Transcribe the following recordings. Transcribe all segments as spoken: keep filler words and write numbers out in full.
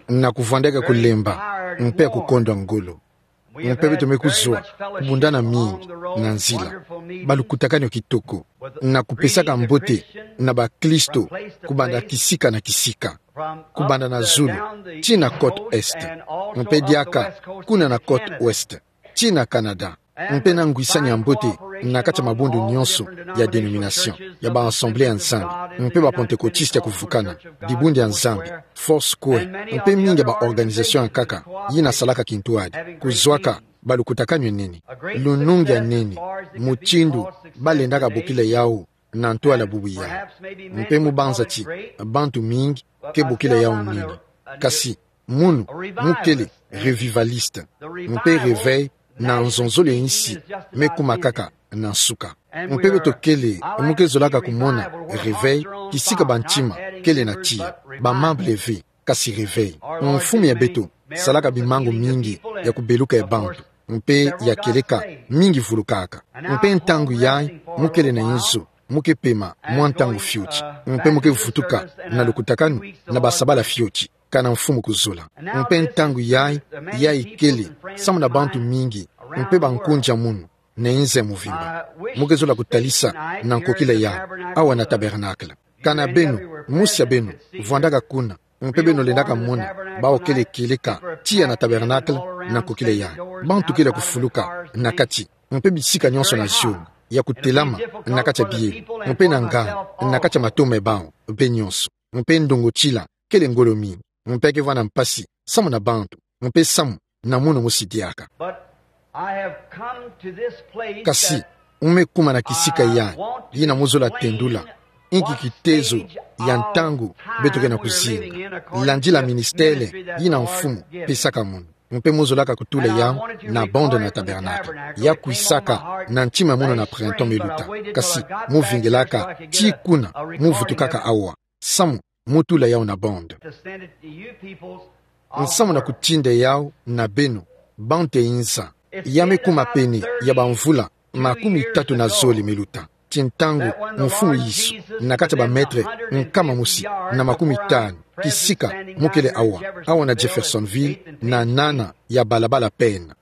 Na kuvwandaka kulemba, mpe ya kukondwa ngolo. Mpe beto me kuzwa kubundana mingi na nzila, balukutakanu ya kitoko, na kupesaka mbote na baklisto, kubanda kisika na kisika, kubanda na zulu tii na côte est, mpe diaka kuna na côte ouest, tii na Canada, mpe na ngwisani ya mbote na kati ya mabundu nyonso ya dénomination, ya ba Assemblée ya Nzambi, mpe ba Pentecôtistes ya kuvukana, Dibundu ya Nzambi, Foursquare, mpe mingi ya ba organisations ya nkaka yina salaka kintwadi, kuzwaka balukutakanu ya nene, lunungu ya nene, mutindu balendaka bokila yawu na ntwala bubu yayi. Mpe mu banza ti bantu mingi ke bokila yawu nini. Kasi munu mu kele revivaliste, mpe réveil na nzonzolo ya insi me kuma kaka na nsuka. Mpe beto kele, mu ke zolaka kumona réveil kisika bantima kele na tiya, ba membres ve, kasi réveil. Mfumu ya beto salaka bimangu mingi ya kubeluka ya bantu, mpe ya kieleka mingi vulukaka. Mpe ntangu yayi mu kele na inzo, mu ke pema mwa ntangu fioti, mpe mu ke vutuka na lukutakanu na basabala fioti, kana Mfumu kuzola. Mpe ntangu yayi, yayi kele samu na bantu mingi, mpe bankunja munu na inza ya muvimba, mu ke zola kutalisa na nkokila yayi, awa na Tabernacle. Kana beno, mosi ya beno vwandaka kuna, mpe beno lendaka mona bawu kele kieleka tiya na Tabernacle na nkokila yayi. Bantu kele ya kufuluka na kati, mpe bisika nyonso na zionga, ya kutelama na kati ya biyela, mpe na nganga na kati ya matomo ya bawu, mpe nyonso. Mpe ndongotila kele ngolo mingi, mpe ke vwanda mpasi samu na bantu, mpe samu na munu mosi diaka. But I have come to this place. Kasi, that u me kuma na kisika yayi, yina mu zola tendula inki kitezo ya ntangu beto ke na kuzinga, landila ministele yina Mfumu pesaka munu. Mpe mu zolaka kutula yawu na bande na Tabernacle, ya kwisaka na ntima ya munu na printemps me luta. Kasi mu vingelaka tii kuna, mu vutukaka awa samu mu tula yawu na bande. Nsamu na kutinda yawu na beno, bantu ya inza. Ya me kuma pene ya bamvula makumi tatu na zole me luta, ti ntangu Mfumu Yesu, na kati ya ba maîtres nkama mosi na makumi tanu kisika, mu kele awa, awa na Jeffersonville, na nana ya balabala Penn.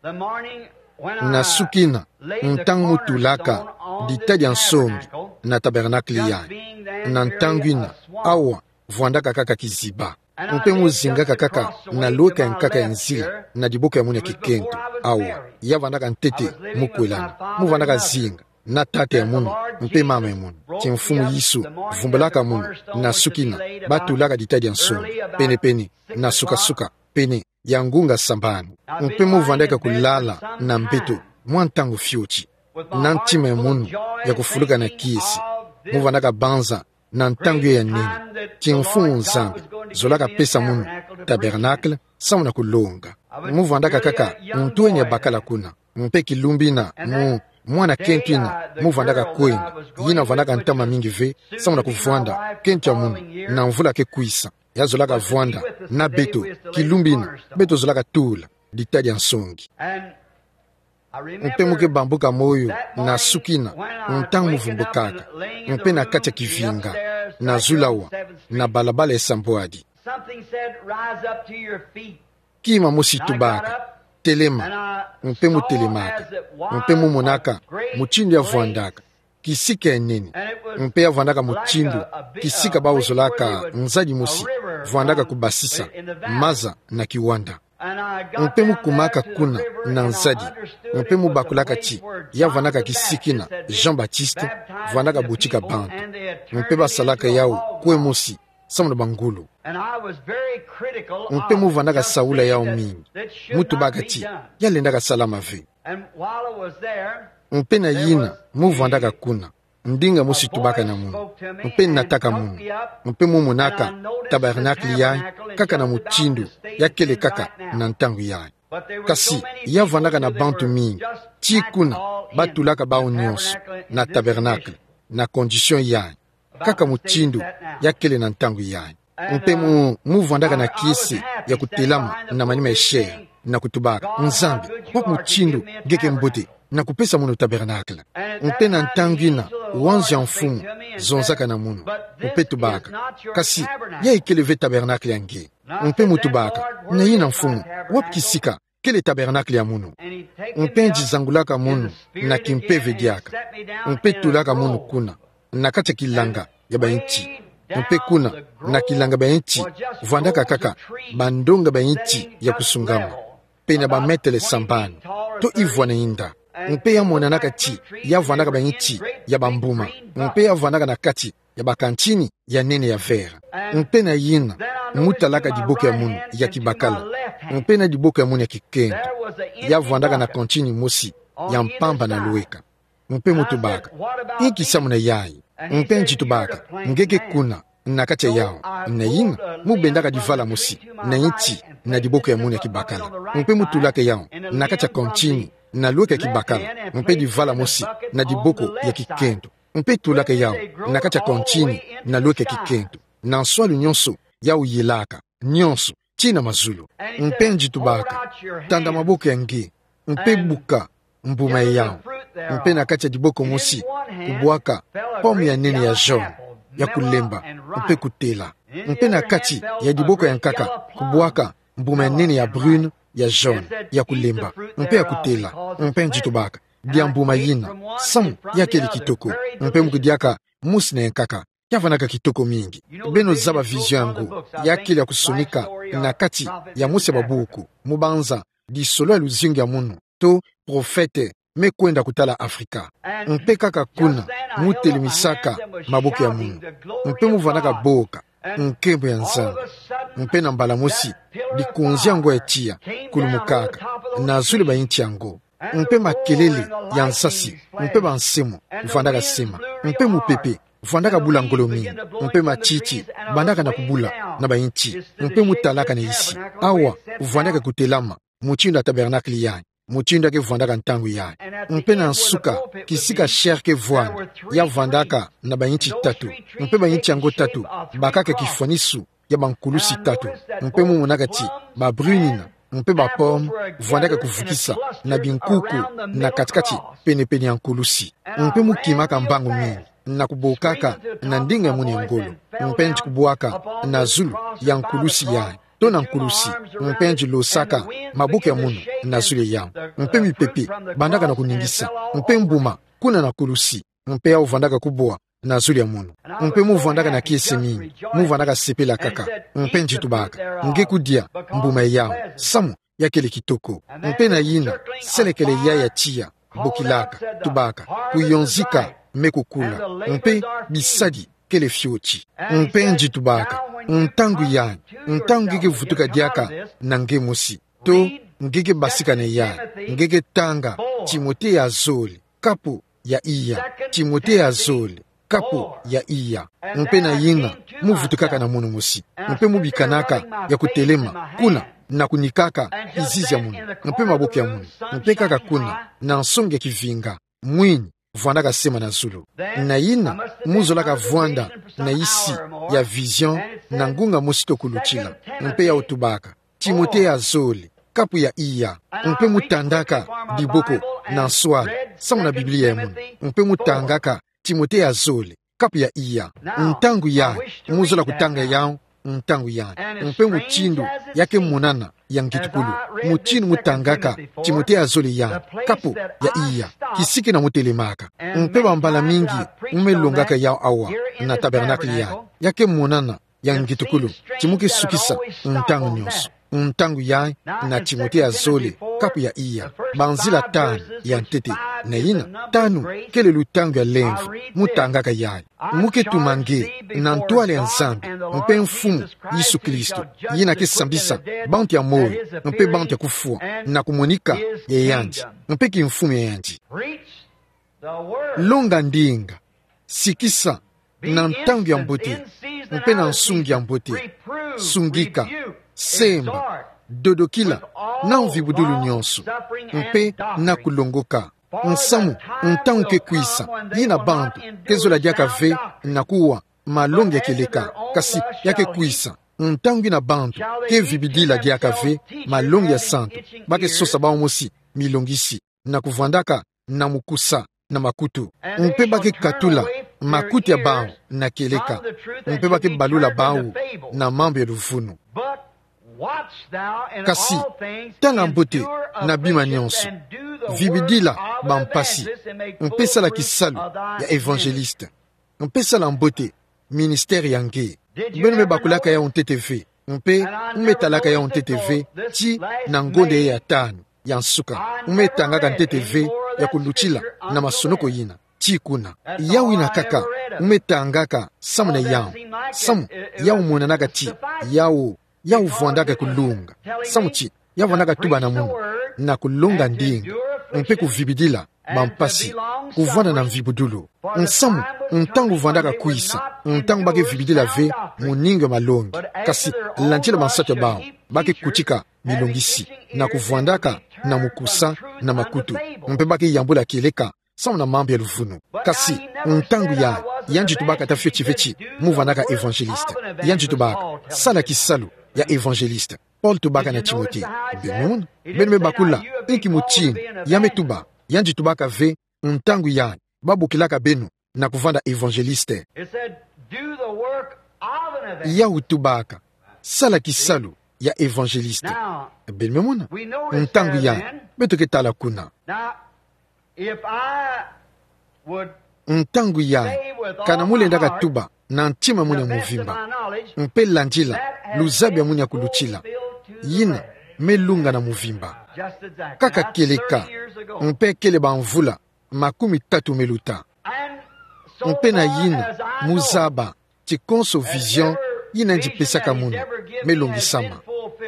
Na sukina, ntangu mu tulaka dita dia nsongi na Tabernacle yayi, na ntangu yina, awa vwandaka kaka kiziba. Mpe mu zingaka kaka na lweka ya nkaka ya nzila, na diboko ya munu ya kikento. Awa, ya vwandaka ntete mu kwelana. Mu vwandaka zinga na tata ya munu mpe mama ya munu, ti Mfumu Yesu vumbulaka munu, na sukina, ba tulaka dita dia nsongi pene-pene, na suka-suka pene ya ngunga sambanu. Mpe mu vwandaka kulala na mbeto mwa ntangu fioti, na ntima ya munu ya kufuluka na kiese. Mu vwandaka banza na ntangu ya nene, ti Mfumu Nzambi zolaka pesa munu Tabernacle samu na kulonga. Mu vwandaka kaka ntwenya bakala kuna, mpe kilumbu yina mu mwana kento yina mu vwandaka kwenda, yina vwandaka ntama mingi ve samu na kuvwanda kento ya munu, na mvula ke kwisa, ya zolaka vwanda na beto, kilumbu yina beto zolaka tula dita dia nsongi. Mpe mu ke bambuka moyo na sukina, ntangu mu vumbukaka, mpe na kati ya kivinga, na zula awa na balabala ya sambwadi, something said, "Rise up to your feet." Kima mosi tubaka: "Telema." Mpe mu telemaka, mpe mu monaka mutindu ya vwandaka kisika ya nene. Mpe ya vwandaka mutindu kisika bawu zolaka nzadi mosi vwandaka kubasisa maza na kiwanda. Mpe mu kumaka kuna na nzadi, mpe mu bakulaka ti ya vwandaka kisika yina Jean-Baptiste vwandaka botika bantu, mpe ba salaka yawu kwe mosi samu na bangulu. Mpe mu vwandaka saula yawu mingi, mu tubaka ti ya lendaka salama ve. Mpe na yina mu vwandaka kuna, ndinga mosi tubaka na munu, mpe nataka munu, mpe mu monaka Tabernacle yayi kaka na mutindu ya kele kaka na ntangu yayi. Kasi ya vwandaka na bantu mingi, ti kuna ba tulaka bawu nyonso na Tabernacle, na condition yayi, kaka mutindu ya kele na ntangu yayi. Mpe mu, mu vwandaka na kiese ya kutelama na manima ya chair, na kutubaka: "Nzambi, wapi mutindu nge ke mbote na kupesa munu Tabernacle?" Mpe na ntangu yina, wanzo ya Mfumu zonzaka na munu, mpe tubaka: "Kasi ya ikele ve Tabernacle ya nge. Mpe mu tubaka: Na yina, Mfumu, wapi kisika kele tabernakle ya munu? Mpe nzangulaka munu na kimpeve diaka, mpe tulaka munu kuna, na kati ya kilanga ya banti. Mpe kuna, na kilanga ya banti, vwandaka kaka bandonga ya banti ya kusungama, pene ya bametele sambanu, to ivwana inda. Mpe ya monanaka ti ya vwandaka banti ya bambuma, mpe ya vwandaka na kati ya bakantini ya nene ya vert. Mpe na yina, mu talaka diboko ya munu ya kibakala, mpe na diboko ya munu ya kikento, ya vwandaka na kantini mosi ya mpamba na lweka. Mpe mu tubaka: Inki samuna yayi? Mpe nzi tubaka: Nge ke kuna, na kati ya yawu. Na yina, mu bendaka divala mosi na nti na diboko ya munu ya kibakala, mpe mu tulaka yawu na kati ya kantini na lweka ya kibakala, mpe divala mosi na diboko ya kikento, mpe tulaka yawu na kati ya kantini na lweka ya kikento. Na nswalu nyonso yawu yilaka, nyonso, tii na mazulu. Mpe nzi tubaka: Tanda maboko ya nge, mpe buka mbuma ya yawu. Mpe na kati ya diboko mosi, kubwaka pomme ya nene ya jaune, ya kulemba, mpe kutela. Mpe na kati ya diboko ya nkaka, kubwaka mbuma ya nene ya brune, ya jaune, ya kulemba, mpe ya kutela. Mpe nzi tubaka: Dia mbuma yina, samu ya kele kitoko. Mpe mu kudiaka mosi na ya nkaka, ya vwandaka kitoko mingi. Beno zaba vision yango, ya kele ya kusonika na kati ya mosi ya babuku, mu banza Lisolo ya luzingu ya munu, to Prophète, me kwenda kutala Afrika. Mpe kaka kuna, mu telemisaka maboko ya munu, mpe mu vwandaka boka nkembo ya Nzambi. Mpe na mbala mosi, likonzi yango ya tiya, kulumukaka na zulu ya banti yango. Mpe makelele ya nsasi, mpe bansemo vwandaka sema, mpe mupepe vwandaka bula ngolo mingi, mpe matiti bandaka na kubula na banti. Mpe mu talaka na isi, awa vwandaka kutelama mutindu ya tabernakle yayi, mutindu ya ke vwandaka ntangu yayi. Mpe na nsuka, kisika chaire ke vwanda, ya vwandaka na banti tatu, mpe banti yango tatu bakaka kifwanisu ya bankulusi tatu. Mpe mu monaka ti babrune yina, mpe bapomme vwandaka kuvukisa na binkuku na kati-kati, pene-pene ya nkulusi. Mpe mu kimaka mbangu mingi, na kubokaka na ndinga ya munu ya ngolo, mpe nzi kubwaka na zulu ya nkulusi yayi, to na nkulusi, mpe nzi losaka maboko ya munu na zulu ya yawu. Mpe mipepe bandaka na kuningisa, mpe mbuma kuna na nkulusi, mpe yawu vwandaka kubwa na zulu ya munu. Mpe mu vwandaka na kiese mingi, mu vwandaka sepelakaka, mpe nzi tubaka: Nge kudia mbuma ya yawu, samu ya kele kitoko. Mpe na yina, selekele yayi ya tiya, bokilaka, tubaka: Kuyonzika me kukula, mpe bisadi kele fioti. Mpe nzi tubaka: Ntangu yayi, ntangu nge ke vutuka diaka na nge mosi, to nge ke basika na yayi, nge ke tanga Timote ya zole, kapu ya iya. Timote ya zole, kapu ya iya. Mpe na yina, mu vutukaka na munu mosi, mpe mu bikanaka ya kutelema kuna, na kunikaka kizizi ya munu, mpe maboko ya munu, mpe kaka kuna, na nsongi ya kivinga, mwini vwandaka sema na zulu. Na yina, mu zolaka vwanda na isi ya vision na ngunga mosi to kulutila, mpe yawu tubaka: Timote ya zole, kapu ya iya. Mpe mu tandaka diboko na nswala, samu na Biblia ya munu, mpe mu tangaka Timote ya zole, kapu ya iya. Ntangu yayi, mu zola kutanga yawu ntangu yayi. Mpe mutindu ya ke monana ya ngitukulu, mutindu mu tangaka Timote ya zole yayi, kapu ya iya, kisiki na mu telemaka. Mpe bambala mingi mu me longaka yawu awa na tabernakle yayi, ya ke monana ya ngitukulu, ti mu ke sukisa ntangu nyonso. Ntangu yayi, na Timote ya zole, kapu ya iya, banzila tanu ya ntete. Na yina, tanu kele lutangu ya lemvo, mu tangaka yayi. Mu ke tuma nge na ntwala ya Nzambi, mpe Mfumu Yesu Kristo, yina ke sambisa bantu ya moyo mpe bantu ya kufwa, na kumonika ya yandi, mpe kimfumu ya yandi. Longa ndinga, sikisa na ntangu ya mbote, mpe na nsungi ya mbote. Sungika, semba, dodokila, na mvibudulu nyonso, mpe na kulongoka. Nsamu, ntangu ke kwisa, yina bantu ke zola diaka ve na kuwa malongi ya kieleka, kasi ya ke kwisa ntangu yina bantu ke vibidila diaka ve malongi ya santu, ba ke sosa bawu mosi milongisi, na kuvwandaka na mukusa na makutu, mpe ba ke katula makutu ya bawu na kieleka, mpe ba ke balula bawu na mambu ya luvunu. Kasi tala mbote na bima nyonso, vibidila bampasi, mpe sala kisalu ya evangeliste, mpe sala mbote ministère ya nge. Beno me bakulaka yawu ntete ve, mpe me talaka yawu ntete ve, tii na ngonde ya tanu ya nsuka, me tangaka ntete ve ya kulutila na masonoko yina, tii kuna. Yawu yina kaka me tangaka samu na yawu, samu yawu monanaka tii yawu, yawu vwandaka kulunga. Samu tii ya vwandaka tuba na munu na kulonga ndinga, mpe kuvibidila bampasi, kuvwanda na mvibudulu. Nsamu, ntangu vwandaka kwisa, ntangu ba ke vibidila ve mu ninga malongi, kasi landila bansatu ya bawu, ba ke kutika milongisi, na kuvwandaka na mukusa na makutu, mpe ba ke yambula kieleka samu na mambu ya luvunu. Kasi ntangu yayi, yandi tubaka ata fioti ve ti mu vwandaka evangeliste. Yandi tubaka sala kisalu ya evangeliste. Paul tubaka na Timote: Beno, beno me bakula inki mutinu ya me tuba. Yandi tubaka ve ntangu yayi ba bokilaka beno na kuvwanda evangeliste. It said, "Do the work of an evangelist." Yawu tubaka sala kisalu ya evangeliste. Now, beno me mona, we know where it ntangu says yayi, then, beto ke tala kuna. Now, if I would Ntangu yayi, kana mu lendaka tuba na ntima ya munu ya muvimba, mpe landila luzabi ya munu ya kulutila, yina me lunga na muvimba. Kaka kieleka, mpe kele bamvula makumi tatu me luta. Mpe na yina, mu zaba ti konso vision yina yandi pesaka munu me longisama.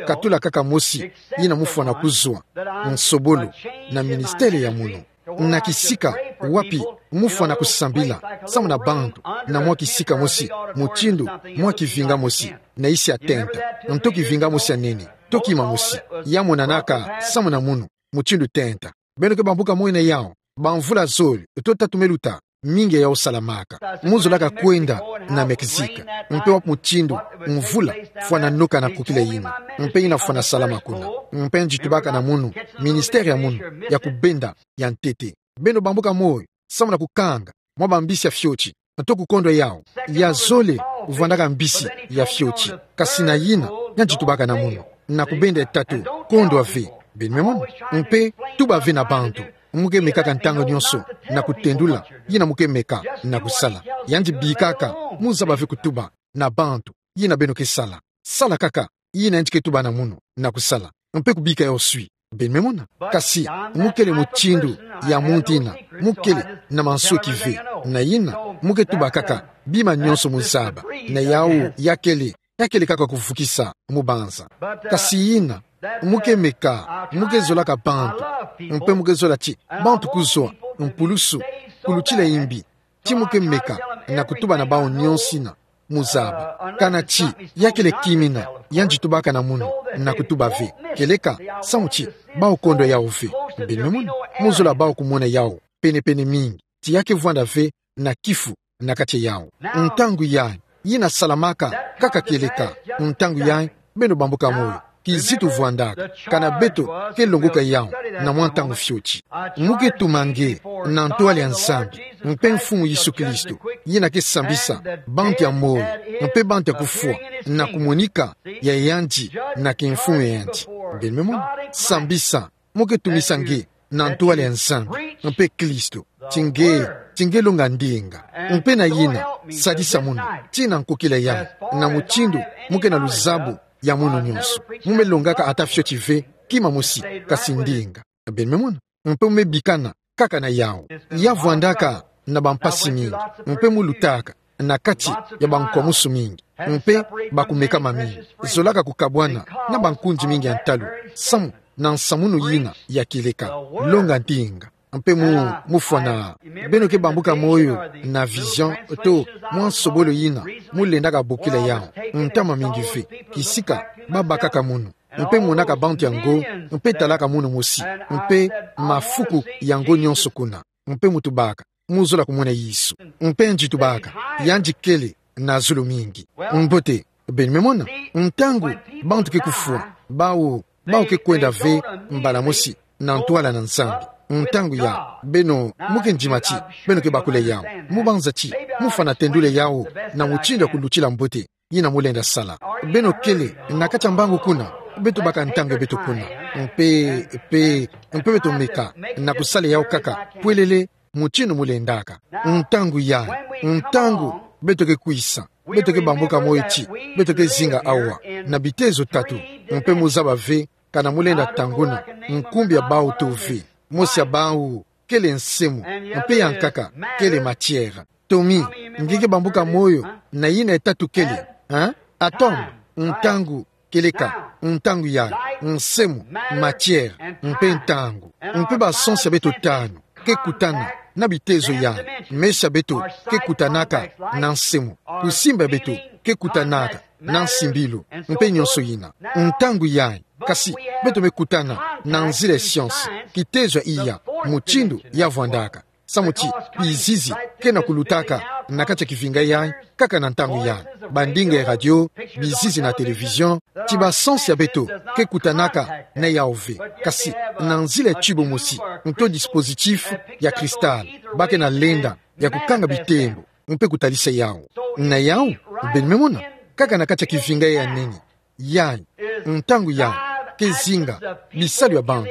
Katula kaka mosi yina mu fwana kuzwa, nsobolo na ministère ya munu. Na kisika wapi mu fwana kusambila samu na bantu, na mwa kisika mosi, mutindu mwa kivinga mosi, na isi atenta, nto kivinga mosi ya nene, to kima mosi, ya monanaka samu na munu mutindu tenta. Beno ke bambuka moyo na yawu, bamvula zole to tatu me luta, mingi ya yawu salamaka. Mu zolaka kwenda na Mexique, mpe wapi mutindu mvula fwana noka na kokila yina, mpe yina fwana salama kuna. Mpe yandi tubaka na munu, ministère ya munu ya kubenda ya ntete. Beno bambuka moyo samu na kukanga mwa bambisi ya fioti, nto kukondwa yawu. Ya zole vwandaka mbisi ya fioti, kasi na yina, yandi tubaka na munu, na kubenda tatu, kondwa ve. Beno me mona, mpe tuba ve na bantu. Mu ke mekaka ntangu nyonso na kutendula yina mu ke meka na kusala. Yandi bikaka mu zaba ve kutuba na bantu yina beno ke sala. Sala kaka yina yandi ke tuba na munu na kusala, mpe kubika yawu swi. Beno me mona. Kasi mu kele mutindu ya muntu yina, mu kele na mansweki ve. Na yina, mu ke tuba kaka bima nyonso mu zaba. Na yawu ya kele, ya kele kaka kuvukisa mu banza. Kasi yina, mu ke meka, mu ke zolaka bantu, mpe mu ke zola ti bantu kuzwa mpulusu, kulutila imbi, ti mu ke meka na kutuba na bawu nyonso yina mu zaba. Kana ti ya kele kimina yandi tubaka na munu na kutuba ve, kieleka samu ti bawu kondwa yawu ve. Beno me mona, mu zola bawu kumona yawu penepene mingi, ti ya ke vwanda ve na kifu na kati ya yawu. Ntangu yayi, yina salamaka kaka kieleka. Ntangu yayi, beno bambuka moyo, kizitu vwandaka kana beto ke longoka yawu na mwa ntangu fioti. Mu ke tuma nge na ntwala ya Nzambi mpe Mfumu Yesu Kristo, yina ke sambisa bantu ya moyo mpe bantu ya kufwa na kumonika ya yandi na kimfumu ya yandi. Beno me mona, sambisa, mu ke tumisa nge na ntwala ya Nzambi mpe Kristo, ti nge, ti nge longa ndinga. Mpe na yina, sadisa munu, tii na nkokila yayi, na mutindu mu ke na luzabu ya munu nyonso. Mu me longaka ata fioti ve kima mosi, kasi ndinga. Beno me mona, mpe mu me bikana kaka na yawu. Ya vwandaka na bampasi mingi, mpe mu lutaka na kati ya bankwamusu mingi, mpe bakumekama mingi. Zolaka kukabwana na bankundi mingi ya ntalu samu na nsamu yina ya kieleka, longa ndinga. Mpe mu, mu fwana, beno ke bambuka moyo na vision to mwa nsobolo yina mu lendaka bokila yawu, ntama mingi ve, kisika ba bakaka munu, mpe monaka bantu yango, mpe talaka munu mosi, mpe mafuku yango nyonso kuna. Mpe mu tubaka, mu zola kumona Yesu. Mpe yandi tubaka, yandi kele na zulu mingi. Mbote, beno me mona, ntangu bantu ke kufwa, bawu, bawu ke kwenda ve mbala mosi na ntwala na Nzambi. Ntangu yayi, beno mu ke ndima ti beno ke bakula yawu. Mu banza ti mu fwana tendula yawu na mutindu ya kulutila mbote yina mu lenda sala. Beno kele na kati ya mbangu kuna, Beto baka ntangu ya beto kuna. Mpe, mpe, mpe beto meka na kusala yawu kaka pwelele mutindu mulendaka. Ntangu yayi, ntangu beto ke kwisa, beto ke bambuka moyo ti beto ke zinga awa na bitezo tatu. Mpe muzaba ve, kana mulenda tanguna nkumbu ya bawu to ve. Mosi ya bawu kele nsemo, mpe ya nkaka kele matière. Tommy, nge ke bambuka moyo na yina ya tatu kele, hein? Atome, ntangu, kieleka, ntangu yayi, nsemo, matière, mpe ntangu. Mpe basansu ya beto tanu ke kutana na bitezo yayi. Meso ya beto ke kutanaka na nsemo, kusimba ya beto ke kutanaka na nsimbilu, mpe nyonso yina. Ntangu yayi, kasi beto me kutana na nzila ya science, kitezo ya iya, mutindu ya vwandaka. Samu ti bizizi ke na kulutaka na kati ya kivinga yayi, kaka na ntangu yayi. Bandinga ya radio, bizizi na télévision, ti basansu ya beto ke kutanaka na yawu ve. Kasi na nzila ya tube mosi, nto dispositif ya cristal, ba ke na lenda ya kukanga bitembo, mpe kutalisa yawu. Na yawu, beno me mona, kaka na kati ya kivinga ya nene. Yayi, ntangu yayi, ke zinga bisalu ya bantu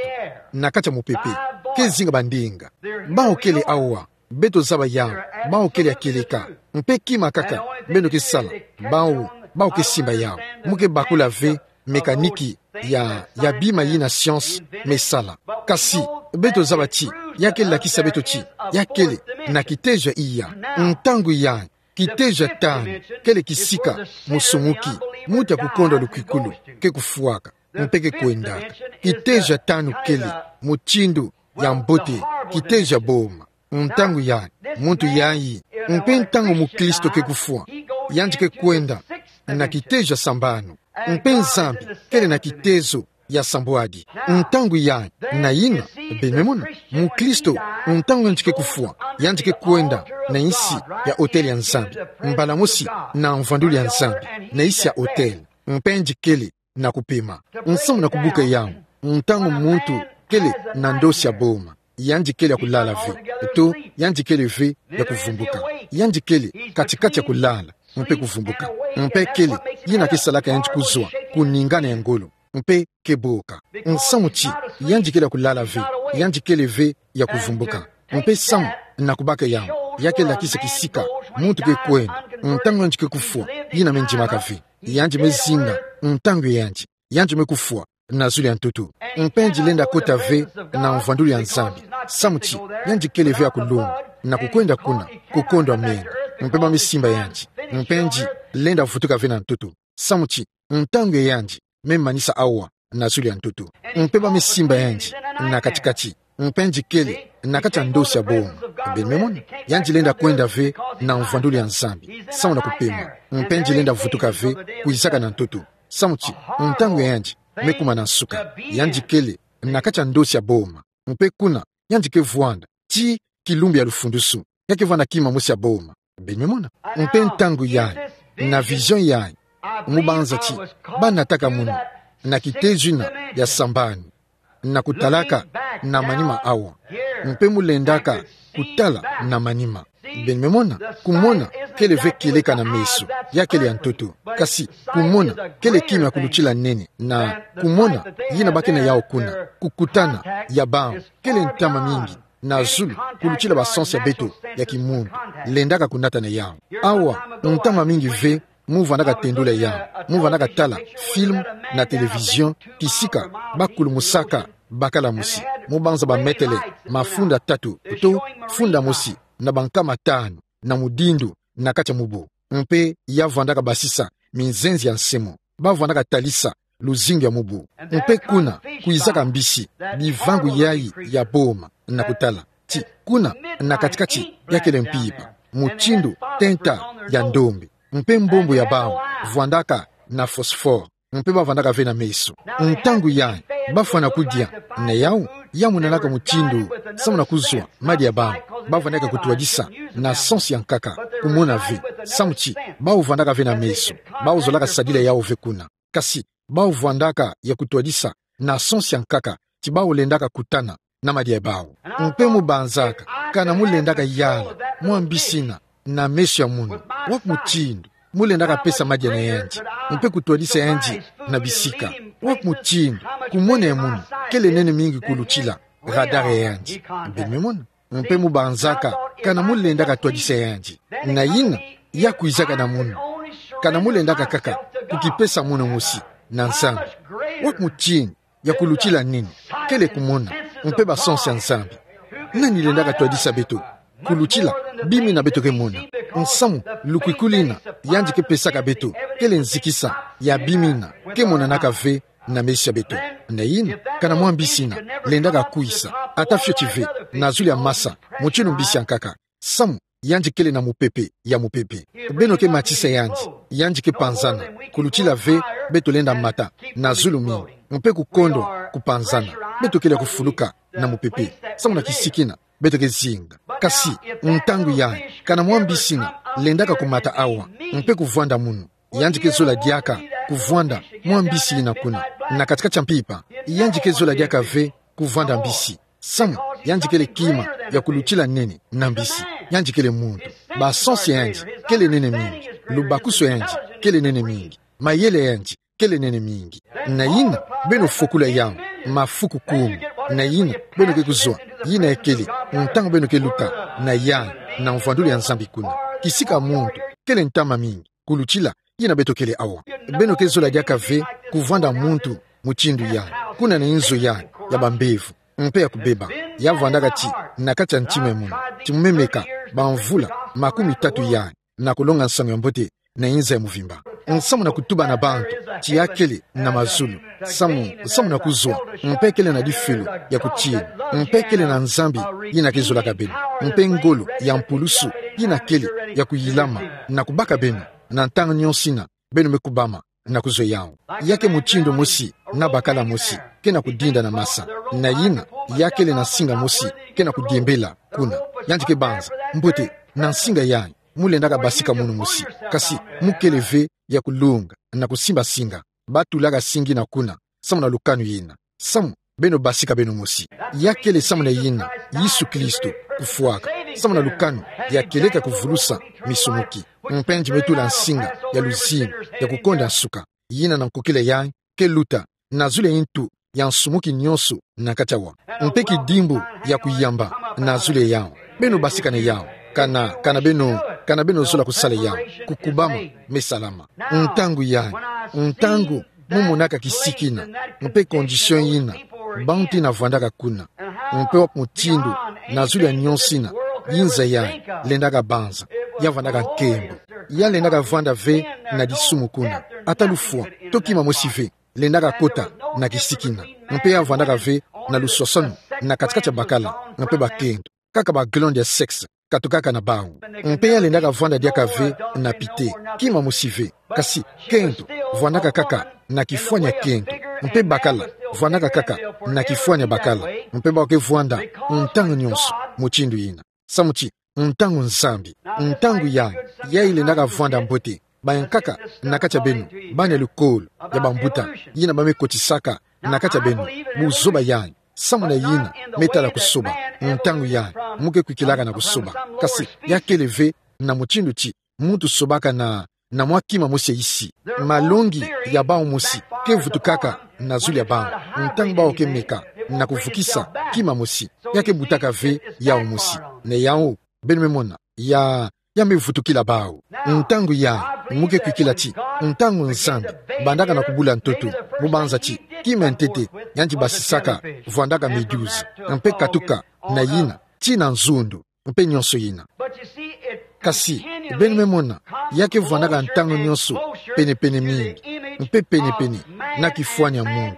na kati ya mupepe, ke zinga bandinga. Bawu kele awa, beto zaba yawu, bawu kele ya kieleka, mpe kima kaka beno ke sala, bawu, bawu ke simba yawu. Mu ke bakula ve mécanique ya, ya bima yina science me sala. Kasi beto zaba ti ya ke lakisa beto ti ya kele na kitezo ya iya. Ntangu yayi, kitezo ya tanu kele kisika musumuki, muntu ya kukondwa lukwikulu, ke kufwaka, mpe ke kwendaka. Kitezo ya tanu kele mutindu ya mbote, kitezo ya boma. Ntangu yayi, muntu yayi, mpe ntangu mukristo ke kufwa, yandi ke kwenda na kitezo ya sambanu. Mpe Nzambi kele na kitezo ya sambwadi. Ntangu yayi, na yina, beno me mona, mukristo, ntangu yandi ke kufwa, yandi ke kwenda na nsi ya autel ya Nzambi. Mbala mosi na mvwandulu ya Nzambi, na nsi ya autel. Mpe yandi kele na kupema. Nsamu na kubuka yawu, ntangu muntu kele na ndosi ya boma, yandi kele ya kulala ve, to yandi kele ve ya kuvumbuka. Yandi kele kati-kati ya kulala mpe kuvumbuka. Mpe kele yina ke salaka yandi kuzwa kuningana ya ngolo, mpe ke boka. Nsamu ti yandi kele ya kulala ve, yandi kele ve ya kuvumbuka. Mpe samu na kubaka yawu, ya ke lakisa kisika muntu ke kwenda ntangu yandi ke kufwa, yina me ndimaka ve. Yandi me zinga ntangu ya yandi, yandi me kufwa na zulu ya ntoto. Mpe yandi lenda kota ve na mvwandulu ya Nzambi. Samu ti yandi kele ve ya kulonga na kukwenda kuna, kukondwa menga. Mpe ba me simba yandi. Mpe yandi lenda vutuka ve na ntoto. Samu ti ntangu ya yandi me manisa awa na zulu ya ntoto. Mpe ba me simba yandi na kati-kati. Mpe yandi kele na kati ya ndosi ya boma. Beno me mona, yandi lenda kwenda ve na mvwandulu ya Nzambi, samu na kupema. Mpe yandi lenda vutuka ve kwizaka na ntoto. Samu ti ntangu ya yandi me kuma na nsuka. Yandi kele na kati ya ndosi ya boma. Mpe kuna, yandi ke vwanda tii kilumbu ya lufundusu. Ya ke vwanda kima mosi ya boma. Beno me mona. Mpe ntangu yayi, na vision yayi, mu banza ti ba nataka munu na kitezo yina ya sambanu, na kutalaka na manima awa. Mpe mu lendaka kutala na manima. Beno me mona, kumona kele ve kieleka na meso, ya kele ya ntoto. Kasi kumona kele kima ya kulutila nene, na kumona yina ba ke na yawu kuna, kukutana ya bawu kele ntama mingi na zulu kulutila basansu ya beto ya kimuntu. Lendaka kunata na yawu. Awa, ntama mingi ve mu vandaka tendula yawu, mu vandaka tala film na télévision, kisika ba kulumusaka bakala mosi, mu banza ba metele mafunda tatu to funda mosi na bankama tanu na mudindo na kati ya mubu. Mpe ya vandaka basisa minzenze ya nsemo. Ba vandaka talisa luzingu ya mubu. Mpe kuna, kwizaka mbisi, bivangu yayi ya boma, na kutala ti kuna, na kati-kati, ya kele mpimpa, mutindu tenta ya ndombe. Mpe mbombo ya bawu vandaka na phosphore. Mpe ba vandaka ve na meso. Ntangu yayi, ba fwana kudia, na yawu ya monanaka mutindu samu na kuzwa madia ya bawu. Ba vandaka kutwadisa na sansu ya nkaka, kumona ve, samu ti bawu vandaka ve na meso, bawu zolaka sadila yawu ve kuna. Kasi bawu vandaka ya kutwadisa na sansu ya nkaka ti bawu lendaka kutana na madia ya bawu. Mpe mu banzaka, kana mu lendaka yala mwa mbisi yina na meso ya munu, wapi mutindu mu lendaka pesa madia na yandi, mpe kutwadisa yandi na bisika. Wapi mutindu, kumona ya munu, kele nene mingi kulutila radar yandi. Beno me mona. Mpe mu banzaka, kana mu lendaka twadisa yandi. Na yina, ya kwizaka na munu. Kana mu lendaka kaka kukipesa munu mosi na Nzambi. Wapi mutindu ya kulutila nini, kele kumona, mpe ba sens ya Nzambi. Nani lendaka twadisa beto kulutila bima yina beto ke mona? Nsamu, lukwikulwina yandi ke pesaka beto, kele nzikisa ya bima yina ke monanaka ve na meso ya beto. Na yina, kana mwa mbisi yina lendaka kwisa, ata fioti ve, na zulu ya masa, mutindu mbisi ya nkaka. Samu, yandi kele na mupepe ya mupepe. Beno ke matisa yandi, yandi ke panzana, kulutila ve beto lenda mata na zulu mingi, mpe kukondwa kupanzana, beto kele kufuluka na mupepe, samu na kisiki yina beto ke zinga. Kasi, ntangu yayi, kana mwa mbisi yina lendaka kumata awa, mpe kuvwanda munu, yandi ke zola diaka kuvwanda mwa mbisi yina kuna, na kati-kati ya mpimpa, yandi ke zola diaka ve kuvwanda mbisi. Samu, yandi kele kima ya kulutila nene na mbisi. Yandi kele muntu. Ba sens ya yandi kele nene mingi. Lubakusu ya yandi kele nene mingi. Mayele ya yandi kele nene mingi. Na yina, beno fokula yawu mafuku kumi. Na yina, beno ke kuzwa yina ekele ntangu beno ke luta na yayi, na mvwandulu ya Nzambi kuna. Kisika muntu kele ntama mingi kulutila yina beto kele awa. Beno ke zola diaka ve kuvwanda muntu mutindu yayi, kuna na inzo yayi ya bambevo, mpe ya kubeba. Ya vwandaka ti na kati ya ntima ya munu, ti mu me meka bamvula makumi tatu yayi, na kulonga nsangu ya mbote na inza ya muvimba. Nsamu na kutuba na bantu ti ya kele na mazulu, samu, samu na kuzwa, mpe kele na difelo ya kutina, mpe kele na Nzambi yina ke zolaka beno, mpe ngolo ya mpulusu yina kele ya kuyilama na kubaka beno, na ntangu nyonso yina beno me kubama na kuzwa yawu. Ya ke mutindu mosi na bakala mosi ke na kudinda na masa. Na yina, ya kele na nsinga mosi ke na kudiembela kuna. Yandi ke banza: Mbote, na nsinga yayi, mu lendaka basika munu mosi. Kasi, mu kele ve ya kulonga na kusimba nsinga. Batulaka nsinga yina kuna, samu na lukanu yina. Samu, beno basika beno mosi. Ya kele samu na yina Yesu Kristo kufwaka, samu na lukanu ya kieleka kuvulusa misumuki. Mpe yandi me tula nsinga ya luzingu, ya kukonda nsuka, yina na nkokila yayi ke luta na zulu ya ntu ya nsumuki nyonso na kati awa. Mpe kidimbu ya kuyamba na zulu ya yawu. Beno basika na yawu. Kana, kana beno, kana beno zola kusala yawu, kukubama me salama. Ntangu yayi, ntangu mu monaka kisiki yina, mpe condition yina bantu yina vwandaka kuna, mpe wapi mutindu, na zulu ya nyonso yina, inza yayi lendaka banza, ya vwandaka nkembo. Ya lendaka vwanda ve na disumu kuna, ata lufwa, to kima mosi ve lendaka kota na kisiki yina. Mpe ya vwandaka ve na luswaswanu na kati-kati ya bakala mpe bakento, kaka ba glandes ya sexe katukaka na bawu. Mpe ya lendaka vwanda diaka ve na pite, kima mosi ve. Kasi kento vwandaka kaka na kifwani ya kento, mpe bakala vwandaka kaka na kifwani ya bakala, mpe bawu ke vwanda ntangu nyonso mutindu yina. Samu ti ntangu Nzambi, ntangu yayi, yayi lendaka vwanda mbote. Bayankaka na kati ya beno bana ya lukolo ya bambuta yina ba me kotisaka na kati ya beno buzoba yayi. Samu na yina me tala kusoba. Ntangu yayi, mu ke kwikilaka na kusoba. Kasi ya kele ve na mutindu ti muntu sobaka na, na mwa kima mosi ya isi. Malongi ya bawu mosi ke vutukaka na zulu ya bawu ntangu bawu ke meka na kuvukisa kima mosi. Ya ke butaka ve yawu mosi. Na yawu, beno me mona, ya, ya me vutukila bawu. Ntangu yayi, mu ke kwikila ti ntangu Nzambi bandaka na kubula ntoto, mu banza ti kima ya ntete yandi basisaka vwandaka méduse, mpe katuka na yina tii na nzundu, mpe nyonso yina. Kasi beno me mona, ya ke vwandaka ntangu nyonso pene-pene mingi, mpe pene-pene na kifwani ya muntu.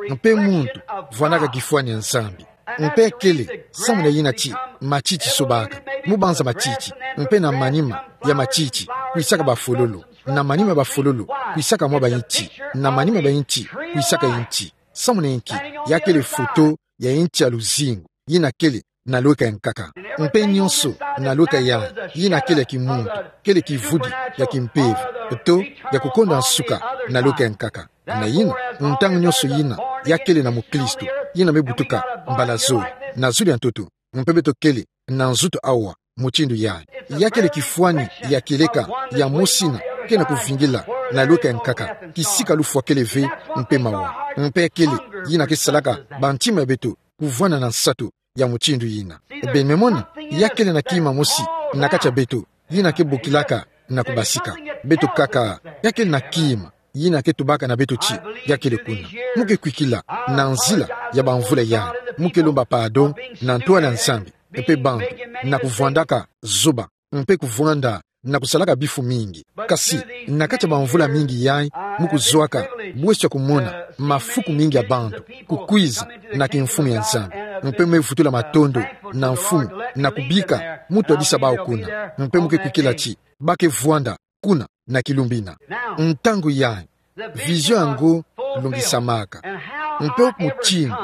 Mpe muntu vwandaka kifwani ya Nzambi. Mpe kele samu na yina ti matiti sobaka, mu banza matiti, mpe na manima ya matiti kwisaka bafololo, na manima ya bafololo kwisaka mwa bainti, na manima ya bainti kwisaka inti. Samu na inki? Ya kele foto ya inti ya luzingu yina kele na lweka ya nkaka. Mpe nyonso na lweka yayi, yina kele ya kimuntu, kele kivudi ya kimpeve, to ya kukonda nsuka na lweka ya nkaka. Na yina, ntangu nyonso yina ya kele na mukristu yina me butuka mbala zole na zulu ya ntoto, mpe beto kele na nzutu awa mutindu yayi. Ya kele kifwani ya kieleka ya mosi yina ke na kuvingila na lweka ya nkaka, kisika lufwa kele ve mpe mawa. Mpe ya kele yina ke salaka bantima ya beto kuvwanda na nsatu ya mutindu yina. Beno me mona, ya kele na kima mosi na kati ya beto yina ke bokilaka na kubasika. Beto kaka, ya kele na kima yina ke tubaka na beto ti ya kele kuna. Mu ke kwikila na nzila ya bamvula yai, mu ke lomba pardon na ntwala ya Nzambi, mpe bantu, na kuvwandaka zoba, mpe kuvwanda na kusalaka bifu mingi. Kasi, na kati ya bamvula mingi yai, mu kuzwaka bweso ya kumona mafuku mingi ya bantu kukwiza na kimfumu ya Nzambi, mpe mu me vutula matondo na Mfumu na kubika mu twadisa bawu kuna, mpe mu ke kwikila ti ba ke vwanda kuna na kilumbu ina. Ntangu yai, vision yango lungisamaka. Mpe mutindu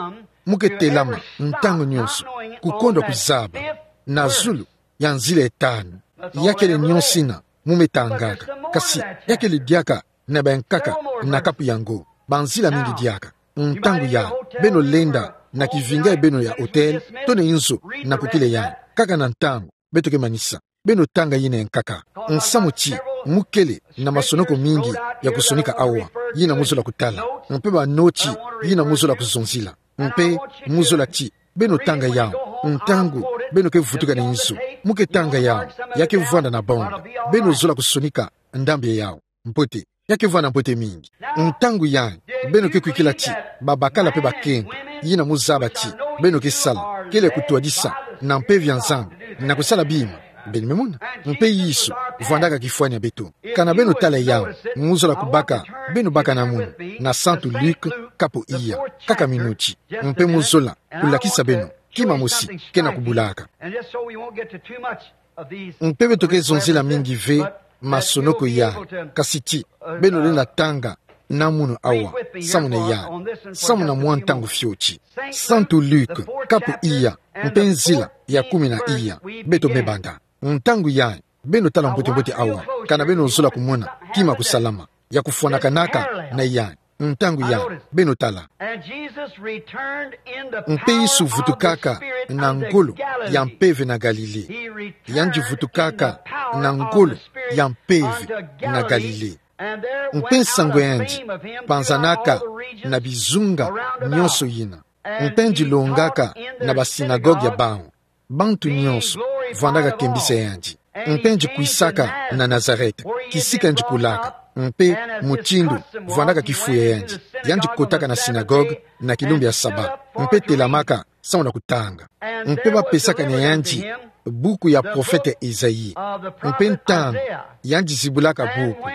mu ke telama ntangu nyonso, kukondwa kuzaba na zulu ya nzila ya tanu. Ya kele nyonso yina mu me tangaka. Kasi, ya kele diaka na bayankaka na kapu yango, banzila mingi diaka. Ntangu yai, beno lenda na kivinga ya beno ya hotel, to na inzo na kukila yai. Kaka na ntangu beto ke manisa, beno tanga yina ya nkaka. Nsamu ti mu kele na masonoko mingi ya kusonika awa, yina mu zola kutala, mpe banoti yina mu zola kuzonzila, mpe mu zola ti beno tanga yawu ntangu beno ke vutuka na inzo. Mu ke tanga yawu, ya ke vwanda na bonda. Beno zola kusonika ndambu ya yawu mbote, ya ke vwanda mbote mingi. Ntangu yai, beno ke kwikila ti babakala mpe bakento, yina mu zaba ti beno ke sala, kele kutwadisa na mpeve ya Nzambi na kusala bima. Beno me mona, mpe Yesu vwandaka kifwani ya beto. Kana beno tala yawu, mu zola kubaka, beno baka na munu na Santu Luc, kapu iya, kaka minuti, mpe mu zola kulakisa beno kima mosi ke na kubulaka. Mpe beto ke zonzila mingi ve masonoko yai, kasi ti beno lenda tanga na munu awa, samu na yai, samu na mwa ntangu fioti. Santu Luc, kapu iya, mpe nzila ya kumi na iya, beto me banda. Ntangu yai, beno tala mbote mbote awa, kana beno zola kumona kima kusalama ya kufwanakanaka na yai. Ntangu yai, beno tala. Mpe Yesu vutukaka na ngolo ya mpeve na Galile. Yandi vutukaka na ngolo ya mpeve na Galile. Mpe nsangu ya yandi panzanaka na bizunga nyonso yina. Mpe yandi longaka na basinagogue ya bawu. Bantu nyonso vwandaka kembisa yandi. Mpe yandi kwisaka na Nazareth, kisika yandi kulaka, mpe mutindu vwandaka kifu ya yandi. Yandi kotaka na sinagogue na kilumbu ya Saba, mpe telamaka samu na kutanga. Mpe bapesaka na yandi buku ya prophète Esaïe. Mpe ntangu yandi zibulaka buku,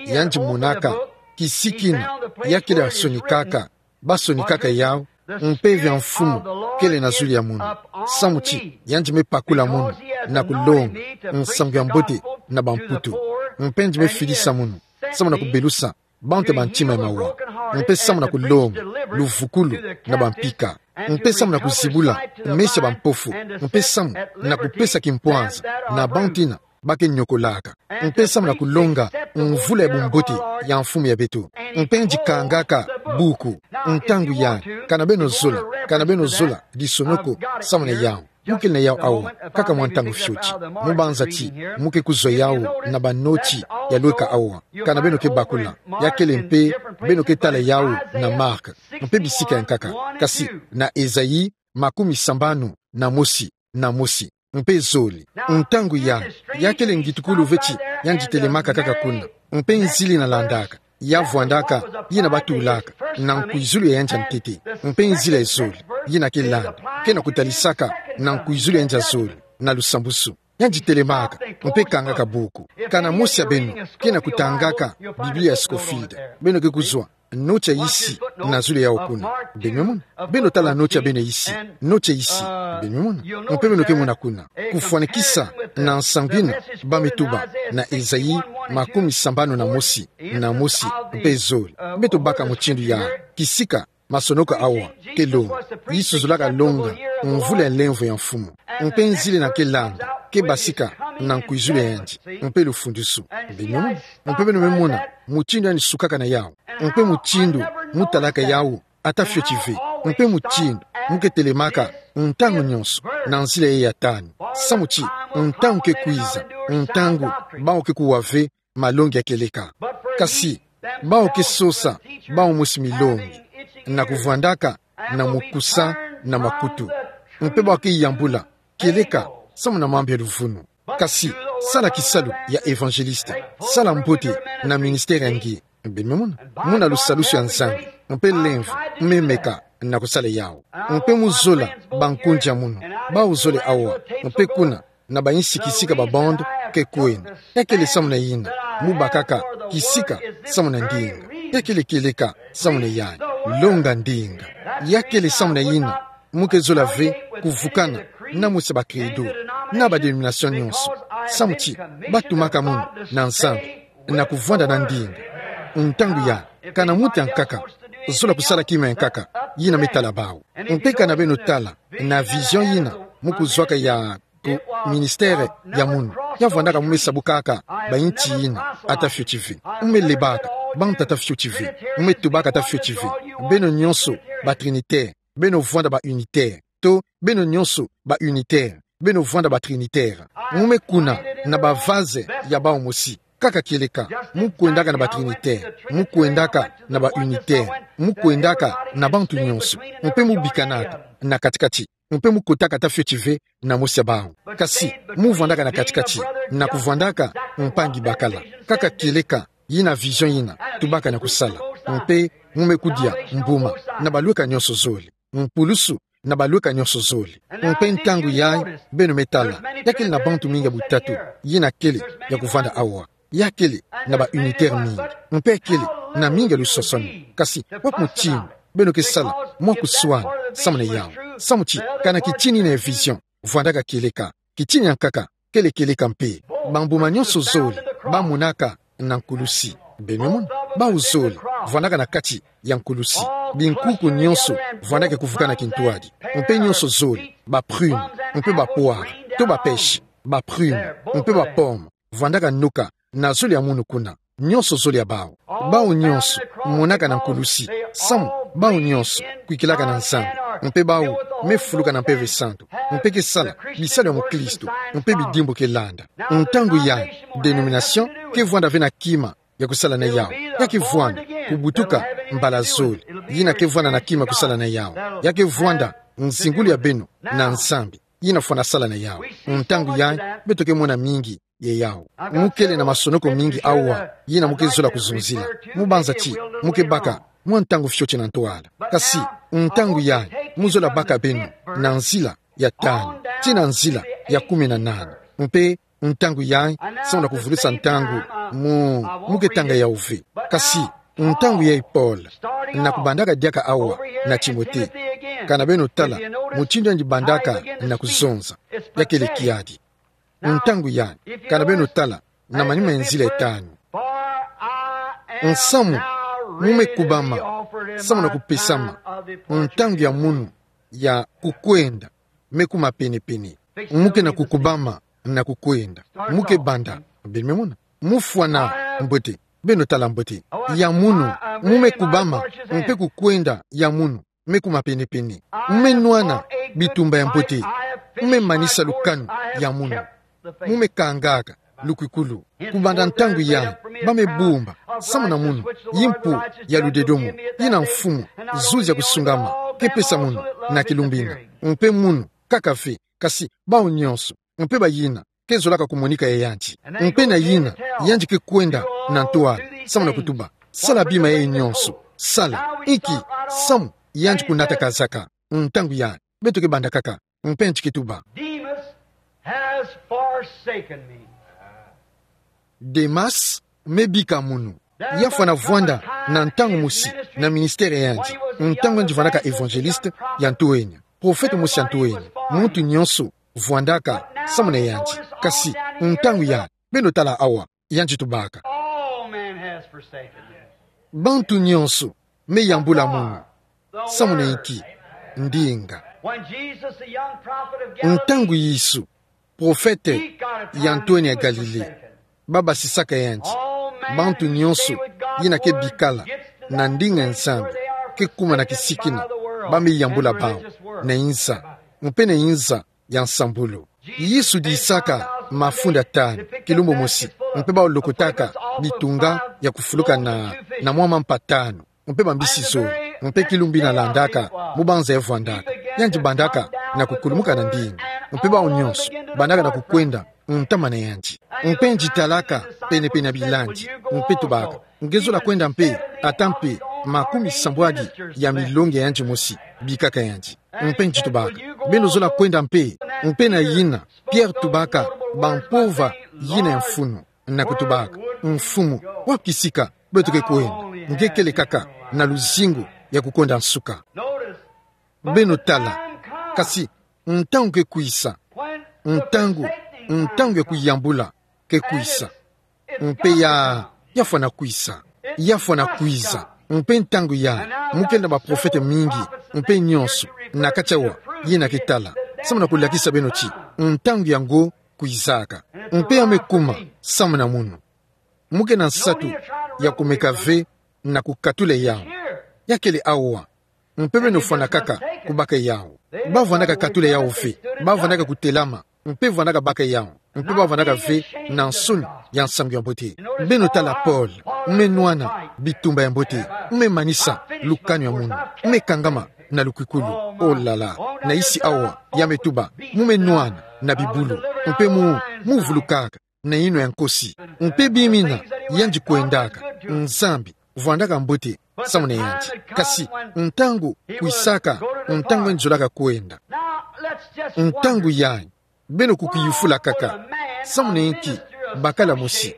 yandi monaka kisika yina ya kele sonikaka, basonikaka yawu, mpeve ya Mfumu kele na zulu ya munu. Samu ti yandi me pakula munu na kulonga nsangu ya mbote na bamputu. Mpe yandi me fidisa munu samu na kubelusa bantu ya bantima ya mawa. Mpe samu na kulonga luvukulu na bampika. Mpe samu na kuzibula meso ya bampofu. Mpe samu na kupesa kimpwanza na bantu yina ba ke nyokolaka. Mpe samu na kulonga mvula ya bumbote ya Mfumu ya beto. Mpe yandi kangaka buku. Ntangu yai, kana beno zola, kana beno zola lisonoko samu na yawu, mu kele na yawu awa kaka mwa ntangu fioti. Mu banza ti mu ke kuzwa yawu na banoti ya lweka awa, kana beno ke bakula. Ya kele mpe beno ke tala yawu na Marc, mpe bisika ya nkaka. Kasi na Esaïe makumi sambanu na mosi, na mosi, mpe zole. Ntangu yai, ya kele ngitukulu ve ti yandi telemaka kaka kuna. Mpe nzila yina landaka, ya vwandaka yina batulaka na nkwizulu ya yandi ya ntete. Mpe nzila ya zole, yina ke landa, ke na kutalisaka na nkwizulu ya yandi ya zole, na lusambusu. Yandi telemaka, mpe kangaka buku. Kana mosi ya beno ke na kutangaka Biblia ya Scofield, beno ke kuzwa noti ya isi na zulu ya yawu kuna. Beno me mona. Beno tala noti ya beno ya isi. Noti ya isi. Beno me mona. Mpe beno ke mona kuna kufwanikisa na nsangu yina ba me tuba na Esaïe makumi sambanu na mosi, na mosi, mpe zole. Beto baka mutindu yai, kisika masonoko awa ke longa. Yesu zolaka longa mvula ya nlemvo ya Mfumu. Mpe nzila yina ke landa, ke basika na nkwizulu ya yandi, mpe lufundusu. Beno me mona. Mpe beno me mona mutindu yandi sukaka na yawu. Mpe mutindu mu talaka yawu ata fioti ve. Mpe mutindu mu ke telemaka ntangu nyonso na nzila yayi ya tanu. Samu ti ntangu ke kwiza, ntangu bawu ke kuwa ve malongi ya kieleka. Kasi bawu ke sosa bawu mosi milongi. na kuvwandaka na mukusa na makutu. Mpe bau ke yambula kieleka samu na mambu ya luvunu. Kasi, sala kisalu ya évangéliste, sala mbote na ministère ya nge. Beno me mona, muna lusalusu ya Nzambi, mpe lemvo, me meka na kusala yau. Mpe mu zola bankundi ya munu, bau zole awa, mpe kuna, na bayinsi kisika ba bande ke kwenda. Ya kele samu na yina mu bakaka kisika samu na ndinga. Ya kele kieleka samu na yai. Longa ndinga. Ya kele samu na yina mu ke zola ve kuvukana na mosi ya ba credo na ba dénomination nyonso. Samu ti batumaka munu na Nzambi na kuvwanda na ndinga. Ntangu ya, kana muntu ya nkaka zola kusala kima ya nkaka, yina me tala bau. Mpe kana beno tala na vision yina mu kuzwaka ya ku ministère ya munu, ya vwandaka mu me sabukaka bayinti yina ata fioti ve. Mu me lebaka bantu ata fioti ve. Mu me tubaka ata fioti ve. Beno nyonso ba trinitaire, beno vwanda ba unitaire. To, beno nyonso ba unitaire, beno vwanda ba trinitaire. Mu me kuna na ba vaze ya bau mosi. Kaka kieleka, mu kwendaka na ba trinitaire, mu kwendaka na ba unitaire, mu kwendaka na bantu nyonso. Mpe mu bikanaka na kati-kati. Mpe mu kotaka ata fioti ve na mosi ya bau. Kasi, mu vwandaka na kati-kati, na kuvwandaka mpangi bakala. Kaka kieleka, yina vision yina tubaka na kusala. Mpe mu me kudia mbuma na balweka nyonso zole. Mpulusu na balweka nyonso zole. Mpe ntangu yai, beno me tala, ya kele na bantu mingi ya butatu yina kele ya kuvwanda awa. Ya kele na ba unitaire mingi. Mpe kele na mingi ya lusosoni. Kasi, wapi mutindu beno ke sala mwa kuswana samu na yau? Samu ti, kana kitini na vision vwandaka kieleka, kitini ya nkaka kele kieleka mpe. Bambuma nyonso zole ba monaka na nkulusi. Beno me mona, bau zole vwandaka na kati ya nkulusi. Binkuku nyonso vwandaka kuvukana kintwadi. Mpe nyonso zole, ba prune, mpe ba poire, to ba pêche, ba prune, mpe ba pomme, vwandaka noka na zole ya munu kuna. Nyonso zole ya bau. Bau nyonso monaka na nkulusi. Samu, bau nyonso kwikilaka na Nzambi. Mpe bau me fuluka na Mpeve Santu. Mpe ke sala bisalu ya mukristu. Mpe bidimbu ke landa. Ntangu yai, dénomination ke vwanda ve na kima ya kusala na yau. Ya ke vwanda kubutuka mbala zole. Yina ke vwanda na kima ya kusala na yau. Ya ke vwanda nzingulu ya beno na Nzambi. Yina fwana sala na yau. Ntangu yai, beto ke mona mingi ya yau. Mu kele na masonoko mingi awa yina mu ke zola kuzonzila. Mu banza ti mu ke baka mwa ntangu fioti na ntwala. Kasi, ntangu yai, mu zola baka beno na nzila ya tanu, tii na nzila ya kumi na nana. Mpe ntangu yai, samu na kuvulusa ntangu, mu, mu ke tanga yau ve. Kasi, ntangu yai Paul, na kubandaka diaka awa na Timothée. Kana beno tala mutindu yandi bandaka na kuzonza, ya kele kiadi. Ntangu yai, kana beno tala na manima ya nzila ya tanu. Nsamu, mu me kubama samu na kupesama ntangu ya munu ya kukwenda me kuma penepene. Mu ke na kukubama na kukwenda. Mu ke banda, beno me mona. Mu fwana mbote, beno tala mbote. Ya munu, mu me kubama mpe kukwenda ya munu me kuma penepene. Mu me nwana bitumba ya mbote. Mu me manisa lukanu ya munu. Mu me kangaka lukwikulu. Kubanda ntangu yai, ba me bumba samu na munu yimpu ya ludedomo yina Mfumu, zuzi ya kusungama, ke pesa munu na kilumbina. Mpe munu kaka ve, kasi bau nyonso, mpe bayina ke zolaka kumonika ya yandi. Mpe na yina, yandi ke kwenda na ntwala samu na kutuba: Sala bima yai nyonso. Sala. Inki? Samu yandi kunata kazaka. Ntangu yai, beto ke banda kaka. Mpe yandi ke tuba: Demas has forsaken me. Demas me bika munu. Ya fwana vwanda na ntangu mosi na ministère ya yandi, ntangu yandi vandaka évangéliste ya ntoenia, prophète mosi ya ntoenia. Muntu nyonso vwandaka samu na yandi. Kasi ntangu yai, beno tala awa, yandi tubaka: All men has forsaken me. Bantu nyonso me yambula munu. Samu na inki? Ndinga. When Jesus, the young prophet of Galilee, ntangu Yesu, prophète ya ntoenia ya Galilée, ba basisaka yandi, bantu nyonso yina ke bikala na ndinga ya Nzambi ke kuma na kisikina, ba me yambula bau na inza, mpe na inza ya nsambulu. Yesu disaka mafunda tanu, kilumbu mosi, mpe bau lokotaka bitunga ya kufuluka na, na mwa mampa tanu, mpe bambisi zole. Mpe kilumbu ina landaka, mubanza ya vwandaka. Yandi bandaka na kukulumuka na ndinga. Mpe bawu nyonso bandaka na kukwenda ntama na yandi. Mpe ngitalaka penepene ya bilandi, mpe tubaka: Nge zola kwenda mpe, ata mpe makumi sambwadi ya milongi ya yandi mosi, bikaka yandi. Mpe ngi tubaka: Beno zola kwenda mpe? Mpe na yina Pierre tubaka bampova yina ya mfunu, na kutubaka: Mfumu, wapi kisika beto ke kwenda? Nge kele kaka na luzingu ya kukwenda nsuka. Beno tala, kasi ntangu ke kwisa, ntangu, ntangu ya kuyambula ke kwisa. Mpe ya, ya fwana kwisa, ya fwana kwiza. Mpe ntangu yayi, mu kele na baprofete mingi, mpe nyonso na kati awa, yina ke tala, samu na kulakisa beno ti ntangu yango kwizaka. Mpe ya me kuma samu na munu. Mu ke na nsatu ya kumeka ve na kukatula yawu. Ya kele awa. Mpe beno fwana kaka kubaka yawu. Ba vwandaka katula yawu ve. Ba vwandaka kutelama. Mpe vwandaka baka yawu. Mpe ba vwandaka ve na nsoni ya nsangu ya mbote. Beno tala Paul, me nwana bitumba ya mbote, me manisa lukanu ya munu, me kangama na lukukulu. Oh là là, na isi awa, ya me tuba, mu me nwana na bibulu, mpe mu, mu vulukaka na yinwa ya nkosi. Mpe bima ina yandi kwendaka, Nzambi vwandaka mbote samu na yandi. Kasi ntangu kwisaka, ntangu yandi zolaka kwenda. Ntangu yayi, beno kukiyufula kaka: samu na inki bakala mosi,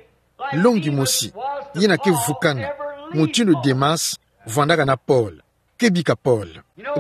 longi mosi, yina ke vukana mutindu Demas vwandaka na Paul, ke bika Paul?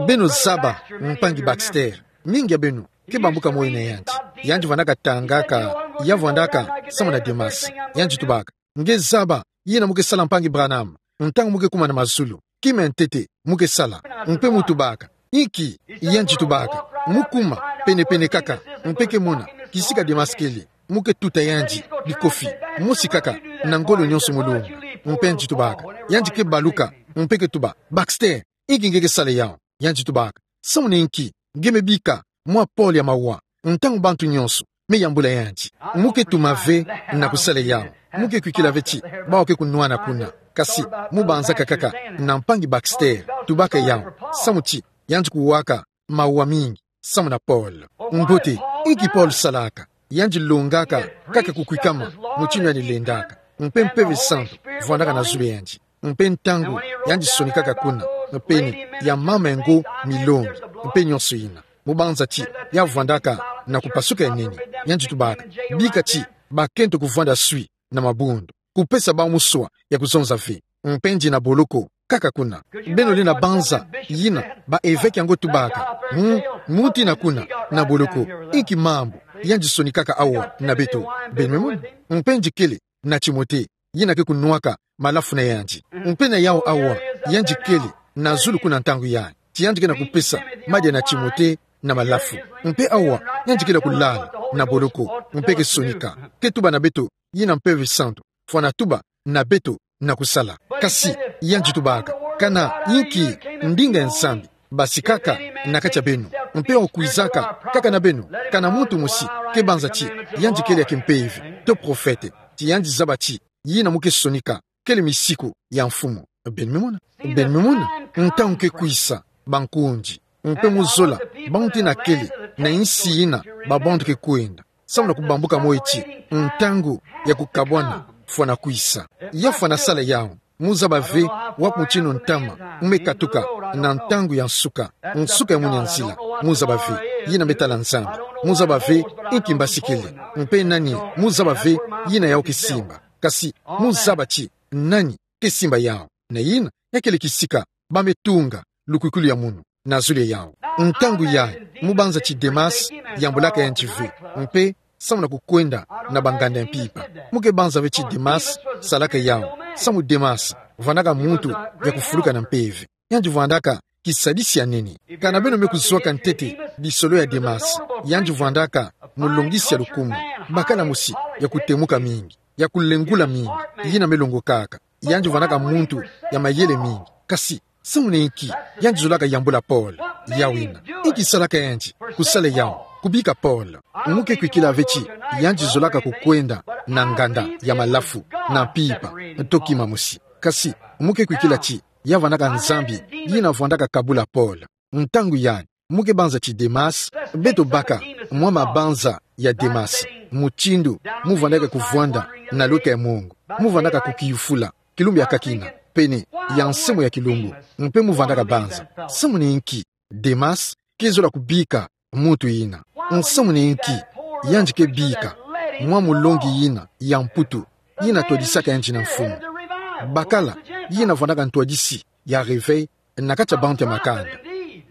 Beno zaba mpangi Baxter. Mingi ya beno ke bambuka moyo na yandi. Yandi vwandaka tangaka, ya vwandaka samu na Demas. Yandi tubaka: Nge zaba yina mu ke sala, mpangi Branham, ntangu mu ke kuma na mazulu? Kima ya ntete mu ke sala. Mpe mu tubaka: Inki? Yandi tubaka: Mu kuma penepene kaka, mpe ke mona kisika Demas kele. Mu ke tuta yandi bikofi, mosi kaka, na ngolo nyonso mu longa. Mpe yandi tubaka: Yandi ke baluka, mpe ke tuba: Baxter, inki nge ke sala yawu? Yandi tubaka: Samu na inki nge me bika mwa Paul ya mawa, ntangu bantu nyonso me yambula yandi? Mu ke tuma ve na kusala yawu. Mu ke kwikila ve ti bawu ke kunwana kuna. Kasi mu banzaka kaka na mpangi Baxter, tubaka yawu, samu ti yandi kuwaka mawa mingi samu na Paul. Mbote, inki Paul salaka? Yandi longaka kaka kukwikama mutindu yandi lendaka, mpe Mpeve Santu vwandaka na zulu ya yandi. Mpe ntangu yandi sonikaka kuna, mpe ni ya mama ya ngo milongi, mpe nyonso yina, mu banza ti ya vwandaka na kupasuka ya nene. Yandi tubaka: Bika ti bakento kuvwanda swi na mabundu, kupesa bawu muswa ya kuzonza ve. Mpe ndi na boloko kaka kuna. Beno lenda banza yina ba eveke yango tubaka: Hmm, muntu yina kuna na boloko, inki mambu yandi sonikaka awa na beto? Beno me mona. Mpe ndi kele na Timote, yina ke kunwaka malafu na yandi. Mpe na yawu awa, yandi kele na zulu kuna ntangu yayi, ti yandi ke na kupesa madia na Timote na malafu. Mpe awa, yandi kele kulala na boloko, mpe ke sonika, ke tuba na beto yina Mpeve Santu fwana tuba na beto na kusala. Kasi yandi tubaka: Kana inki ndinga ya Nzambi basikaka na kati ya beno, mpe awu kwizaka kaka na beno? Kana muntu mosi ke banza ti yandi kele ya kimpeve to profete, ti yandi zaba ti yina mu ke sonika kele misiku ya Mfumu? Beno me mona. Beno me mona. Ntangu ke kwisa, bankundi, mpe mu zola, bantu yina kele na insi yina babantu ke kwenda, samu na kubambuka moyo ti ntangu ya kukabwana fwana kwisa. Ya fwana sala yawu. Mu zaba ve wapi mutindu ntama mu me katuka na ntangu ya nsuka, nsuka ya mwini nzila. Mu zaba ve. Yina me tala Nzambi. Mu zaba ve inki mbasikele, mpe nani. Mu zaba ve yina yawu ke simba. Kasi mu zaba ti nani ke simba yawu. Na yina, ya kele kisika ba me tunga lukwikulu ya munu na zulu ya yawu. Ntangu yayi, mu banza ti Demas yambulaka yandi ve, mpe samu na kukwenda na banganda ya mpimpa. Mu ke banza ve ti Demas salaka yawu, samu Demas vwandaka muntu ya kufuluka na mpeve. Yandi vwandaka kisadisi ya nene. Kana beno me kuzwaka ntete lisolo ya Demas, yandi vwandaka mulongisi ya lukumu, bakala mosi ya kutemuka mingi, ya kulengula mingi, yina me longokaka. Yandi vwandaka muntu ya mayele mingi. Kasi samu na inki yandi zolaka yambula Paul? Yawu yina. Inki salaka yandi kusala yawu, kubika Paul? Mu ke kwikila ve ti yandi zolaka kukwenda na nganda ya malafu, na mpimpa, to kima mosi. Kasi mu ke kwikila ti Ya vandaka Nzambi yina vwandaka kabula Paul. Ntangu yai, mu ke banza ti Demas, beto baka mwa mabanza ya Demas, mutindu mu vwandaka kuvwanda na lweka ya mongo, mu vwandaka kukiyufula kilumbu ya kakina, pene ya nsembo ya kilumbu, mpe mu vandaka banza: Samu na inki Demas ke zola kubika muntu yina? Nsamu na inki yandi ke bika mwa mulongi yina ya mputu, yina twadisaka yandi na mfumu? Bakala yina vwandaka ntwadisi ya réveil na kati ya bantu ya makanda.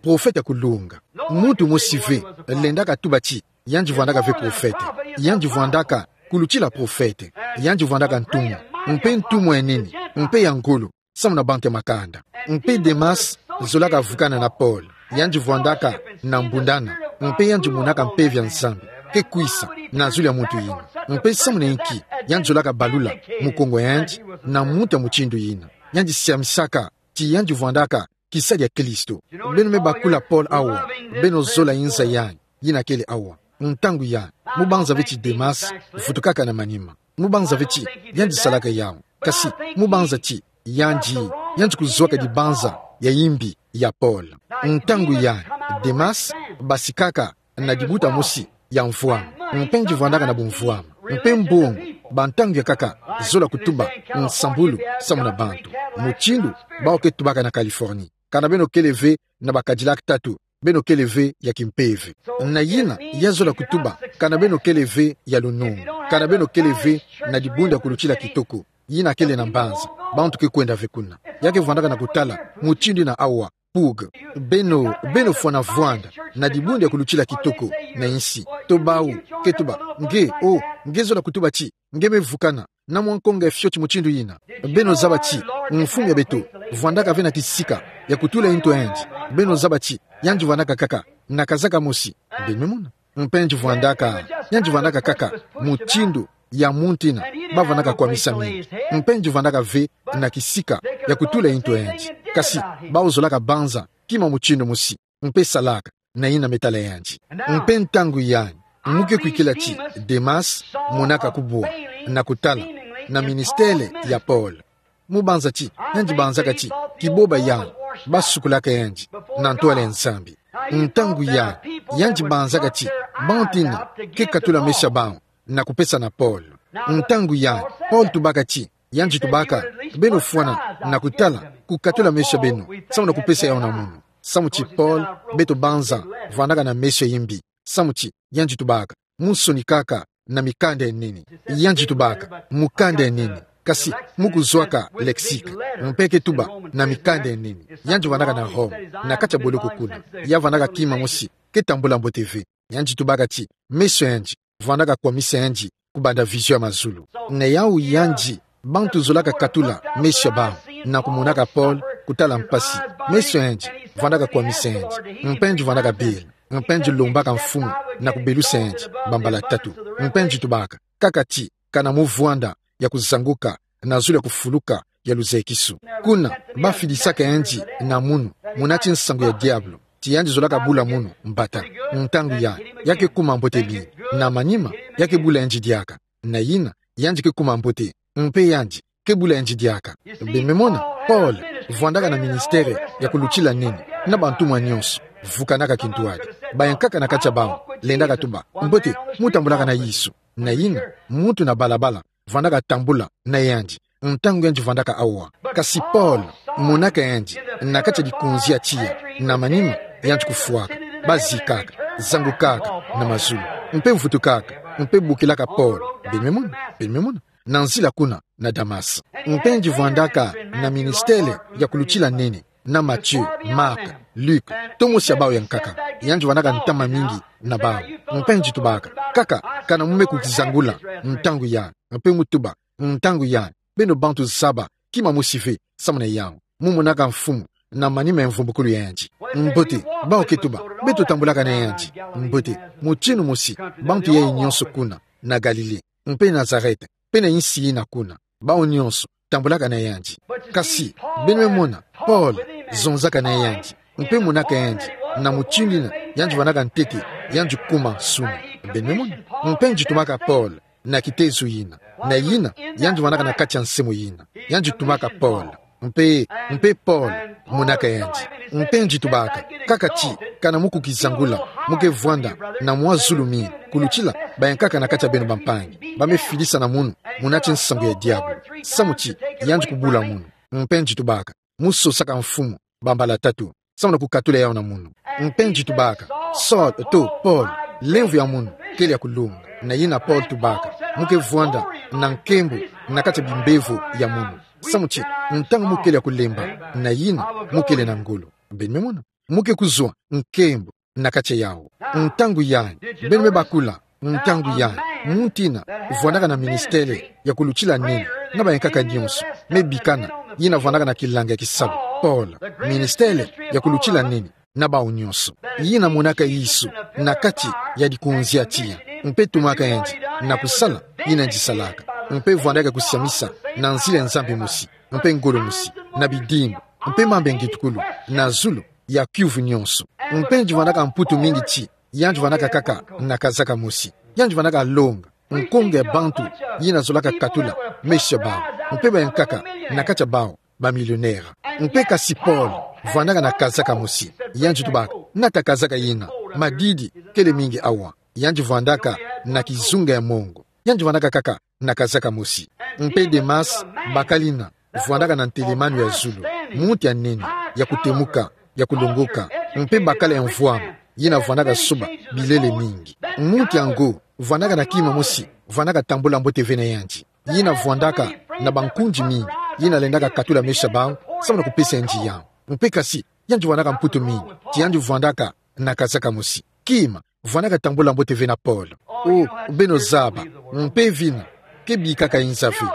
Profete ya kulunga. Muntu mosi ve lendaka tuba ti yandi vwandaka ve profete. Yandi vwandaka kulutila profete. Yandi vwandaka ntumwa, mpe ntumwa ya nene, mpe ya ngolo samu na bantu ya makanda. Mpe Demas zolaka vukana na Paul. Yandi vwandaka na mbundana, mpe yandi monaka Mpeve ya Nzambi ke kwisa na zulu ya muntu yina. Mpe samu na inki yandi zolaka balula mukongo ya yandi na muntu ya mutindu yina? Yandi siamisaka ti yandi vwandaka kisadi ya Kristo. Beno me bakula Paul awa, beno zola inza yai yina kele awa. Ntangu yai, mu banza ve ti Demas vutukaka na manima. Mu banza ve ti yandi salaka yawu. Kasi mu banza ti yandi, yandi kuzwaka dibanza ya imbi ya Paul. Ntangu yai, Demas basikaka na dibuta mosi ya mvwama, mpe yandi vwandaka na bumvwama. Mpe mbongo, bantangu ya nkaka, zola kutuba nsambulu samu na bantu. Mutindu bawu ke tubaka na Californie: Kana beno kele ve na ba Cadillac tatu, beno kele ve ya kimpeve. Na yina ya zola kutuba: Kana beno kele ve ya lunungu, kana beno kele ve na dibundu ya kulutila kitoko, yina kele na mbanza, bantu ke kwenda ve kuna. Ya ke vwandaka na kutala mutindu yina awa: Pug. Beno, beno fwana vwanda na dibundu ya kulutila kitoko na insi. To bawu ke tuba: Nge, oh, nge zola kutuba ti nge me vukana na mwa nkonga ya fioti mutindu yina? Beno zaba ti mfumu ya beto vwandaka ve na kisika ya kutula into yandi? Beno zaba ti yandi vwandaka kaka na kazaka mosi? Beno me mona. Mpe yandi vwandaka, yandi vwandaka kaka mutindu ya muntu yina ba vwandaka kwamisa mingi. Mpe yandi vwandaka ve na kisika ya kutula into yandi. Kasi bawu zolaka banza kima mutindu mosi, mpe salaka na yina me tala yandi. Mpe ntangu yai, mu ke kwikila ti Demas monaka kubwa na kutala na ministele ya Paul. Mu banza ti yandi banzaka ti kiboba yawu ba sukulaka yandi na ntwala ya Nzambi. Ntangu yai, yandi banzaka ti bantu yina ke katula meso ya bawu na kupesa na Paul. Ntangu yai, Paul tubaka ti, yandi tubaka: Beno fwana na kutala, kukatula meso ya beno samu na kupesa yawu na munu. Samu ti Paul, beto banza vandaka na meso ya imbi. Samu ti yandi tubaka: Mu sonikaka na mikanda ya nene. Yandi tubaka mukanda ya nene, kasi mu kuzwaka lexique, mpe ke tuba na mikanda ya nene. Yandi vandaka na Rome, na kati ya boloko kuna. Ya vandaka kima mosi ke tambula mbote ve. Yandi tubaka ti meso yandi vwandaka kwamisa yandi kubanda vision ya mazulu. Na yawu yandi, bantu zolaka katula meso ya bawu na kumonaka Paul kutala mpasi. Meso yandi vwandaka kwamisa yandi, mpe yandi vwandaka bela, mpe yandi lombaka Mfumu na kubelusa yandi bambala tatu. Mpe yandi tubaka: Kaka ti kana mu vwanda ya kuzanguka na zulu ya kufuluka ya luzekisu. Kuna ba fidisaka yandi na munu, muna ti nsangu ya diabulu, ti yandi zolaka bula munu mbata. Ntangu yai, ya ke kuma mbote mingi. Na manima, ya ke bula yandi diaka. Na yina, yandi ke kuma mbote, mpe yandi ke bula yandi diaka. Beno me mona, Paul vwandaka na ministele ya kulutila nene, na bantumwa nyonso, vukanaka kintwadi. Bayankaka na kati ya bawu lendaka tuba: Mbote, mu tambulaka na Yesu. Na yina, muntu na balabala vwandaka tambula na yandi ntangu yandi vwandaka awa. Kasi Paul, monaka yandi na kati ya likonzi ya tiya, na manima, yandi kufwaka, ba zikaka, zangukaka na mazulu, mpe vutukaka, mpe bokilaka Paul. Beno me mona, beno me mona, na nzila kuna na Damas. Mpe yandi vwandaka na ministele ya kulutila nene na Matthieu, Marc, Luc, tomosi ya bawu ya nkaka. Yandi vwandaka ntama mingi na bawu. Mpe yandi tubaka: Kaka kana mu me kukizangula ntangu yai, mpe mu tuba: Ntangu yai, beno bantu zaba kima mosi ve samu na yawu. Mu monaka Mfumu na manima ya mvumbukulu ya yandi. Mbote, bawu ke tuba: Beto tambulaka na yandi. Mbote, mutindu mosi, bantu yai nyonso kuna na Galilée, mpe Nazareth, mpe na insi yina kuna, bawu nyonso tambulaka na yandi. Kasi, beno me mona, Paul zonzaka na yandi, mpe monaka yandi na mutindu yina yandi vwandaka ntete, yandi kuma nsuni. Beno me mona. Mpe yandi tumaka Paul na kitezo yina. Na yina, yandi vwandaka na kati ya nsemo yina. Yandi tumaka Paul: Mpe, mpe Paul, monaka yandi. Mpe nji tubaka, kaka ti, kana mu kukizangula, mu ke vwanda, na mwa zulu mi, kulutila, bayankaka na kati ya beno bampangi, ba me filisa na munu, muna ti nsangu ya diabulu. Samu ti, yandi kubula munu. Mpe nji tubaka, mu sosaka mfumu, bambala tatu. Samu na kukatula yau na munu. Mpe nji tubaka, Saul, to, Paul, lemvo ya munu, kele ya kulunga. Na yina Paul tubaka, mu ke vwanda, na nkembo, na kati ya bimbevo ya munu. Samu ti, ntangu mu kele ya kulemba, na yina, mu kele na ngolo. Beno me mona. Mu ke kuzwa, nkembo, na kati ya yau. Ntangu yai, beno me bakula, ntangu yai, muntu ina, vwandaka na ministele, ya kulutila nene, na bayankaka nyonso, me bikana, yina vwandaka na kilanga ya kisalu, Paul, ministele, ya kulutila nene, na bau nyonso. Yina monaka Yesu, na kati ya dikonzi ya tiya, mpe tumaka yandi, na kusala, yina yandi salaka, mpe vwandaka kusiamisa, na nzila ya Nzambi mosi, mpe ngolo mosi, na bidimbu, mpe mambu ya ngitukulu, na zulu, ya kiuvu nyonso. Mpe nji vwandaka mputu mingi ti, yandi vwandaka kaka na kazaka mosi. Yandi vwandaka longa, nkonga ya bantu, yina zolaka katula, meso ya bau. Mpe bayankaka, na kati ya bau, bamillionnaire. Mpe kasi Paul, vwandaka na kazaka mosi. Yandi tubaka, nata kazaka yina, madidi, kele mingi awa. Yandi vwandaka, na kizunga ya mongo. Yandi vwandaka kaka, na kazaka mosi. Mpe Demas, bakala yina, vwandaka na ntelemanu ya zulu. Muntu ya nene, ya kutemuka, ya kulongoka. Mpe bakala ya mvwama, yina vwandaka soba, bilele mingi. Muntu yango, vwandaka na kima mosi, vwandaka tambula mbote ve na yandi. Yina vwandaka, na bankundi mingi, yina lendaka katula meso ya bau, samu na kupesa yandi yau. Mpe kasi, yandi vwandaka mputu mingi, ti yandi vwandaka, na kazaka mosi. Kima, vwandaka tambula mbote ve na Paul. O, beno zaba, mpeve ina, ke bikaka inza ve.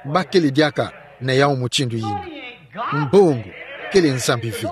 Ba kele diaka na yau mutindu yina. Mbongo, kele Nzambi ve.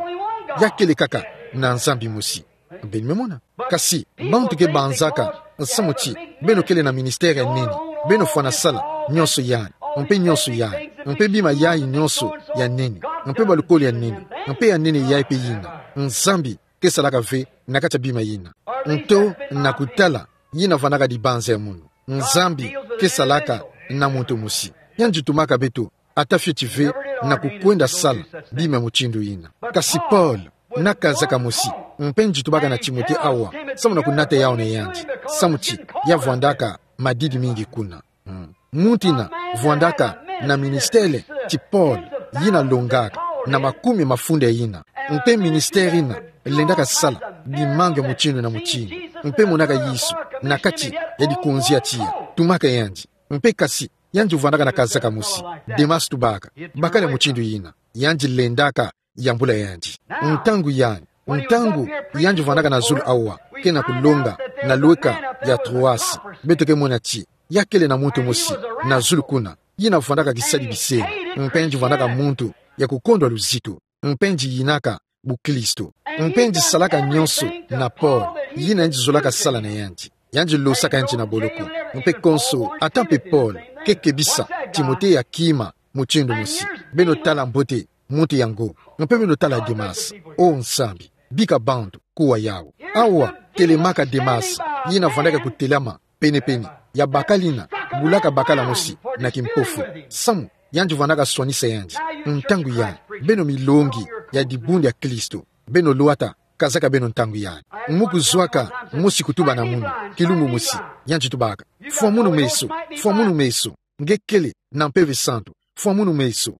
Ya kele kaka na Nzambi mosi. Beno me mona. Kasi, bantu ke banzaka, samu ti, beno kele na ministère ya nene. Beno fwana sala, nyonso yai, mpe nyonso yai, mpe bima yai nyonso ya nene, mpe balukolo ya nene, mpe ya nene yai mpe yina. Nzambi, ke salaka ve na kati ya bima yina. Nto na kutala yina vwandaka dibanza ya munu. Nzambi ke salaka na muntu mosi. Yandi tumaka beto, ata fioti ve na kukwenda sala bima mutindu yina. Kasi Paul, na kazaka mosi, mpe nji tubaka na Timote awa, samu na kunata yau na yandi. Samu ti, ya vwandaka madidi mingi kuna. Mm. Muntu ina vwandaka na ministère ti Paul, yina longaka na makumi mafunda yina. Mpe ministère ina lendaka sala bimangu ya mutindu na mutindu. Mpe monaka Yesu na kati ya dikonzi ya tiya. Tumaka yandi. Mpe kasi, yandi vwandaka na kazaka mosi. Demas tubaka, bakala mutindu yina. Yandi lendaka yambula yandi. Ntangu yandi, ntangu yandi vwandaka na zulu awa, ke na kulonga na lweka ya Troas, beto ke mona ti, ya kele na muntu mosi na zulu kuna, yina vwandaka kisadi bisengo, mpe yandi vwandaka muntu ya kukondwa luzitu, mpe yandi yinaka bukristo, mpe yandi salaka nyonso na Paul, yina yandi zolaka sala na yandi. Yandi losaka yandi na boloko. Mpe konso, ata mpe Paul ke kebisa Timote ya kima mutindu mosi. Beno tala mbote muntu yango. Mpe beno tala Demas. O Nzambi, bika bantu kuwa yau. Awa, telemaka Demas, yina vwandaka kutelama penepene ya bakala ina, bulaka bakala mosi na kimpofu. Samu, yandi vwandaka swanisa yandi. Ntangu yandi, beno milongi ya dibundu ya Kristo. Beno lwata kazaka beno ntangu yandi. Mu kuzwaka mosi kutuba na munu, kilumbu mosi, yandi tubaka: Fwa munu meso, fwa munu meso. Nge kele na Mpeve Santu, fwa munu meso.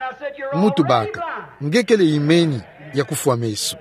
Mu tubaka: Nge kele imeni ya kufwa meso.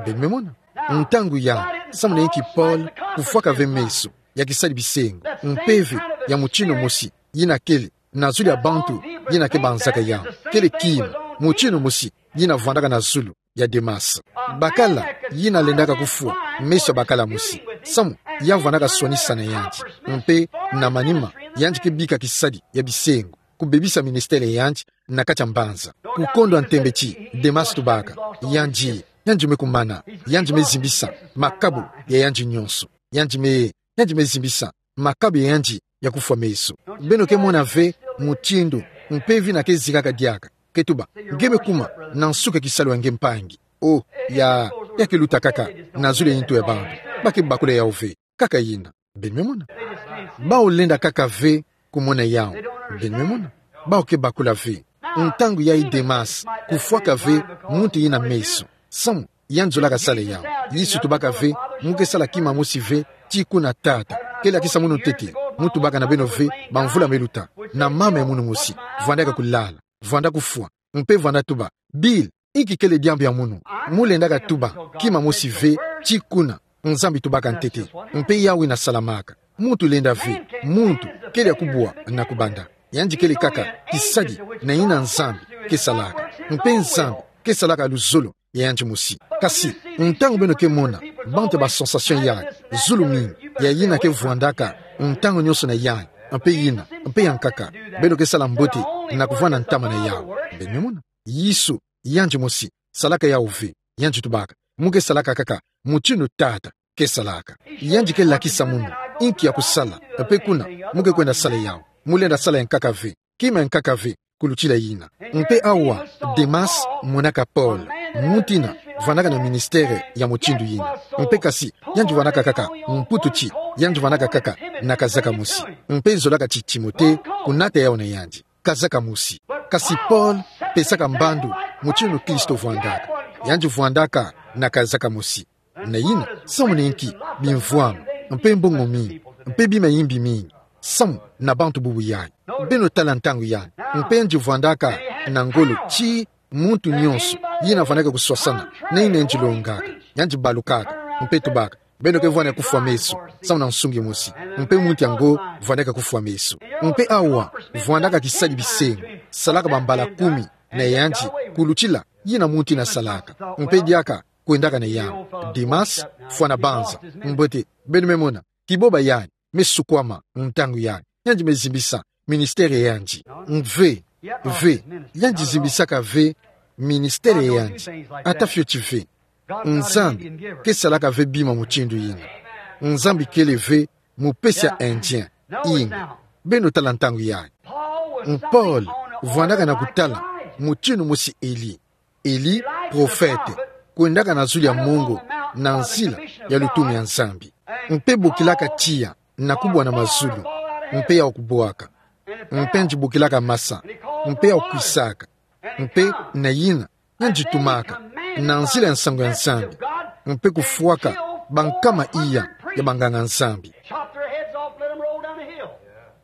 Beno me mona. Ntangu yandi, samu na inki Paul kufwaka ve meso ya kisadi bisengo, mpeve ya mutindu mosi yina kele na zulu ya bantu yina ke banzaka yandi. Kele kima mutindu mosi yina vwandaka na zulu ya Demas. Bakala yina lendaka kufwa meso ya bakala mosi. Samu, ya vwandaka swanisa na yandi. Mpe, na manima, yandi ke bika kisadi ya bisengo kubebisa ministère ya yandi na kati ya mbanza. Kukondwa ntembe ti, Demas tubaka: Yandi, yandi me kumana, yandi me zimbisa makabu ya yandi nyonso. Yandi me, yandi me zimbisa makabu ya yandi ya kufwa meso. Beno ke mona ve mutindu mpeve ina ke zikaka diaka, ke tuba: Nge me kuma na nsuka ya kisalu ya nge mpangi. O, ya, ya ke luta kaka na zulu ya intu ya bantu. Ba ke bakula yau ve. Kaka yina. Beno me mona. Bau lenda kaka ve kumona yau. Beno me mona. Bau ke bakula ve. Ntangu yayi Demas kufwaka ve muntu yina meso. Samu, yandi zolaka sala yawu. Yesu tubaka ve, mu ke sala kima mosi ve, ti kuna Tata. Kele akisa munu ntete, mu tubaka na beno ve, bamvula meluta. Na mama ya munu mosi, vwandaka kulala, vwanda kufwa, mpe vwanda tuba: Bill, inki kele diambu ya munu? Mu lendaka tuba kima mosi ve, ti kuna Nzambi tubaka ntete, mpe yawu yina salamaka. Muntu lenda ve, muntu kele ya kubwa na kubanda. Yandi kele kaka kisadi na yina Nzambi ke salaka. Mpe Nzambi ke salaka luzolo ya yandi mosi. Kasi, ntangu beno ke mona bantu ya ba sensation yayi, zulu mingi, ya yina ke vwandaka ntangu nyonso na yayi, mpe yina, mpe ya nkaka, beno ke sala mbote na kuvwanda ntama na yawu. Beno me mona? Yesu, yandi mosi, salaka yawu ve. Yandi tubaka, mu ke salaka kaka mutindu Tata ke salaka. Yandi ke lakisa munu inki ya kusala, mpe kuna mu ke kwenda sala yawu. Mu lenda sala ya nkaka ve, kima ya nkaka ve kulutila yina. Mpe awa, Demas monaka Paul, muntu yina vwandaka na ministère ya mutindu yina. Mpe kasi, yandi vwandaka kaka mputu ti, yandi vwandaka kaka na kazaka mosi. Mpe zolaka ti Timote kunata yawu na yandi, kazaka mosi. Kasi Paul pesaka mbandu mutindu Kristo vwandaka. Yandi vwandaka na kazaka mosi. Na yina, samu na inki? Bimvwama, mpe mbongo mingi, mpe bima yimbi mingi, samu na bantu bubu yayi. Beno tala ntangu yayi. Mpe yandi vwandaka na ngolo ti muntu nyonso yina vwandaka kuswasana na yina yandi longaka. Yandi balukaka, mpe tubaka: Beno ke vwanda kufwa meso, samu na nsungi mosi. Mpe muntu yango vwandaka kufwa meso. Mpe awa, vwandaka kisadi bisengo, salaka bambala kumi na yandi kulutila yina muntu yina salaka. Mpe diaka kwendaka na yawu. Demas, fwana banza. Mbote, beno me mona, kiboba yayi me sukwama ntangu yayi. Yandi me zimbisa ministère ya yandi. Ve, ve, yandi zimbisaka ve ministère ya yandi. Ata fioti ve. Nzambi ke salaka ve bima mutindu yina. Nzambi kele ve mupesi ya indien. Inga. Beno tala ntangu yayi. Paul vwandaka na kutala mutindu mosi Eli. Eli, prophète, kwendaka na zulu ya mongo, na nzila ya lutumu ya Nzambi. Mpe bokilaka tiya na kubwa na mazulu, mpe yawu kubwaka. Mpe yandi bokilaka masa, mpe yawu kwisaka. Mpe na yina, yandi tumaka na nzila ya nsangu ya Nzambi, mpe kufwaka bankama iya ya banganga-Nzambi.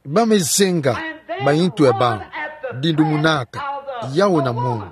Ba me zenga bayintu ya bawu, dindumunaka yawu na mongo.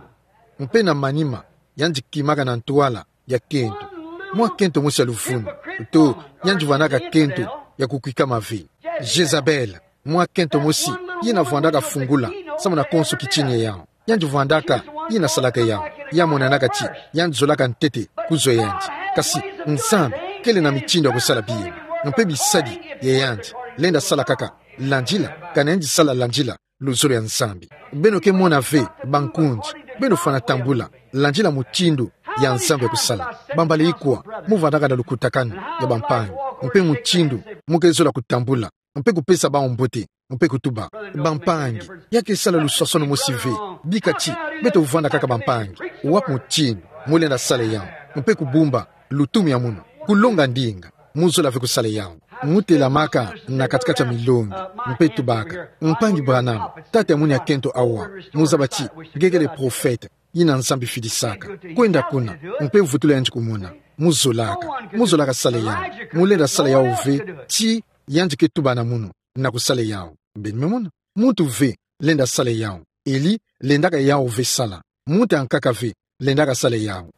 Mpe na manima, yandi kimaka na ntwala ya kento, mwa kento mosi ya luvunu, to yandi vwandaka kento ya kukwikama ve. Jezabel, mwa kento mosi yina vwandaka fungula samu na konso kitini ya yawu. Yandi vwandaka, yina salaka yawu. Ya monanaka ti yandi zolaka ntete kuzwa yandi. Kasi Nzambi kele na mitindu ya kusala bima. Mpe bisadi ya yandi lenda sala kaka landila, kana yandi sala landila luzolo ya Nzambi. Beno ke mona ve, bankundi, beno fwana tambula landila mutindu ya Nzambi ya kusala. Bambala ikwa mu vwandaka na lukutakanu ya bampangi, mpe mutindu mu ke zola kutambula, mpe kupesa bawu mbote, mpe kutuba: Bampangi, ya ke sala luswaswanu mosi ve. Bika ti beto vwanda kaka bampangi. Wapi mutindu mu lenda sala yawu, mpe kubumba lutumu ya munu, kulonga ndinga, mu zola ve kusala yawu? Mu telamaka na kati-kati ya milongi, mpe tubaka: Mpangi Branham, tata ya munu ya kento awa, mu zaba ti nge kele prophète yina Nzambi fidisaka. Kwenda kuna, mpe vutula yandi kumona. Mu zolaka, mu zolaka sala yawu. Mu lenda sala yawu ve, ti yandi ke tuba na munu na kusala yawu. Beno me mona? Muntu ve lenda sala yawu. Eli lendaka yawu ve sala. Muntu ya nkaka ve lendaka sala yawu.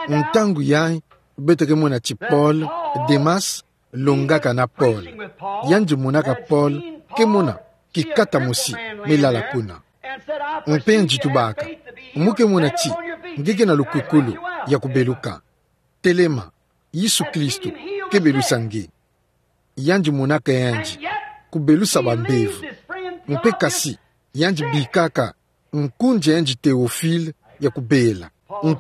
Ntangu yayi, beto ke mona ti Paul, Demas longaka na Paul. Yandi monaka Paul ke mona kikata mosi me lala kuna. Mpe yandi tubaka: Mu ke mona ti nge ke na lukwikulu ya kubeluka. Telema, Yesu Kristo ke belusa nge. Yandi monaka yandi kubelusa bambevo. Mpe kasi, yandi bikaka nkundi ya yandi Théophile ya kubela.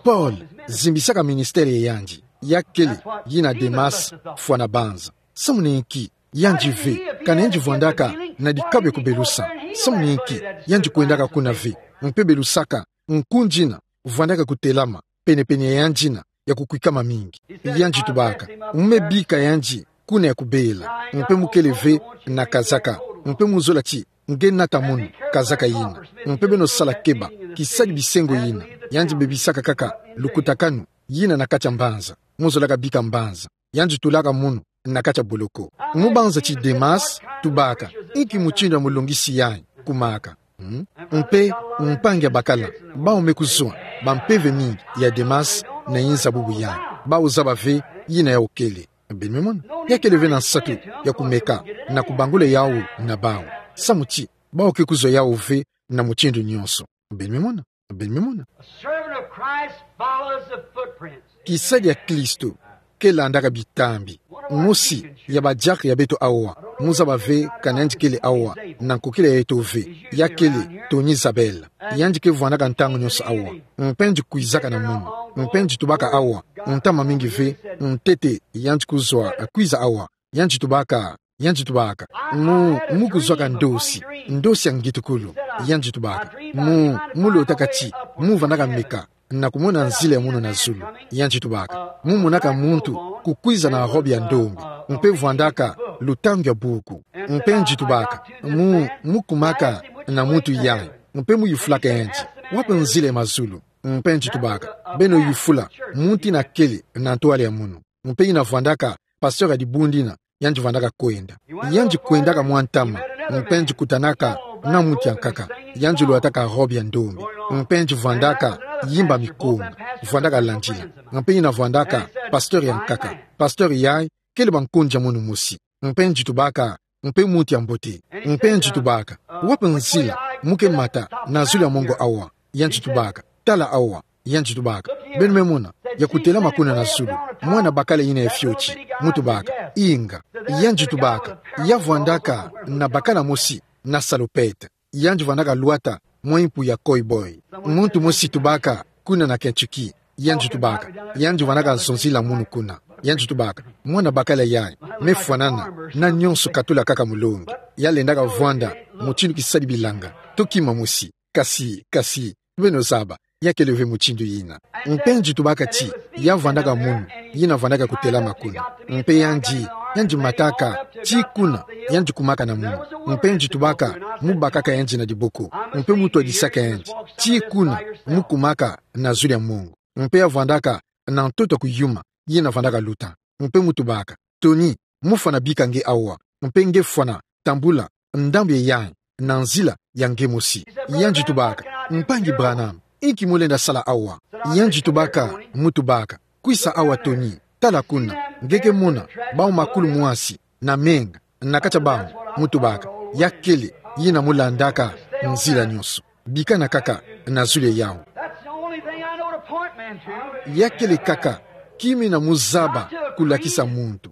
Paul zimbisaka ministère ya yandi. Ya kele yina Demas fwana banza. Samu na inki? Yandi ve kana yandi vwandaka na dikabu ya kubelusa. Samu na inki? Yandi kwendaka kuna ve, mpe belusaka nkundi yina vwandaka kutelama pene-pene ya yandi yina ya kukwikama mingi. Yandi tubaka: Mu me bika yandi kuna ya kubela, mpe mu kele ve na kazaka, mpe mu zola ti nge nata munu, kazaka yina. Mpe beno sala keba, kisadi bisengo yina, yandi bebisaka kaka lukutakanu yina na kati ya mbanza. Mu zolaka bika mbanza, yandi tulaka munu na kati ya boloko. Mu banza ti Demas tubaka: Inki mutindu ya mulongisi yayi kumaka? Hmm? Mpe mpangi ya bakala, bawu me kuzwa, bampeve mingi ya Demas na yinza bubu yayi. Bawu zaba ve yina yawu kele. Beno me mona? Ya kele ve na nsatu ya kumeka na kubangula yawu na bawu. Samu ti bawu ke kuzwa yawu ve na mutindu nyonso. Beno me mona? Beno me mona? A servant of Christ follows the footprints. Kisadi ya Kristo ke landaka bitambi. Mosi ya badiakre ya beto awa, mu zaba ve kani yandi kele awa na nkokila yeto ve, ya kele Tony Zabel. Yandi ke vwandaka ntangu nyonso awa. Mpe yandi kwizaka na munu. Mpe yandi tubaka awa ntama mingi ve, ntete yandi kuzwa kwiza awa. Yandi tubaka, yandi tubaka: Mu, mu kuzwaka ndosi, ndosi ya ngitukulu. Yandi tubaka: Mu, mu lotaka ti mu vandaka meka na kumona nzila ya munu na zulu. Yandi tubaka: Mu monaka muntu kukwiza na robe ya ndombe, mpe vwandaka lutangu ya buku. Mpe yandi tubaka: Mu, mu kumaka na muntu yayi, mpe mu yufulaka yandi: Wapi nzila ya mazulu? Mpe yandi tubaka: Beno yufula muntu yina kele na ntwala ya munu. Mpe yina vwandaka pasteur ya dibundu yina yandi vandaka kwenda. Yandi kwendaka mwa ntama, mpe yandi kutanaka na muntu ya nkaka. Yandi lotaka robe ya ndombe, mpe yandi vandaka yimba mikongo, vandaka landila. Mpe yina vwandaka pasteur ya nkaka. Pasteur yayi kele ba nkundi ya munu mosi. Mpe yandi tubaka: Mpe muntu ya mbote. Mpe yandi tubaka: Wapi nzila mu ke mata na zulu ya mongo awa? Yandi tubaka: Tala awa. Yandi tubaka: Beno me mona ya kutelama kuna na zulu, mwana bakala yina ya fioti? Mu tubaka: Inga. Yandi tubaka: Ya vwandaka na bakala mosi na salopette. Yandi vandaka lwata mwa mpu ya cowboy. Muntu mosi tubaka: Kuna na Kentucky. Yandi tubaka: Yandi vandaka zonzila munu kuna. Yandi tubaka: Mwana bakala yayi me fwanana na nyonso katula kaka mulongi. Ya lendaka vwanda mutindu kisadi bilanga, to kima mosi. Kasi, kasi, beno zaba, ya kele ve mutindu yina. Mpe yandi tubaka ti ya vandaka munu, yina vandaka kutelama kuna. Mpe yandi, yandi mataka ti kuna yandi kumaka na munu. Mpe yandi tubaka: Mu bakaka yandi na diboko, mpe mu twadisaka yandi ti kuna mu kumaka na zulu ya mongo. Mpe ya vandaka na ntoto ya kuyuma, yina vandaka luta. Mpe mu tubaka: Tony, mu fwana bika nge awa, mpe nge fwana tambula ndambu ya yayi na nzila ya nge mosi. Yandi tubaka: Mpangi Branham, inki mu lenda sala awa? Yandi tubaka, mu tubaka: Kwisa awa, Tony, tala kuna, nge ke mona bawu makulu mwasi na menga na kati ya bawu. Mu tubaka: Ya kele yina mu landaka nzila nyonso. Bikana kaka na zulu ya yawu. That's the only thing I know to point men to. Ya kele kaka kima yina mu zaba kulakisa muntu.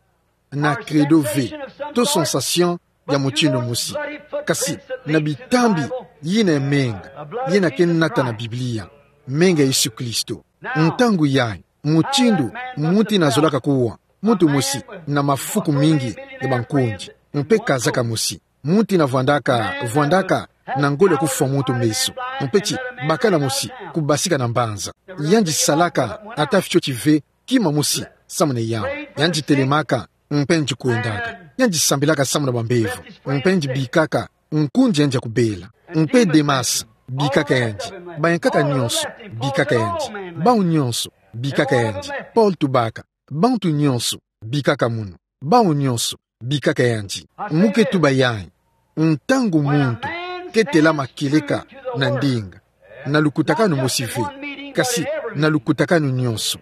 Na credo ve, to sensation ya mutindu mosi. Kasi na bitambi yina ya menga, yina ke nata na Biblia, menga ya Yesu Kristo. Ntangu yayi, mutindu muntu yina zolaka kuwa, muntu mosi na mafuku mingi ya bankundi, mpe kazaka mosi. Muntu yina vwandaka, vwandaka na ngolo ya kufwa muntu meso. Mpe ti bakala mosi kubasika na mbanza. Yandi salaka ata fioti ve kima mosi samu na yawu. Yandi telemaka, mpe yandi kwendaka. Yandi sambilaka samu na bambevo, mpe yandi bikaka nkundi yandi ya kubela. Mpe Demas bikaka yandi. Bayankaka nyonso bikaka yandi. Bawu nyonso bikaka yandi. Paul tubaka: Bantu nyonso bikaka munu. Bawu nyonso bikaka yandi. Mu ke tuba yayi: Ntangu muntu ke telama kieleka na ndinga, na lukutakanu mosi ve, kasi na lukutakanu nyonso.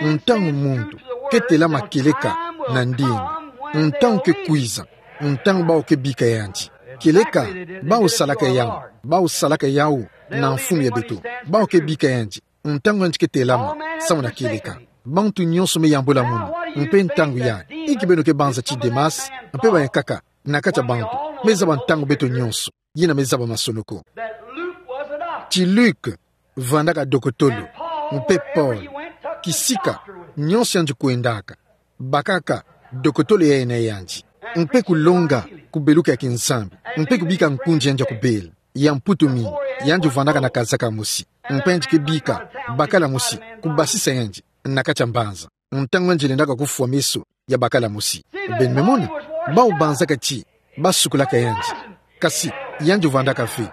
Ntangu muntu ke telama kieleka na ndinga, ntangu ke kwiza, ntangu bawu ke bika yandi. Kieleka bawu salaka yawu, bawu salaka yawu na mfumu ya beto, bawu ke bika yandi ntangu yandi ke telama samu na kieleka. Bantu nyonso me yambula munu. Mpe ntangu yayi, inki beno ke banza ti Demas mpe bayankaka na kati ya bantu? Me zaba ntangu beto nyonso, yina me zaba masonoko. Ti Luc vandaka dokotolo, mpe Paul, kisika nyonso yandi kwendaka, bakaka dokotolo ya yandi, mpe kulonga kubeluka ya kinzambi, mpe kubika nkundi yandi ya kubela. Ya mputu mingi, yandi vandaka na kazaka mosi, mpe yandi ke bika bakala mosi kubasisa yandi na kati ya mbanza, ntangu yandi lendaka kufwa meso ya bakala mosi. Beno me mona? Bawu banzaka ti basukulaka yandi. Kasi Yandi vwandaka ve.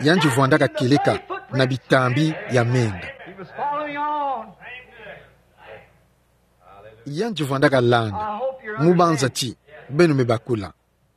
Yandi vwandaka kieleka na bitambi ya menga. He was following on. Yandi vwandaka landa. Mu banza ti beno me bakula.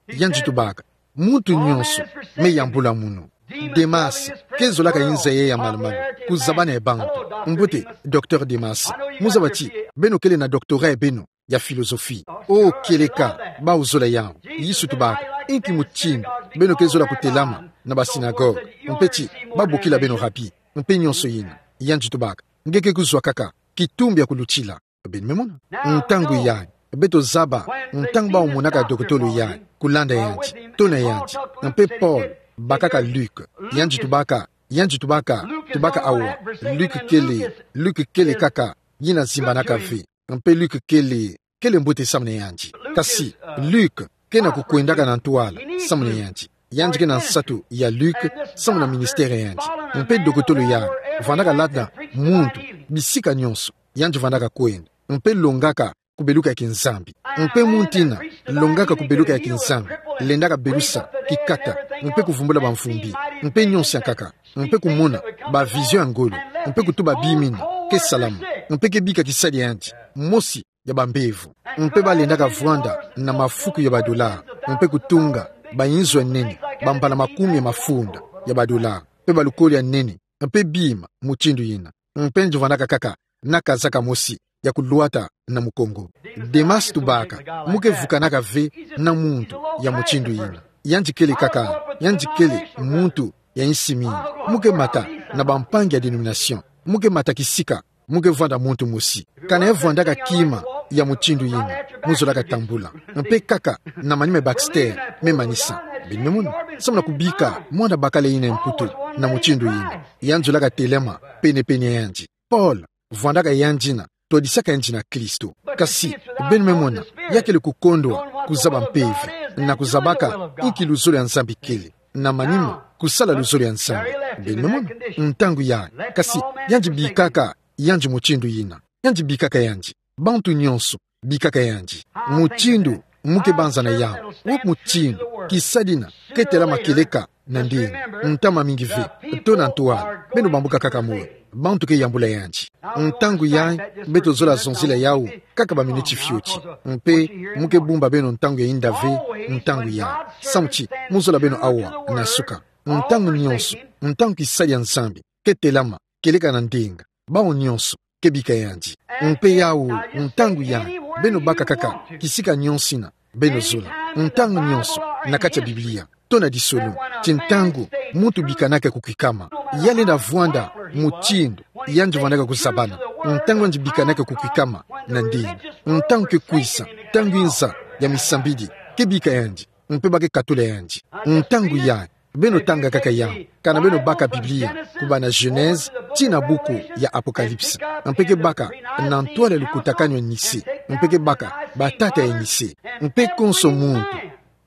Yandi tubaka: Muntu nyonso me yambula munu. Demas, ke zolaka inza ye ya malu-malu, kuzabana ye bantu. Mbote, Docteur Demas, mu zaba ti beno kele na doctorat ya beno ya philosophie. Oh, kieleka, bau zola yawu. Yesu tubaka: Inki mutindu beno ke zola kutelama na basinagogue, mpe ti babokila beno Rabi, mpe nyonso yina? Yandi tubaka: Nge ke kuzwa kaka kitumbi ya kulutila. Beno me mona? Ntangu yayi, beto zaba ntangu bau monaka dokotolo yayi, kulanda yandi, tona yandi, mpe Paul bakaka Luc. Yandi tubaka, yandi tubaka, tubaka awa: Luc kele, Luc kele kaka yina zimbanaka ve. Mpe Luc kele, kele mbote samu na yandi. Kasi Luc ke na kukwendaka na ntwala samu na yandi. Yandi ke na nsatu ya Luc samu na ministère ya yandi. Mpe dokotolo yayi vwandaka landa muntu bisika nyonso yandi vwandaka kwenda, mpe longaka kubeluka ya kinzambi. Mpe muntu yina longaka kubeluka ya kinzambi lendaka belusa kikata, mpe kuvumbula bamvumbi, mpe nyonso ya nkaka, mpe kumona ba vision ya ngolo, mpe kutuba bima yina ke salama, mpe ke bika kisadi ya yandi mosi ya bambevo. Mpe balendaka vwanda na mafuku ya badola, mpe kutunga bainzo ya nene, bambala makumi ya mafunda ya badola, mpe balukolo ya nene, mpe bima mutindu yina. Mpe yandi vwandaka kaka na kazaka mosi ya kulwata na mukongo. Demas tubaka: Mu ke vukanaka ve na muntu ya mutindu yina. Yandi kele kaka, yandi kele muntu ya insi mingi. Mu ke mata na bampangi ya dénomination. Mu ke mata kisika, mu ke vwanda muntu mosi. Kana ye vwandaka kima ya mutindu yina, mu zolaka tambula. Mpe kaka na manima ya Baxter me manisa. Beno me mona? Samu na kubika mwana bakala yina ya mputu na mutindu yina, yandi zolaka telama pene-pene ya yandi. Paul vwandaka yandi na twadisaka yandi na Kristo. Kasi, beno me mona, ya kele kukondwa kuzaba mpeve, na kuzabaka inki luzolo ya Nzambi kele, na manima kusala luzolo ya Nzambi. Beno me mona? Ntangu yayi, kasi, yandi bikaka yandi mutindu yina. Yandi bikaka yandi. Bantu nyonso bikaka yandi. Mutindu mu ke banza na yawu. Wapi mutindu kisadi yina ke telama kieleka na ndinga? Ntama mingi ve, tona ntwala, beno bambuka kaka moyo. Bantu ke yambula yandi. Ntangu yayi, beto zola zonzila yawu kaka baminiti fioti. Mpe mu ke bumba beno ntangu ya inda ve, ntangu yayi. Samu ti mu zola beno awa na suka. Ntangu nyonso, ntangu kisadi ya Nzambi ke telama kieleka na ndinga, bawu nyonso ke bika yandi. Mpe yawu, ntangu yayi, beno baka kaka kisika nyonso yina beno zola. Ntangu nyonso, na kati ya Biblia, tona disono ti ntangu muntu bikanaka kukwikama, ya lenda vwanda mutindu yandi vwandaka kuzabana. Ntangu yandi bikanaka kukwikama na ndinga, ntangu ke kwisa, ntangu inza ya misambidi ke bika yandi, mpe ba ke katula yandi. Ntangu yayi, beno tanga kaka yawu, kana beno baka Biblia, kubanda Genèse tii na buku ya Apocalypse. Mpe ke baka na ntwala ya lukutakanu ya Nicée. Mpe ke baka batata ya Nicée. Mpe konso muntu,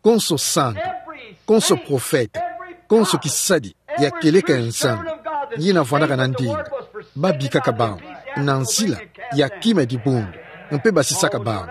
konso santu, konso profete, konso kisadi ya kieleka ya Nzambi yina vwandaka na ndinga, babikaka bawu na nzila ya kima ya dibundu, mpe basisaka bawu.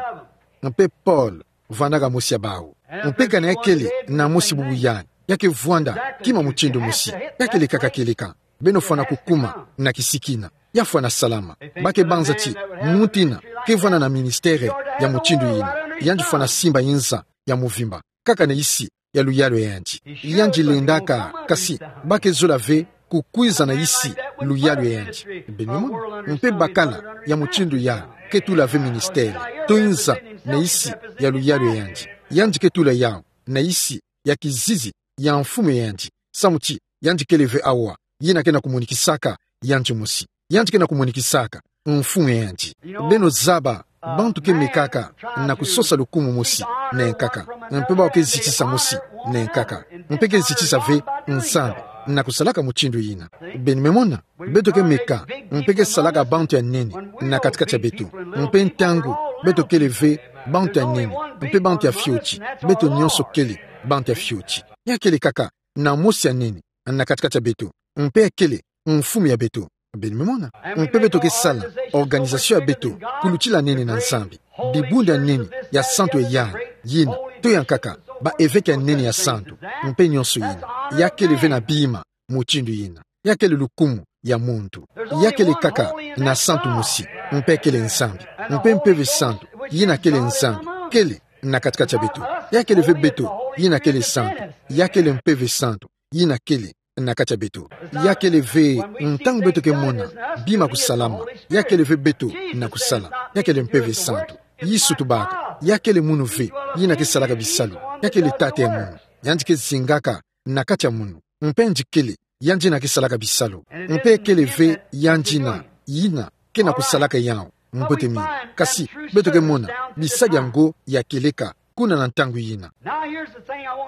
Mpe Paul vwandaka mosi ya bawu. Mpe kana ya kele na mosi bubu yayi, ya ke vwanda kima mutindu mosi, ya kele kaka kieleka. Beno fwana kukuma na kisiki yina. Ya fwana salama. Ba ke banza ti muntu yina ke vwanda na ministère ya mutindu yina, yandi fwana simba inza ya muvimba kaka na isi ya luyalu ya yandi. Yandi lendaka, kasi ba ke zola ve kukwiza na isi luyalu ya yandi. Beno mona? Mpe bakala ya mutindu yayi ke tula ve ministère to inza na isi ya luyalu ya yandi. Yandi ke tula yawu na isi ya kizizi ya mfumu ya yandi. Samu ti yandi kele ve awa yina ke na kumonikisaka yandi mosi. Yandi ke na kumonikisaka mfumu ya yandi. Beno zaba, bantu ke mekaka na kusosa lukumu mosi na yankaka. Mpe bawu ke zitisa mosi na yankaka. Mpe ke zitisa ve Nzambi na kusalaka mutindu yina. Beno me mona? Beto ke meka, mpe ke salaka bantu ya nene na kati-kati ya beto. Mpe ntangu beto kele ve bantu ya nene, mpe bantu ya fioti, beto nyonso kele bantu ya fioti. Ya kele kaka na mosi ya nene na kati-kati ya beto, mpe ya kele mfumu ya beto. Beno me mona? Mpe beto ke sala organisation ya beto, kulutila nene na Nzambi, dibundu ya nene ya santu ya yandi, yina, to yankaka, ba évêque ya nene ya santu, mpe nyonso yina. Ya kele ve na bima mutindu yina. Ya kele lukumu ya muntu. Ya kele kaka na santu mosi, mpe kele Nzambi. Mpe Mpeve Santu, yina kele Nzambi, kele na kati-kati ya beto. Ya kele ve beto, yina kele santu. Ya kele Mpeve Santu, yina kele na kati ya beto. Ya kele ve, ntangu beto ke mona bima kusalama, ya kele ve beto na kusala, ya kele Mpeve Santu. Yesu tubaka, ya kele munu ve, yina ke salaka bisalu, ya kele Tata ya munu, yandi ke zingaka na kati ya munu. Mpe yandi kele, yandi yina ke salaka bisalu. Mpe kele ve yandi yina, yina ke na kusalaka yawu, mbote mingi. Kasi beto ke mona bisadi yango ya kieleka kuna na ntangu yina.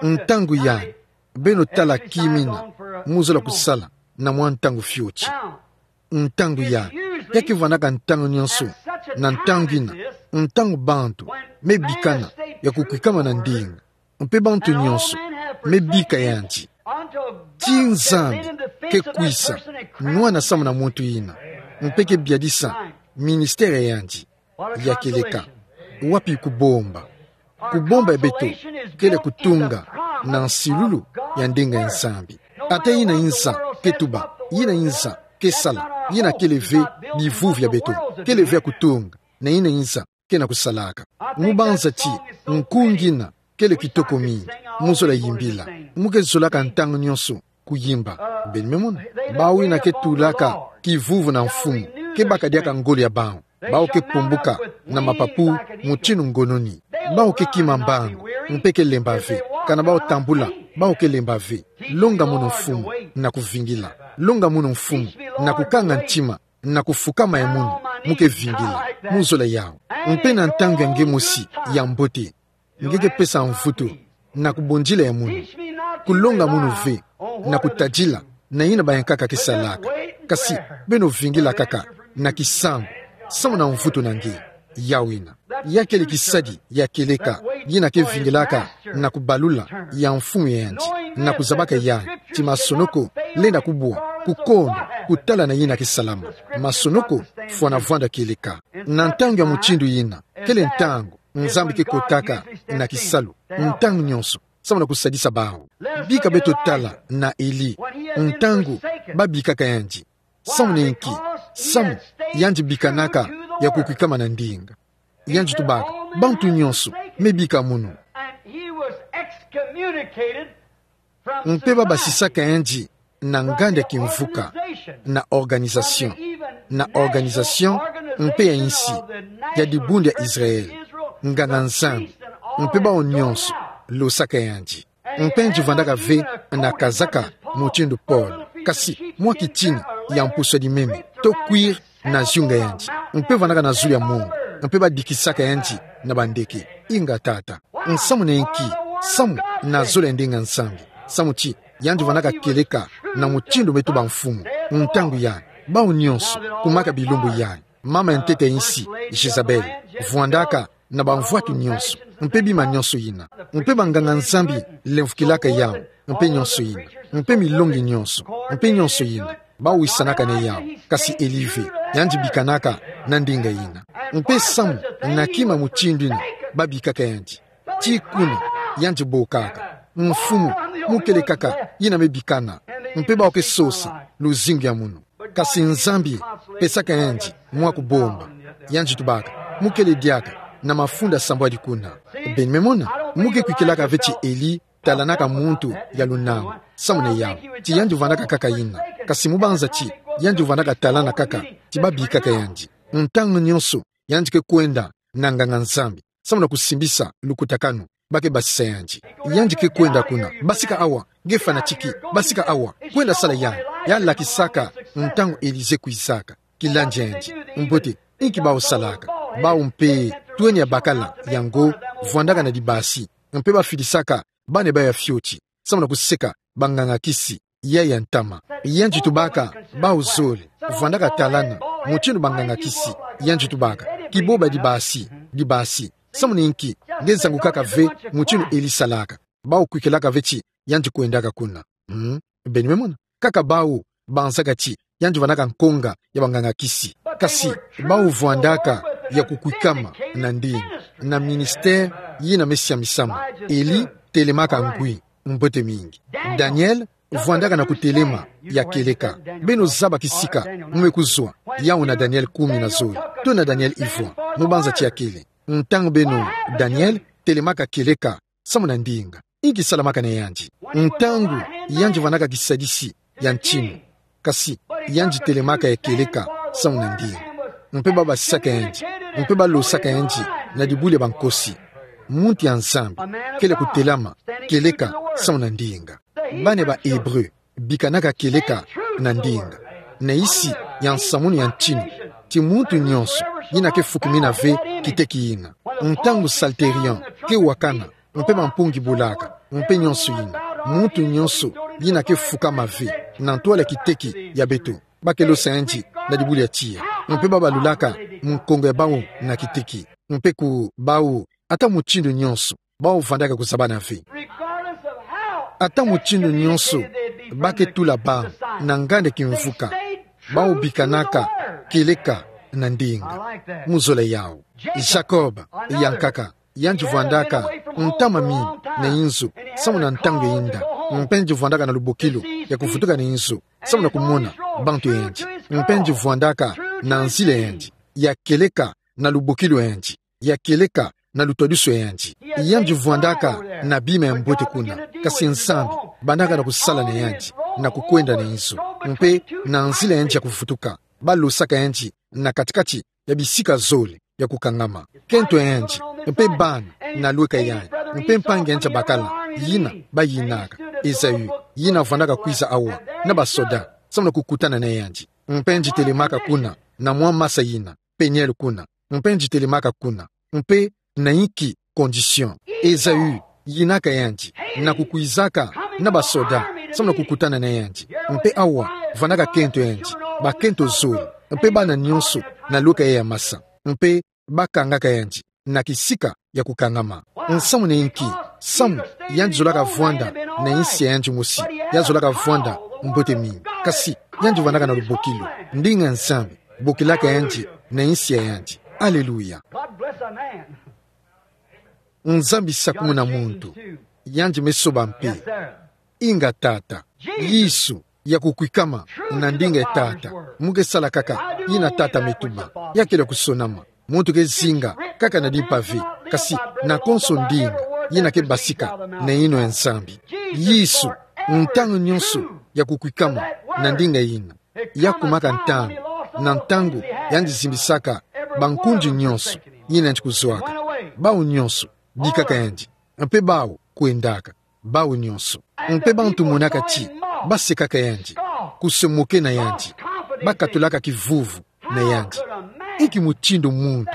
Ntangu yai, beno tala kimina mu zola kusala na mwa ntangu fioti. Ntangu yai, ya ke vwandaka ntangu nyonso na ntangu yina, ntangu bantu me bikana ya kukwikama na ndinga. Mpe bantu nyonso me bika yandi, ti Nzambi ke kwisa nwana samu na muntu yina, mpe ke biadisa ministère ya yandi ya kieleka. Wapi kubomba? Kubomba ya beto kele kutunga na nsilulu ya ndinga ya Nzambi. Ata yina nza ke tuba, yina nza ke sala, yina kele ve bivuvu ya beto, kele ve ya kutunga na yina nza ke na kusalaka. Mu banza ti nkunga yina kele kitoko mingi mu zola yimbila, mu ke zolaka ntangu nyonso kuyimba. Beno me mona, bawu yina ke tulaka kivuvu na mfumu, ke baka diaka ngolo ya bawu. Bawu ke pumbuka na mapapu mutindu ngononi. Bawu ke kima mbangu, mpe ke lemba ve. Kana bawu tambula, bawu ke lemba ve. Longa munu mfumu na kuvingila. Longa munu mfumu na kukanga ntima, na kufukama ya munu, mu ke vingila mu zola yawu. Mpe na ntangu ya nge mosi ya mbote, nge ke pesa mvutu na kubondila ya munu. Kulonga munu ve na kutadila na yina bayankaka ke salaka. Kasi beno vingila kaka na kisambu, samu na mvutu na nge. Yawu yina, ya kele kisadi ya kieleka, yina ke vingilaka na kubalula ya mfumu ya yandi, na kuzabaka yandi ti masonoko lenda kubwa, kukonda kutala na yina ke salama. Masonoko fwana vwanda kieleka. Na ntangu ya mutindu yina, kele ntangu Nzambi ke kotaka na kisalu, ntangu nyonso, samu na kusadisa bawu. Bika beto tala na Eli, ntangu babikaka yandi. Samu na inki? Samu yandi bikanaka ya kukwikama na ndinga. Yandi tubaka, bantu nyonso me bika munu. Mpe babasisaka yandi na nganda kimvuka, na organisation, na organisation mpe ya insi ya dibundu ya Israel, nganga-Nzambi, mpe bawu nyonso losaka yandi. Mpe yandi vwandaka ve na kazaka mutindu polo, kasi mwa kitini ya mpusu ya limeme, to cuir, na ziyunga yandi, mpe vwandaka na zulu ya mongo, mpe badikisaka yandi na bandeke. Inga tata. Nsamu na inki? Samu na zolo ya ndinga Nzambi. Samu ti yandi vwandaka kieleka na mutindu me tuba mfumu. Ntangu yandi, bawu nyonso kumaka bilumbu yandi, mama ya ntete ya insi, Jezabel, vwandaka na bamvwatu nyonso, mpe bima nyonso yina, mpe banganga-Nzambi lemvokilaka yawu, mpe nyonso yina, mpe milongi nyonso, mpe nyonso yina, bawisanaka na yawu. Kasi Eli ve, yandi bikanaka na ndinga yina. Mpe samu na kima mutindu yina babikaka yandi, ti kuna yandi bokaka: Mfumu, mu kele kaka yina me bikana, mpe bawu ke sosa luzingu ya munu. Kasi Nzambi pesaka yandi mwa kubomba. Yandi tubaka: Mu kele diaka na mafunda sambwadi kuna. Beno me mona, mu ke kwikilaka ve ti Eli talanaka muntu ya lunama samu na yawu, ti yandi vwandaka kaka yina. Kasi mu banza ti yandi vwandaka talana kaka ti babikaka yandi, ntangu nyonso yandi ke kwenda na nganga-Nzambi samu na kusimbisa lukutakanu ba ke basisa yandi. Yandi ke kwenda kuna: Basika awa, nge fanatiki, basika awa, kwenda sala yandi. Ya lakisaka ntangu Elisée kwizaka, kilandi yandi. Mbote, inki bawu salaka? Bawu mpe, twenia bakala yango, vwandaka na dibasi, mpe bafidisaka bana bawu ya fioti samu na kuseka banganga-kisi ya ya ntama. Yandi tubaka: Bawu zole vwandaka talana mutindu banganga-kisi. Yandi tubaka: Kiboba dibasi, dibasi. Samu na inki? Nge zangukaka ve mutindu Eli salaka. Bawu kwikilaka ve ti yandi kwendaka kuna. Hmm? Beno me mona, kaka bawu banzaka ti yandi vwandaka nkonga ya banganga-kisi. Kasi bawu vwandaka ya kukwikama na ndinga, na ministère yina me siamisama. Eli telemaka ngwi, Mbote mingi. Daniel vwandaka na kutelema ya kieleka. Beno zaba kisika mu me kuzwa, yawu na Daniel kumi na zole, to na Daniel ivwa, mu banza tia kele. Ntangu beno, Daniel telemaka kieleka samu na ndinga, inki salamaka na yandi? Ntangu yandi vwandaka kisadisi ya ntinu, kasi yandi telemaka ya kieleka samu na ndinga. Mpe babasisaka yandi, mpe balosaka yandi na dibuli ya bankosi. Muntu ya Nzambi kele kutelama kieleka samu na ndinga. Bana ba Hébreu bikanaka kieleka na ndinga, na insi ya nsamunu ya ntinu, ti muntu nyonso yina ke fukimina ve kiteki yina. Ntangu salterion ke wakana, mpe mampungi bulaka, mpe nyonso yina, muntu nyonso yina ke fukama ve na ntwala kiteki ya beto, ba ke losa yandi na dibuli ya tiya, mpe babalulaka munkongo ya bawu na kiteki, mpe ku bawu, ata mutindu nyonso, bawu vwandaka kuzabana ve. Ata mutindu nyonso ba ke tula bawu na nganda kimvuka, bawu bikanaka kieleka na ndinga. Mu zola yawu. Jacob yankaka, yandi vwandaka ntama mingi na inzo samu na ntangu ya inda, mpe yandi vwandaka na lubokilu ya kuvutuka na inzo samu na kumona bantu ya yandi, mpe yandi vwandaka na nzila ya yandi ya kieleka, na lubokilu ya yandi ya kieleka, na lutwadusu ya yandi. Yandi vwandaka na bima ya mbote kuna, kasi Nzambi bandaka na kusala na yandi, na kukwenda na inzo, mpe na nzila ya yandi ya kuvutuka, balosaka yandi na kati-kati ya bisika zole ya kukangama. Kento ya yandi, mpe bana na lweka ya yandi, mpe mpangi ya yandi ya bakala, yina bayinaka Esaü, yina vwandaka kwiza awa na basoda samu na kukutana na yandi. Mpe yandi telemaka kuna, na mwa masa yina, Peniel kuna, mpe yandi telemaka kuna, mpe na inki condition? Esaü yinaka yandi na kukwizaka na basoda samu na kukutana na yandi. Mpe awa vwandaka kento ya yandi, bakento zole, mpe bana nyonso na lweka ya masa, mpe bakangaka yandi na kisika ya kukangama. Nsamu na inki? Samu yandi zolaka vwanda na insi ya yandi mosi, yandi zolaka vwanda mbote mingi. Kasi yandi vwandaka na lubokilu, ndinga ya Nzambi bokilaka yandi na insi ya yandi. Aleluya. God bless a man. Nzambi sakumuna muntu, yandi me soba mpe. Yes, sir. Inga Tata. Yesu, ya kukwikama na ndinga ya Tata. Mu ke sala kaka yina Tata me tuba. Ya kele kusonama. Muntu ke zinga kaka na dimpa ve, kasi na konso ndinga yina ke basika na yinwa ya Nzambi. Yesu, ntangu nyonso ya kukwikama na ndinga yina. Ya kumaka ntangu, na ntangu yandi zimbisaka bankundi nyonso yina yandi kuzwaka. Bawu nyonso bikaka yandi, mpe bawu kwendaka, bawu nyonso. Mpe bantu monaka ti basekaka yandi, kusemoke na yandi, bakatulaka kivuvu na yandi. Inki mutindu muntu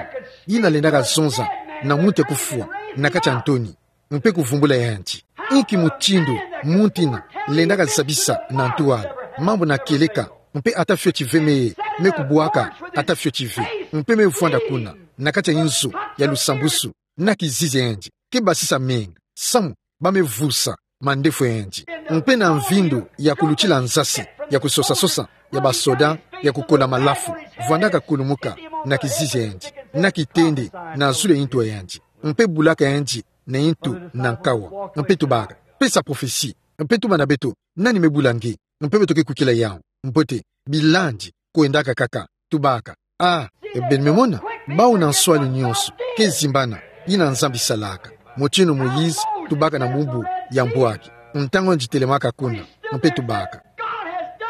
yina lendaka zonza na muntu ya kufwa na kati ya ntoni, mpe kuvumbula yandi? Inki mutindu muntu yina lendaka zabisa na ntwala mambu na kieleka, mpe ata fioti ve me, me kubwaka, ata fioti ve, mpe me vwanda kuna na kati ya inzo ya lusambusu, na kizizi ya yandi ke basisa menga samu ba me vusa mandefu ya yandi? Mpe na mvindu ya kulutila nzasi ya kusosa-sosa ya basoda ya kukola malafu, vwandaka kulumuka na kizizi ya yandi, na kitendi, na zulu ya intu ya yandi, mpe bulaka yandi na intu na nkawa, mpe tubaka: Pesa prophetie, mpe tuba na beto nani me bula nge. Mpe beto ke kwikila yawu. Mbote, bilandi kwendaka kaka, tubaka: Ah, e beno me mona, bawu na nswalu nyonso ke zimbana yina Nzambi salaka, mutindu Moïse tubaka na mubu ya mbwaki, ntangu yandi telemaka kuna, mpe tubaka: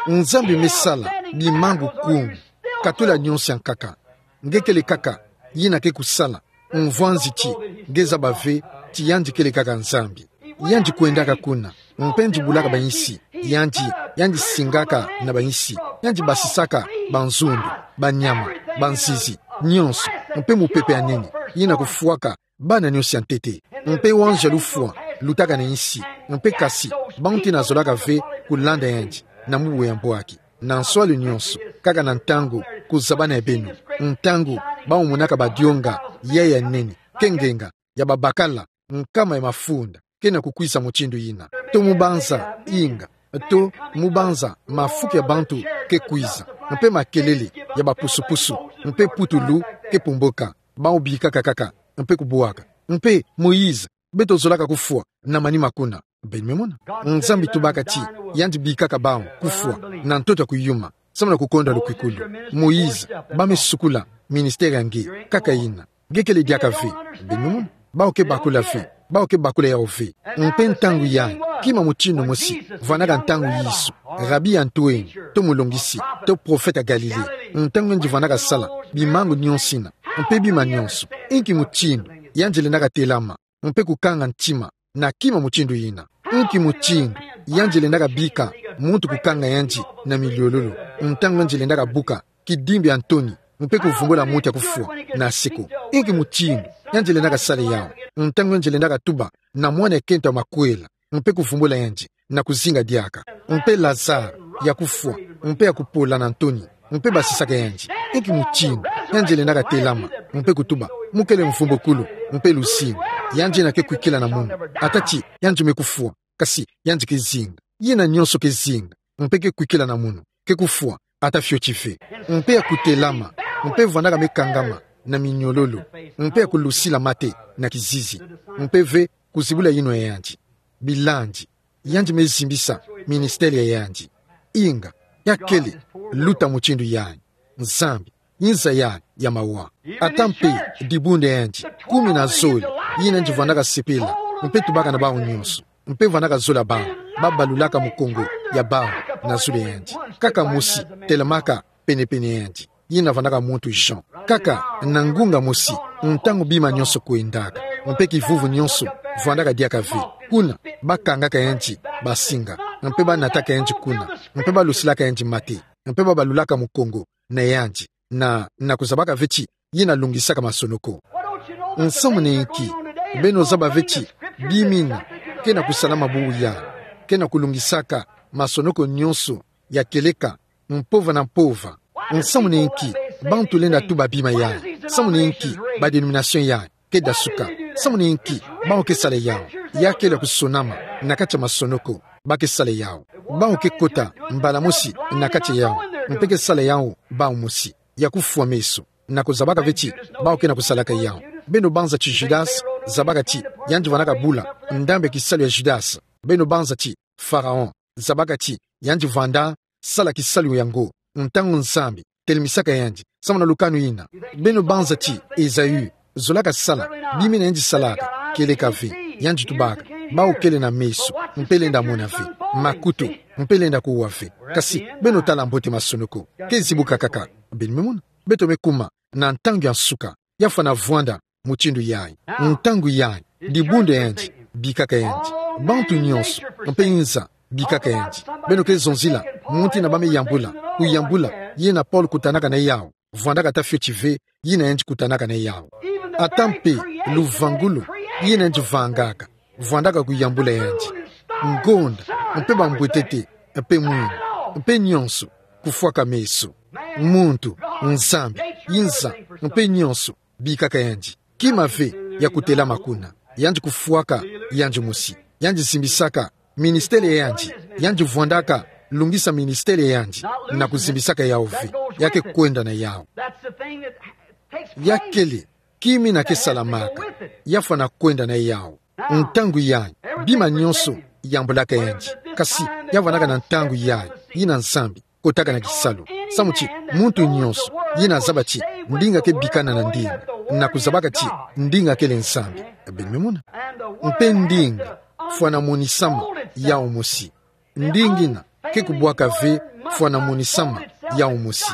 Nzambi me sala bimambu kumi, katula nyonso ya nkaka. Nge kele kaka yina ke kusala, mvwanzi ti nge zaba ve ti yandi kele kaka Nzambi. Yandi kwendaka kuna, mpe yandi bulaka bayinsi, yandi, yandi singaka na bayinsi, yandi basisaka banzundu, banyama, banzizi nyonso, mpe mupepe ya nene yina kufwaka bana nyonso ya ntete. Mpe wanzo ya lufwa lutaka na yinsi, mpe kasi bantu yina zolaka ve kulanda yandi na mubu ya mbwaki. Na nswalu nyonso, kaka na ntangu kuzabana ya beno, ntangu bawu monaka badionga ya ya nene, ke ngenga ya babakala, nkama ya mafunda ke na kukwiza mutindu yina, to mu banza inga, to mu banza mafuku ya bantu ke kwiza, mpe makelele ya bapusu-pusu, mpe putulu ke pumboka, bawu bikaka kaka, mpe kubwaka: Mpe Moïse Beto zolaka kufwa na manima kuna. Beno me mona. Nzambi tubaka ti yandi bikaka bawu kufwa na ntoto ya kuyuma, samu na kukonda lukwikulu. Moïse, ba me sukula ministère ya nge, kaka ina. Nge kele diaka ve. Beno me mona. Bawu ke bakula ve. Bawu ke bakula yawu ve. Mpe ntangu yayi, kima mutindu mosi vwanaka ntangu Yesu, Rabi ya ntu eni, to mulongisi, to profeta Galilée, ntangu yandi vwanaka sala bimangu nionso ina, mpe bima nionso, inki mutindu yandi lendaka telama mpe kukanga ntima na kima mutindu ina? Inki mutindu yandi lendaka bika muntu kukanga yandi na miliololo, ntangu yandi lendaka buka kidimbu ya ntoni mpe kuvumbula muntu ya kufwa na seko? Inki mutindu yandi lendaka sala yawu, ntangu yandi lendaka tuba na mwana ya kento ya makwela mpe kuvumbula yandi na kuzinga diaka, mpe Lazare ya kufwa mpe ya kupola na ntoni, mpe basisaka yandi? Inki mutindu yandi lendaka telama mpe kutuba: Mu kele mvumbukulu mpe luzingu? Yandi ina ke kwikila na munu, ata ti yandi me kufwa, kasi yandi ke zinga. Yina nionso ke zinga mpe ke kwikila na munu ke kufwa, ata fioti ve. Mpe ya kutelama mpe vwanaka me kangama na miniololo, mpe ya kulusila mate na kizizi, mpe ve kuzibula yinwa ya yandi. Bilandi, yandi me zimbisa ministère ya yandi. Inga, ya kele luta mutindu yayi. Nzambi, nza yayi ya mawa. Ata mpe dibundu ya yandi kumi na zole, yina yandi vwanaka sepela mpe tubaka na bawu nionso, mpe vwanaka zola bawu ba balulaka mukongo ya bawu na zulu ya yandi. Kaka mosi telamaka penepene ya yandi, yina vwanaka muntu Jean. Kaka na ngunga mosi, ntangu bima nionso kwendaka mpe kivuvu nionso vwanaka diaka ve, kuna ba kangaka yandi basinga, mpe ba nataka yandi kuna, mpe ba lusilaka yandi mate, mpe ba balulaka mukongo na yandi, na, na kuzabaka ve ti yina lungisaka masonoko. Nsamu na inki? Beno zaba ve ti bima ina ke na kusalama bubu yayi, ke na kulungisaka masonoko nionso ya kieleka, mpova na mpova. Nsamu na inki bantu lenda tuba bima yayi? Nsamu na inki ba dénomination yayi ke dasuka? Nsamu na inki bawu ke sala yawu? Ya kele ya kusonama na kati ya masonoko ba ke sala yawu. Bawu ke kota mbala mosi na kati ya yawu, mpe ke sala yawu bawu mosi, ya kufwa meso, na kuzabaka ve ti bawu ke na kusalaka yawu. Beno banza ti Judas, zabaka ti yandi vwanaka bula ndambu ya kisalu ya Judas. Beno banza ti Pharaon, zabaka ti yandi vwanda sala kisalu yango ntangu Nzambi telemisaka yandi, samu na lukanu ina. Beno banza ti Esaü, zolaka sala bima ina yandi salaka, kieleka ve. Yandi tubaka: Bawu kele na meso mpe lenda mona ve, makutu mpe lenda kuwa ve, kasi beno tala mbote masonoko ke zibuka kaka. Beno me mona. Beto me kuma na ntangu ya nsuka, ya fwana vwanda mutindu yayi. Ntangu yayi, dibundu ya yandi bikaka yandi. Bantu nionso mpe nza bikaka yandi. Beno ke zonzila muntu ina ba me yambula, kuyambula yina Paul kutanaka na yawu, vwandaka ata fioti ve yina yandi kutanaka na yawu. Ata mpe luvangulu yina yandi vangaka, vwandaka kuyambula yandi. Ngonda, mpe bambwetete, mpe mwini, mpe nionso, kufwaka meso. Muntu, Nzambi, nza, mpe nionso bikaka yandi. Kima ve ya kutelama kuna. Yandi kufwaka yandi mosi. Yandi zimbisaka ministère ya yandi. Yandi vwandaka lungisa ministère ya yandi na kuzimbisaka yawu ve. Ya ke kwenda na yawu. Ya kele kima ina ke salamaka, ya fwana kwenda na yawu. Ntangu yayi, bima nionso yambulaka yandi. Kasi ya vwanaka na ntangu yayi yina Nzambi kotaka na kisalu, samu ti muntu nionso yina zaba ti ndinga ke bikana na ndinga, na kuzabaka ti ndinga kele Nzambi. Beno me mona. Mpe ndinga fwana monisama yawu mosi. Ndinga ina ke kubwaka ve fwana monisama yawu mosi.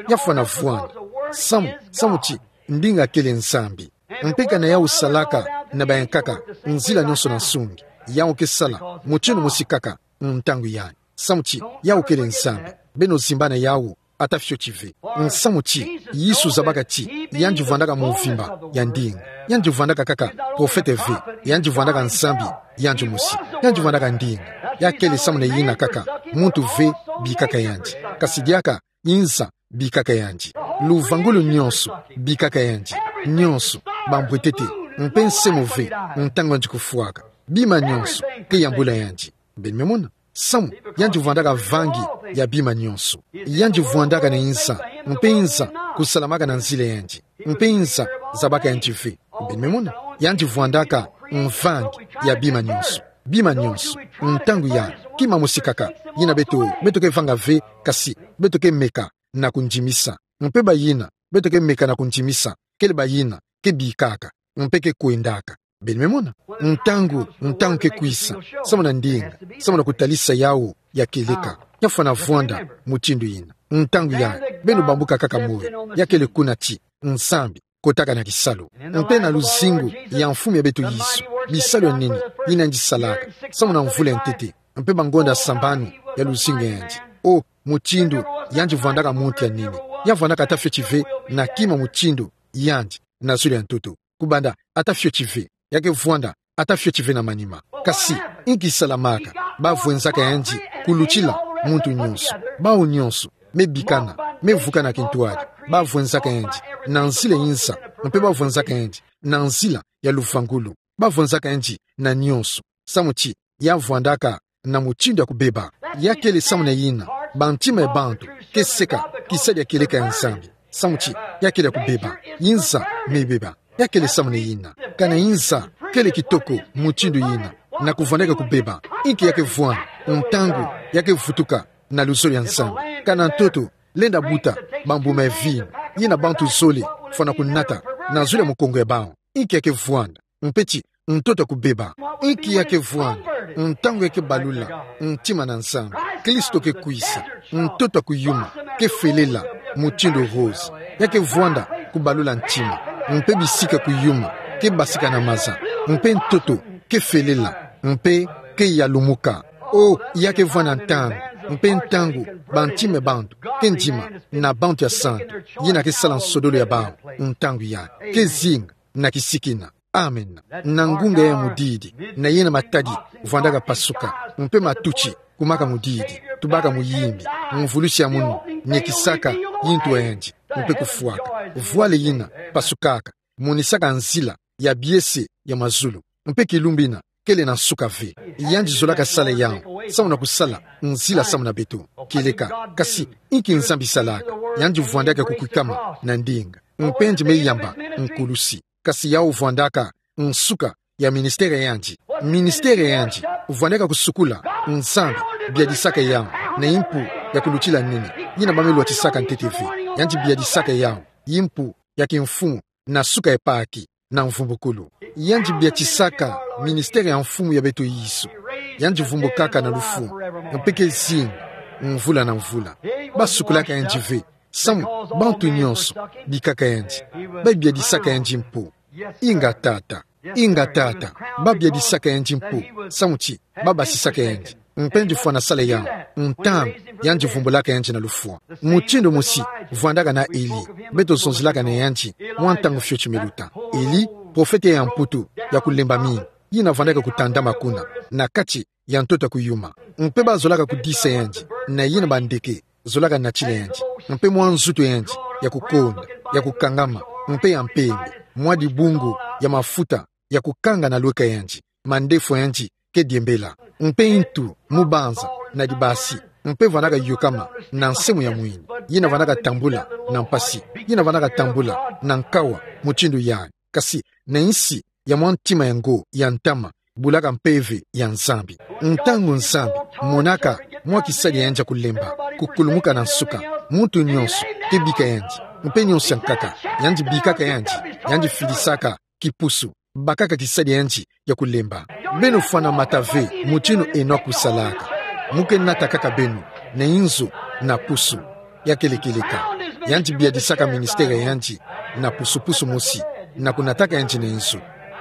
Ya fwana vwanda. Samu, samu ti ndinga kele Nzambi. Mpe kana yawu salaka na bayankaka nzila nionso na nsungi, yawu ke sala mutindu mosi kaka ntangu yayi. Samu ti yawu kele Nzambi. Beno zimba na yawu ata fioti ve. Nsamu ti Yesu zabaka ti yandi vwandaka mvimba ya ndinga. Yandi vwandaka kaka profete ve. Yandi vwandaka Nzambi yandi mosi. Yandi vwandaka ndinga. Ya kele samu na yina kaka muntu ve bikaka yandi, kasi diaka nza bikaka yandi. Luvangulu nionso bikaka yandi. Nionso, bambwetete, mpe nse mo ve ntangu yandi kufwaka. Bima nionso ke yambula yandi. Beno me mona. Samu yandi vwandaka vangi ya bima nionso. Yandi vwandaka na nza, mpe nza kusalamaka na nzila yandi, mpe nza zabaka yandi ve. Beno me mona. Yandi vwandaka mvangi ya bima nyonso. Bima nyonso, ntangu ya, kima mosi kaka, yina beto, beto ke vanga ve, kasi, beto ke meka na kundimisa. Mpe bayina, beto ke meka na kundimisa, kele bayina ke bikaka, mpe ke kwendaka. Beno me mona? Ntangu, ntangu ke kwisa, samu na ndinga, samu na kutalisa yawu ya kieleka, ya fwana vwanda mutindu yina. Ntangu ya, beno bambuka kaka moyo, ya kele kuna ti Nzambi kotaka na kisalu. Mpe na luzingu ya Mfumu ya beto Yesu, bisalu ya nene yina yandi salaka, samu na mvula ya ntete, mpe bangonda sambanu ya luzingu ya yandi. O, mutindu yandi vwandaka muntu ya nene. Ya vwandaka ata fioti ve na kima mutindu yandi na zulu ya ntoto. Kubanda ata fioti ve, ya ke vwanda ata fioti ve na manima. Kasi, inki salamaka? Ba vwenzaka yandi kulutila muntu nyonso. Bawu nyonso me bikana, me vukana kintwadi. Ba vwenzaka yandi na nzila inza, mpe ba vwenzaka yandi na nzila ya luvangulu. Ba vwenzaka yandi na nyonso. Samu ti ya vwandaka na mutindu ya kubeba. Ya kele samu na yina bantima ya bantu ke seka kisadi ya kieleka ya Nzambi. Samu ti ya kele ya kubeba. Inza me beba. Ya kele samu na yina. Kana inza kele kitoko mutindu yina, na kuvwandaka ya kubeba, inki ya ke vwanda ntangu ya ke vutuka na luzolo ya Nzambi? Kana ntoto lenda buta bambuma ya vinu yina bantu zole fwana kunata na zulu ya mukongo ya bawu? Inki ya ke vwanda? Mpe ti ntoto ya kubeba. Inki ya ke vwanda ntangu ya ke balula ntima na Nzambi? Kristo ke kwisa. Ntoto ya kuyuma ke felela mutindu rose. Ya ke vwanda kubalula ntima. Mpe bisika ya kuyuma ke basika na maza. Mpe ntoto ke felela, mpe ke yalumuka. O, ya ke vwanda ntangu, mpe ntangu bantima ya bantu ke ndima na bantu ya santu, yina ke sala nsodolo ya bawu ntangu ya, ke zinga na kisikina. Amen. Na ngunga ya mudidi, na yina matadi vwandaka pasuka, mpe matuti kumaka mudidi, tubaka muyimbi, mvulusi ya munu niekisaka yintu ya yandi, mpe kufwaka. Vwala yina pasukaka monisaka nzila ya biese ya mazulu. Mpe kilumbu yina kele na nsuka ve. Yandi zolaka sala yawu samu na kusala nzila samu na beto. Kieleka, kasi inki Nzambi salaka? Yandi vwandaka ya kukwikama na ndinga. Mpe yandi me yamba nkulusi. Kasi yawu vwandaka nsuka ya ministère ya yandi. Ministère ya yandi vwandaka kusukula. Nzambi biadisaka yawu na yimpu ya kulutila nene, yina ba me lwatisaka ntete ve. Yandi biadisaka yawu yimpu ya kimfumu na suka ya Pâques na mvumbukulu. Yandi biadisaka ministère ya Mfumu ya beto Yesu. Yandi vumbukaka na lufwa, mpe ke zinga mvula na mvula. Ba sukulaka yandi ve, samu bantu nyonso bikaka yandi. Ba biadisaka yandi mpo. Inga, Tata. Inga, Tata. Ba biadisaka yandi mpo, samu ti ba basisaka yandi. Mpe yandi fwana sala yawu ntangu yandi vumbulaka yandi na lufwa. Mutindu mosi vwandaka na Eli, beto zonzilaka na yandi mwa ntangu fioti me luta. Eli, profete ya mputu ya kulemba mingi, yina vwandaka kutandama kuna na kati ya ntoto ya kuyuma. Mpe ba zolaka kudisa yandi na yina bandeke zolaka natila yandi, mpe mwa nzutu ya yandi ya kukonda, ya kukangama, mpe ya mpembe, mwa dibungu ya mafuta ya kukanga na lweka ya yandi, mandefu ya yandi ke diembela. Mpe ntu, mubanza na dibasi, mpe vwandaka yokama na nsamu ya mwini, yina vwandaka tambula na mpasi, yina vwandaka tambula na nkawa mutindu yayi. Kasi na nsi ya mwa ntima ya ngo ya ntama, bulaka mpeve ya Nzambi. Ntangu Nzambi monaka mwa kisadi ya yandi ya kulemba kukulumuka na nsuka, muntu nyonso ke bika yandi, mpe nyonso ya nkaka, yandi bikaka yandi, yandi fidisaka kipusu, bakaka kisadi ya yandi ya kulemba. Beno fwana mata ve mutindu Enok kusalaka. Mu ke nata kaka beno na inzo na pusu. Ya kele kieleka. Yandi biadisaka ministère ya yandi na pusu-pusu mosi, na kunataka yandi na inzo.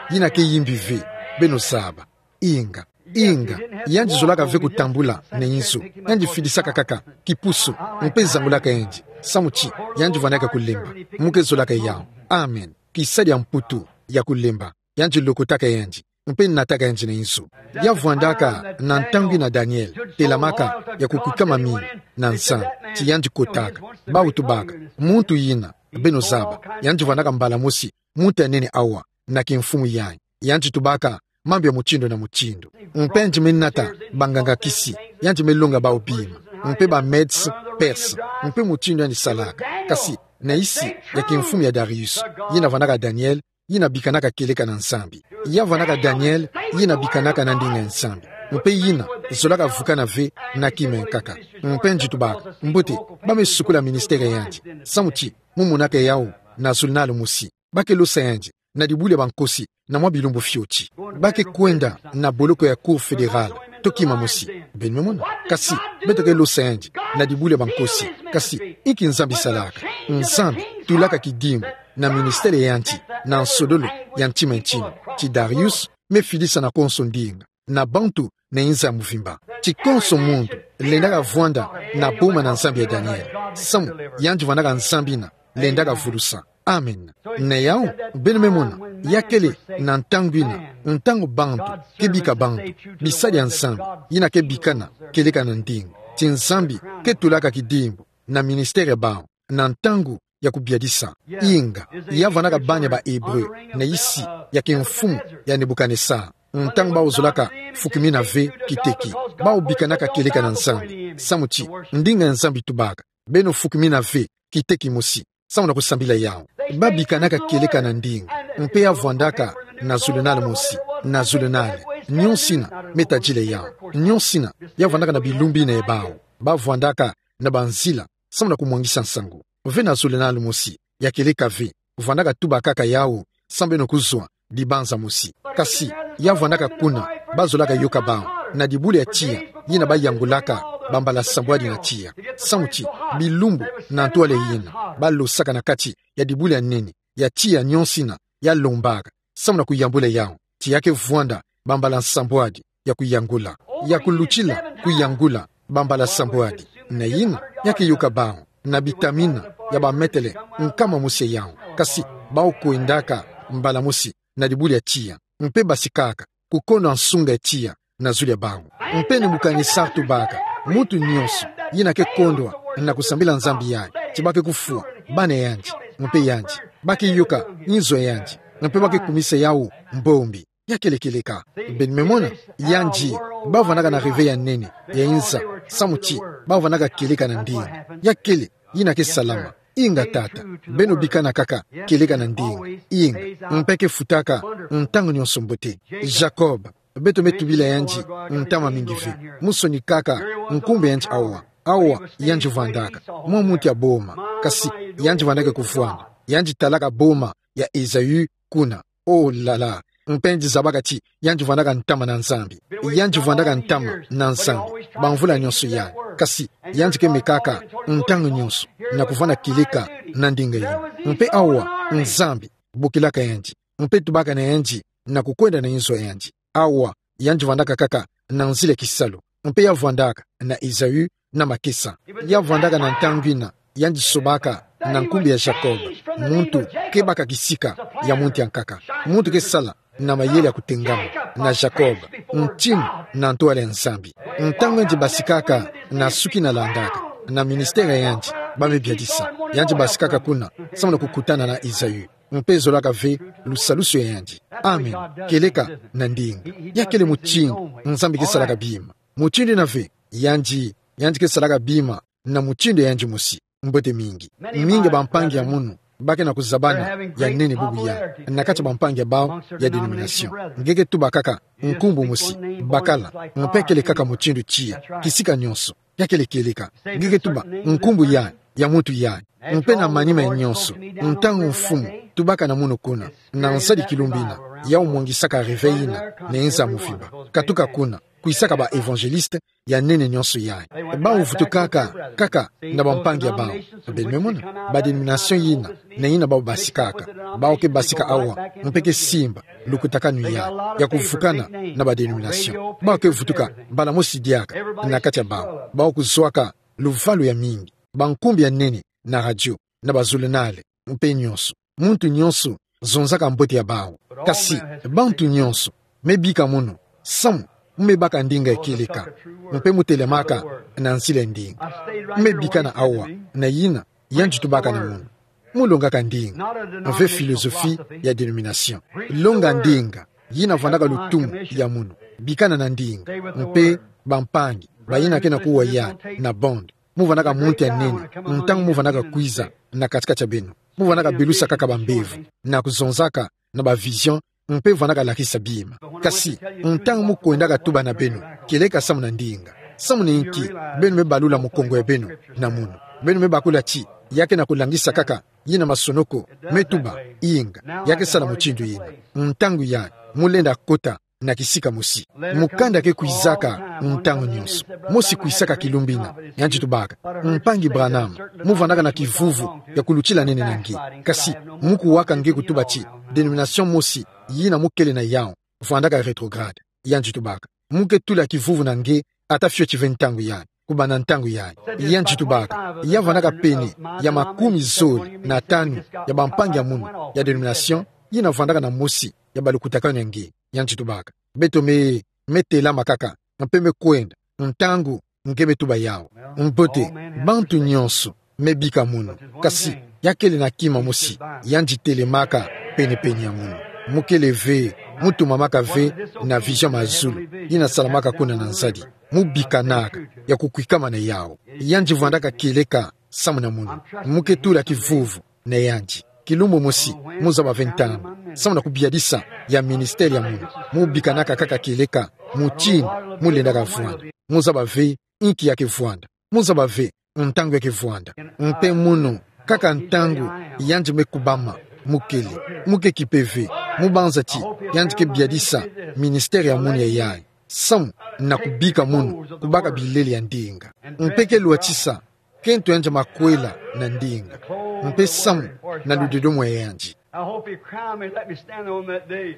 Yina ke yimbi ve, beno zaba. Inga, inga, yandi zolaka ve kutambula na inzo. Yandi fidisaka kaka kipusu, mpe zangulaka yandi, samu ti yandi vwandaka kulemba. Mu ke zolaka yawu. Amen. Kisadi ya mputu ya kulemba. Yandi lokotaka yandi, mpe nataka yandi na inzo. Ya vwandaka na ntangu yina Daniel telamaka ya kukwikama mingi na Nzambi, ti yandi kotaka. Bawu tubaka, muntu yina, beno zaba, yandi vwandaka mbala mosi muntu ya nene awa na kimfumu yayi. Yandi tubaka mambu ya mutindu na mutindu. Mpe yandi me nata banganga-kisi, yandi me longa bawu bima, mpe ba Medes, Perses, mpe mutindu yandi salaka. Kasi na nsi ya kimfumu ya Darius, yina vwandaka Daniel, yina bikanaka kieleka na Nzambi. Ya vwandaka Daniel, yina bikanaka na ndinga ya Nzambi. Mpe yina zolaka vukana ve na kima ya nkaka. Mpe nji tubaka, mbote, ba me sukula ministère yandi. Samu ti, mu monaka yawu na zulunal mosi. Ba ke losa yandi na dibuli ya bankosi na mwa bilumbu fioti. Ba ke kwenda na boloko ya Cour fédérale, to kima mosi. Beno me mona. Kasi, beto ke losa yandi na dibuli ya bankosi. Kasi, inki Nzambi salaka? Nzambi tulaka kidimbu na ministère ya yandi, na nsololo ya ntima ya ntinu. Ti Darius me fidisa na konso ndinga, na bantu na inza ya mvimba. Ti konso muntu lendaka vwanda na boma na Nzambi ya Daniel. Samu, yandi vwandaka Nzambi yina lendaka vulusa. Amen. Na yawu, beno me mona, ya kele na ntangu yina, ntangu bantu ke bika bantu bisadi ya Nzambi, yina ke bikana kieleka na ndinga. Ti Nzambi ke tulaka kidimbu na ministère ya bawu na ntangu ya kubiadisa. Inga, ya vwandaka bana ya ba Hébreu na yisi ya kimfumu ya Nebukanesar. Ntangu bawu zolaka fukimina ve kiteki, bawu bikanaka kieleka na Nzambi. Samu ti, ndinga ya Nzambi tubaka, beno fukimina ve kiteki mosi, samu na kusambila yawu. Ba bikanaka kieleka na ndinga, mpe ya vwandaka na zulunal mosi, na zulunal. Nionso yina me tadila yawu. Nionso yina ya vwandaka na bilumbu yina ya bawu. Ba vwandaka na banzila samu na kumwangisa nsangu. Ve na zulunal mosi ya kieleka ve, vwandaka tuba kaka yawu, samu beno kuzwa dibanza mosi. Kasi, ya vwandaka kuna, ba zolaka yoka bawu na dibuli ya tiya, yina ba yangulaka bambala sambwadi na tiya. Samu ti, bilumbu na ntwala yina, ba losaka na kati ya dibuli ya nene ya tiya nionso yina ya lombaka, samu na kuyambula yawu, ti ya ke vwanda bambala sambwadi ya kuyangula, ya kulutila kuyangula bambala sambwadi. Na yina, ya ke yoka bawu na bitamina ya bametele nkama mosi ya yawu. Kasi, bawu kwendaka mbala mosi na dibuli ya tiya, mpe basikaka kukondo nsunga ya tiya na zulu ya bawu. Mpe Nebukanesar tubaka, muntu nionso yina ke kondwa na kusambila nzambi yayi, ti ba ke kufwa bana yandi, mpe yandi, ba ke yoka inzo yandi, mpe ba ke kumisa yawu mbombi. Ya kele kieleka. Beno me mona, yandi, ba vwandaka na rêve ya nene ya inza, samu ti ba vwandaka kieleka na ndinga. Ya kele yina ke salama. Inga tata, beno bikana kaka kieleka na ndinga. Inga, mpe ke futaka ntangu nionso mbote. Jacob, beto me tubila yandi ntama mingi ve. Mu sonikaka nkumbu yandi awa. Awa yandi vwandaka mwa muntu ya boma, kasi yandi vwandaka kuvwanda. Yandi talaka boma ya Esaü kuna. Oh là là. Mpe yandi zabaka ti yandi vwandaka ntama na Nzambi. Yandi vwandaka ntama na Nzambi bamvula nionso yayi. Kasi yandi ke mekaka ntangu nionso na kuvwanda kieleka na ndinga yina. Mpe awa Nzambi bokilaka yandi, mpe tubaka na yandi na kukwenda na inzo yandi. Awa yandi vwandaka kaka na nzila ya kisalu, mpe ya vwandaka na Esaü na makesa. Ya vwandaka na ntangu yina yandi sobaka na nkumbu ya Jacob, muntu ke baka kisika ya muntu ya nkaka, muntu ke sala na mayele ya kutengama, na Jacob, ntinu na ntwala ya Nzambi. Ntangu yandi basikaka na suki na landaka, na ministère ya yandi, ba me biadisa, yandi basikaka kuna samu na kukutana na Esaü, mpe zolaka ve lusalusu ya yandi. Amen. Kieleka na ndinga. Ya kele mutindu Nzambi ke salaka bima. Mutindu yina ve, yandi, yandi ke salaka bima na mutindu ya yandi mosi. Mbote mingi. Mingi ya bampangi ya munu ba ke na kuzabana ya nene bubu yayi na kati ya bampangi ya bawu ya dénomination. Nge ke tuba kaka nkumbu mosi, bakala, mpe kele kaka mutindu tiya, kisika nionso. Ya kele kieleka. Nge ke tuba nkumbu yayi, ya muntu yayi. Mpe na manima ya nionso, ntangu mfumu tubaka na munu kuna, na nsadi kilumbu yina, yawu mwangisaka rêve yina na inza ya mvimba. Katuka kuna, kwisaka ba évangéliste ya nene nionso yayi. Bawu vutukaka kaka na bampangi ya bawu. Beno me mona, ba dénomination yina na yina bawu basikaka. Bawu ke basika awa, mpe ke simba lukutakanu yayi ya kuvukana na ba dénomination. Bawu ke vutuka mbala mosi diaka na kati ya bawu. Bawu kuzwaka luvalu ya mingi, bankumbu ya nene na radio, na bazulunale, mpe nionso. Muntu nionso zonzaka mbote ya bawu. Kasi bantu nionso me bika munu samu mu me baka ndinga ya kieleka, mpe mu telamaka na nzila ya ndinga. Mu me bikana awa, na yina yandi tubaka na munu. Mu longaka ndinga, mpe philosophie ya dénomination. Longa ndinga yina vwandaka lutumu ya munu. Bikana na ndinga, mpe bampangi bayina ke na kuwa yayi na bande. Mu vwandaka muntu ya nene ntangu mu vwandaka kwiza na katikati ya beno. Mu vwandaka belusa kaka bambevo na kuzonzaka na ba vision, mpe vandaka lakisa bima. Kasi, ntangu mu kwendaka tuba na beno, kieleka samu na ndinga, samu na inki beno me balula mukongo ya beno na munu, beno me bakula ti, ya ke na kulangisa kaka yina masonoko me tuba, inga, ya ke sala mutindu yina. Ntangu yayi, mu lenda kota na kisika mosi. Mukanda ke kwisaka ntangu nyonso. Mosi kwisaka kilumbu ina, yandi tubaka: Mpangi Branham, mu vandaka na kivuvu ya kulutila nene na nge. Kasi, mu kuwaka nge kutuba ti, denomination mosi yina mu kele na yawu vandaka rétrograde. Yandi tubaka: Mu ke tula kivuvu na nge, ata fioti ve ntangu yayi, kubanda ntangu yayi. Yandi tubaka: Ya vandaka pene ya makumi zole na tanu ya bampangi ya munu ya denomination yina vandaka na mosi ya balukutakanu ya nge. Yandi tubaka: Beto me, me telama kaka, mpe me kwenda ntangu nge me tuba yawu. Mbote, bantu nyonso me bika munu. Kasi, ya kele na kima mosi, yandi telemaka penepene ya munu. Mu kele ve, mu tumamaka ve na vision mazulu yina salamaka kuna na nzadi. Mu bikanaka ya kukwikama na yawu. Yandi vandaka kieleka samu na munu. Mu ke tula kivuvu na yandi. Kilumbu mosi, mu zaba ve ntangu, samu na kubiadisa ya ministère ya munu, mu bikanaka kaka kieleka mutindu mu lendaka vwanda. Mu zaba ve inki ya ke vwanda. Mu zaba ve ntangu ya ke vwanda. Mpe munu, kaka ntangu yandi me kubama, mu kele. Mu ke kipe ve, mu banza ti yandi ke biadisa ministère ya munu ya yayi samu na kubika munu kubaka bilele ya ndinga. Mpe ke lwatisa kento yandi makwela na ndinga, mpe samu na ludedomo ya yandi. I hope he crowned me and let me stand on that day.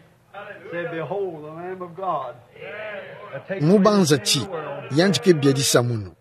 Say, "Behold the Lamb of God." Mu banza ti yandi ke biadisa munu,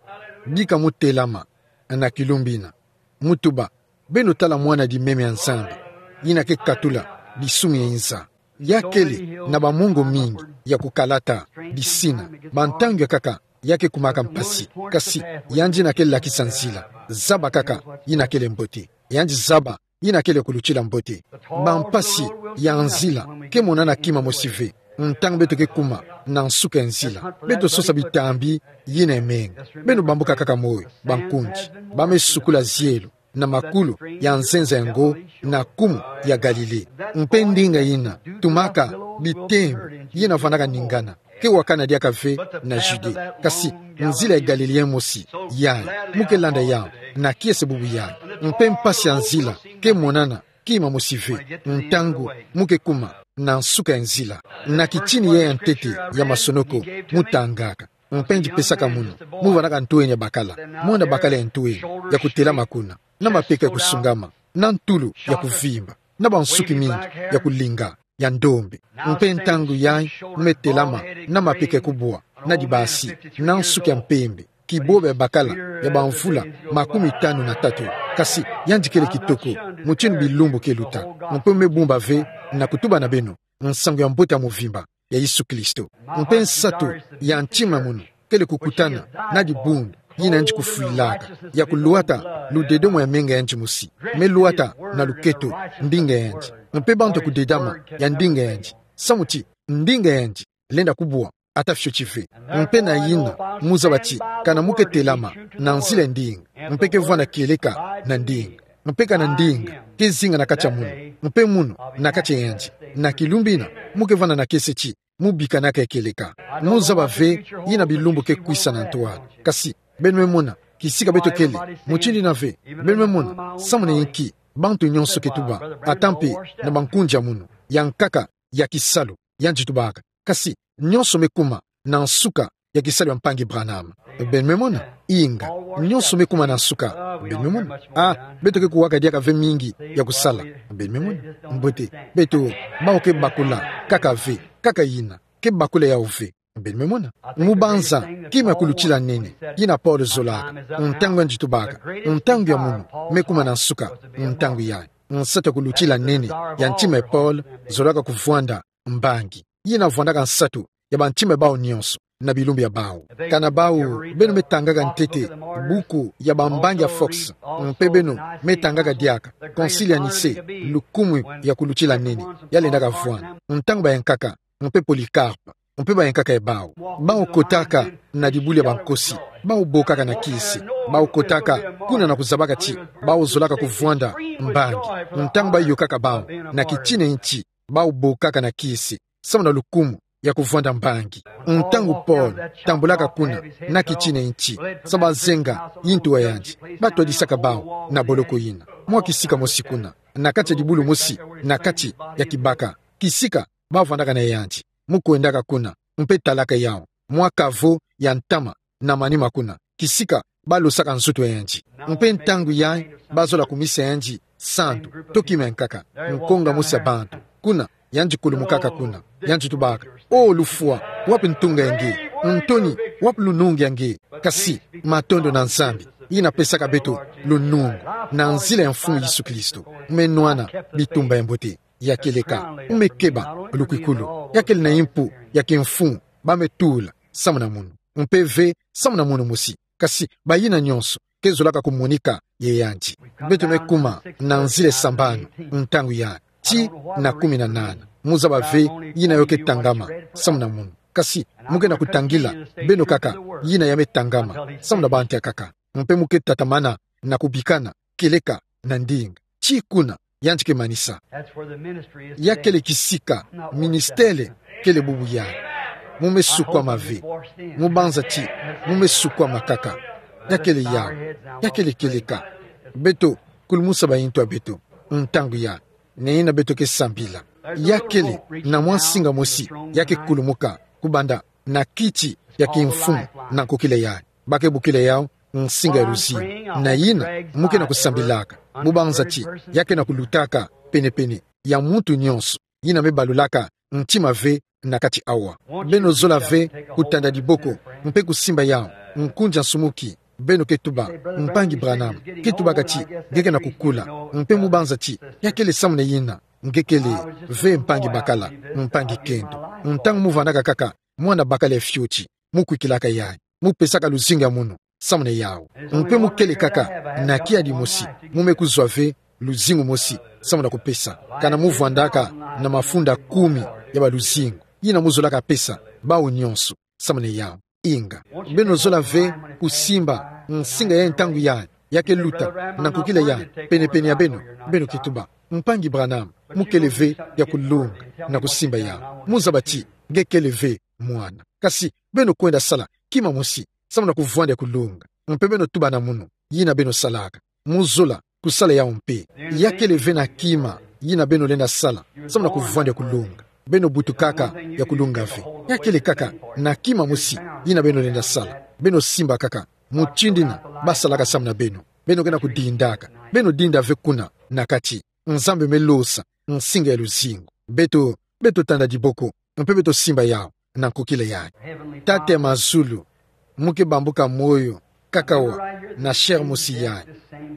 bika mu telama na kilumbu ina, mu tuba: Beno tala mwana di meme ya Nzambi, yina ke katula disumu ya inza. Ya kele na bamongo mingi ya kukalata, disina, bantangu ya nkaka ya ke kumaka mpasi. Kasi, yandi yina ke lakisa nzila. Zaba kaka yina kele mbote. Yandi zaba yina kele kulutila mbote. Bampasi ya nzila ke monana kima mosi ve ntangu beto ke kuma na nsuka ya nzila. Beto sosa bitambi yina emenga. Beno bambuka kaka moyo, bankundi. Ba me sukula zielo na makulu ya nzenza yango na kumu ya Galile. Mpe ndinga yina tumaka bitembo yina vandaka ningana ke wakana diaka ve na Judée. Kasi, nzila ya Galile mosi yayi, mu ke landa yawu na kiese bubu yayi. Mpe mpasi ya nzila ke monana kima mosi ve ntangu mu ke kuma na nsuka ya nzila. Na kitini yayi ya ntete ya masonoko mu tangaka, mpe ndi pesaka munu, mu vandaka ntwenya bakala, mwana bakala ya ntwenya, ya kutelama kuna, na mapeka ya kusungama, na ntulu ya kuvimba, na bansuki mingi ya kulinga, ya ndombe. Mpe ntangu yayi, me telama na mapeka ya kubwa, na dibasi, na nsuki ya mpembe, kiboba ya bakala ya bamvula makumi tanu na tatu. Kasi, yandi kele kitoko mutindu bilumbu ke luta. Mpe me bumba ve na kutuba na beno nsangu ya mbote ya mvimba ya Yesu Kristo. Mpe nsatu ya ntima ya munu kele kukutana na dibundu yina yandi kufwilaka, ya kulwata ludedomo ya menga yandi mosi. Me lwata na luketo ndinga yandi. Mpe bantu ya kudedama ya ndinga yandi, samu ti ndinga yandi lenda kubwa ata fioti ve. Mpe na yina, mu zaba ti, kana mu ke telama na nzila ya ndinga, mpe ke vwanda kieleka na ndinga, mpe kana ndinga ke zinga na kati ya munu, mpe munu na kati ya yandi, na kilumbu ina, mu ke vwanda na kiese ti mu bikanaka ya kieleka. Mu zaba ve yina bilumbu ke kwisa na ntwala. Kasi, beno me mona kisika beto kele, mutindu yina ve, beno me mona samu na inki bantu nyonso ke tuba, ata mpe na bankundi ya munu, ya nkaka ya kisalu, yandi tubaka. Kasi, nyonso me kuma na nsuka ya kisalu ya mpangi Branham. Beno me mona? Inga, nyonso me kuma na nsuka. Beno me mona? Ah, beto ke kuwaka diaka ve mingi ya kusala. Beno me mona? Mbote, beto, bawu ke bakula kaka ve, kaka yina, ke bakula yawu ve. Beno me mona? Mu banza kima ya kulutila nene yina Paul zolaka, ntangu yandi tubaka, ntangu ya munu me kuma na nsuka. Ntangu yayi, nsatu ya kulutila nene ya ntima ya Paul zolaka kuvwanda mbangi. Yina vwandaka nsatu ya bantima ya bawu nyonso na bilumbu ya bawu. Kana bawu, beno me tangaka ntete buku ya bambangi ya Fox, mpe beno me tangaka diaka Concile ya Nicée, lukumu ya kulutila nene ya lendaka vwanda, ntangu bayankaka, mpe Polycarpe, mpe bayankaka ya bawu. Bawu kotaka na dibulu ya bankosi, bawu bokaka na kiese, bawu kotaka kuna na kuzabaka ti bawu zolaka kuvwanda mbangi, ntangu bayokaka bawu na kitina ya nti bau bokaka na kisi, samu na lukumu ya kuvwanda mbangi. Ntangu Paul tambulaka kuna, na kitina nti, sa bazenga yintu yandi, batwadisaka bau na boloko yina. Mwa kisika mosi kuna, na kati ya dibulu mosi, na kati ya kibaka, kisika bavwandaka na yandi. Mu kwendaka kuna, mpe talaka yau, mwa kavo ya ntama na manima kuna, kisika balosaka nzutu yandi. Mpe ntangu yayi, bazola kumisa yandi santu, to kima ya nkaka, nkonga mosi ya bantu. Kuna, yandi kulumukaka kuna, yandi tubaka: O lufwa, wapi ntunga ya nge? Ntoni, wapi lunungu ya nge? Kasi, matondo na Nzambi, yina pesaka beto lunungu, na nzila ya Mfumu Yesu Kristo, me nwana bitumba ya mbote. Ya kieleka, mu me keba lukwikulu. Ya kele na yimpu ya kimfumu ba me tula samu na munu, mpe ve samu na munu mosi. Kasi bayina nyonso ke zolaka kumonika ye yandi. Beto me kuma na nzila ya sambanu, ntangu ya ti na kumi na nana. Mu zaba ve yina yo ke tangama samu na munu. Kasi mu ke na kutangila beno kaka yina ya me tangama samu na bantu ya nkaka. Mpe mu ke tatamana na kubikana kieleka na ndinga. Ti kuna yandi ke manisa. Ya kele kisika ministele kele bubu yayi. Mu me sukwama ve. Mu banza ti mu me sukwama kaka. Ya kele yau. Ya kele kieleka. Beto kulumusa bayintu ya beto, ntangu yayi, na yina beto ke sambila. Ya kele na mwa nsinga mosi ya ke kulumuka kubanda na kiti ya kimfumu na nkokila yayi. Ba ke bokila yau nsinga ya luzingu. Na yina mu ke na kusambilaka, mu banza ti ya ke na kulutaka penepene ya muntu nyonso yina me balulaka ntima ve na kati awa. Beno zola ve kutanda diboko mpe kusimba yau nkunzi ya nsumuki. Beno ke tuba: Mpangi Branham, ke tubaka ti nge ke na kukula. Mpe mu banza ti ya kele samu na yina nge kele ve mpangi bakala, mpangi kento. Ntangu mu vwandaka kaka mwana bakala ya fioti, mu kwikilaka yayi, mu pesaka luzingu ya munu samu na yau. Mpe mu kele kaka na kiadi mosi, mu me kuzwa ve luzingu mosi samu na kupesa. Kana mu vwandaka na mafunda kumi ya baluzingu yina mu zolaka pesa bau nyonso samu na yau. Inga, beno zola ve kusimba nsinga ya ntangu yayi ya ke luta na nkokila yayi penepene ya beno. Beno ke tuba: Mpangi Branham, mu kele ve ya kulonga na kusimba yau. Mu zaba ti nge kele ve mwana. Kasi beno kwenda sala kima mosi samu na kuvwanda ya kulonga. Mpe beno tuba na munu yina beno salaka. Mu zola kusala yau mpe. Ya kele ve na kima yina beno lenda sala samu na kuvwanda ya kulonga. Beno butukaka ya kulonga ve. Ya kele kaka na kima mosi yina beno lenda sala. Beno simba kaka mutindu yina basalaka samu na beno. Beno ke na kudindaka. Beno dinda ve kuna na kati. Nzambi me losa nsinga ya luzingu. Beto, beto tanda diboko mpe beto simba yau na nkokila yayi. Tata ya mazulu, mu ke bambuka moyo kaka wa na chair mosi yayi.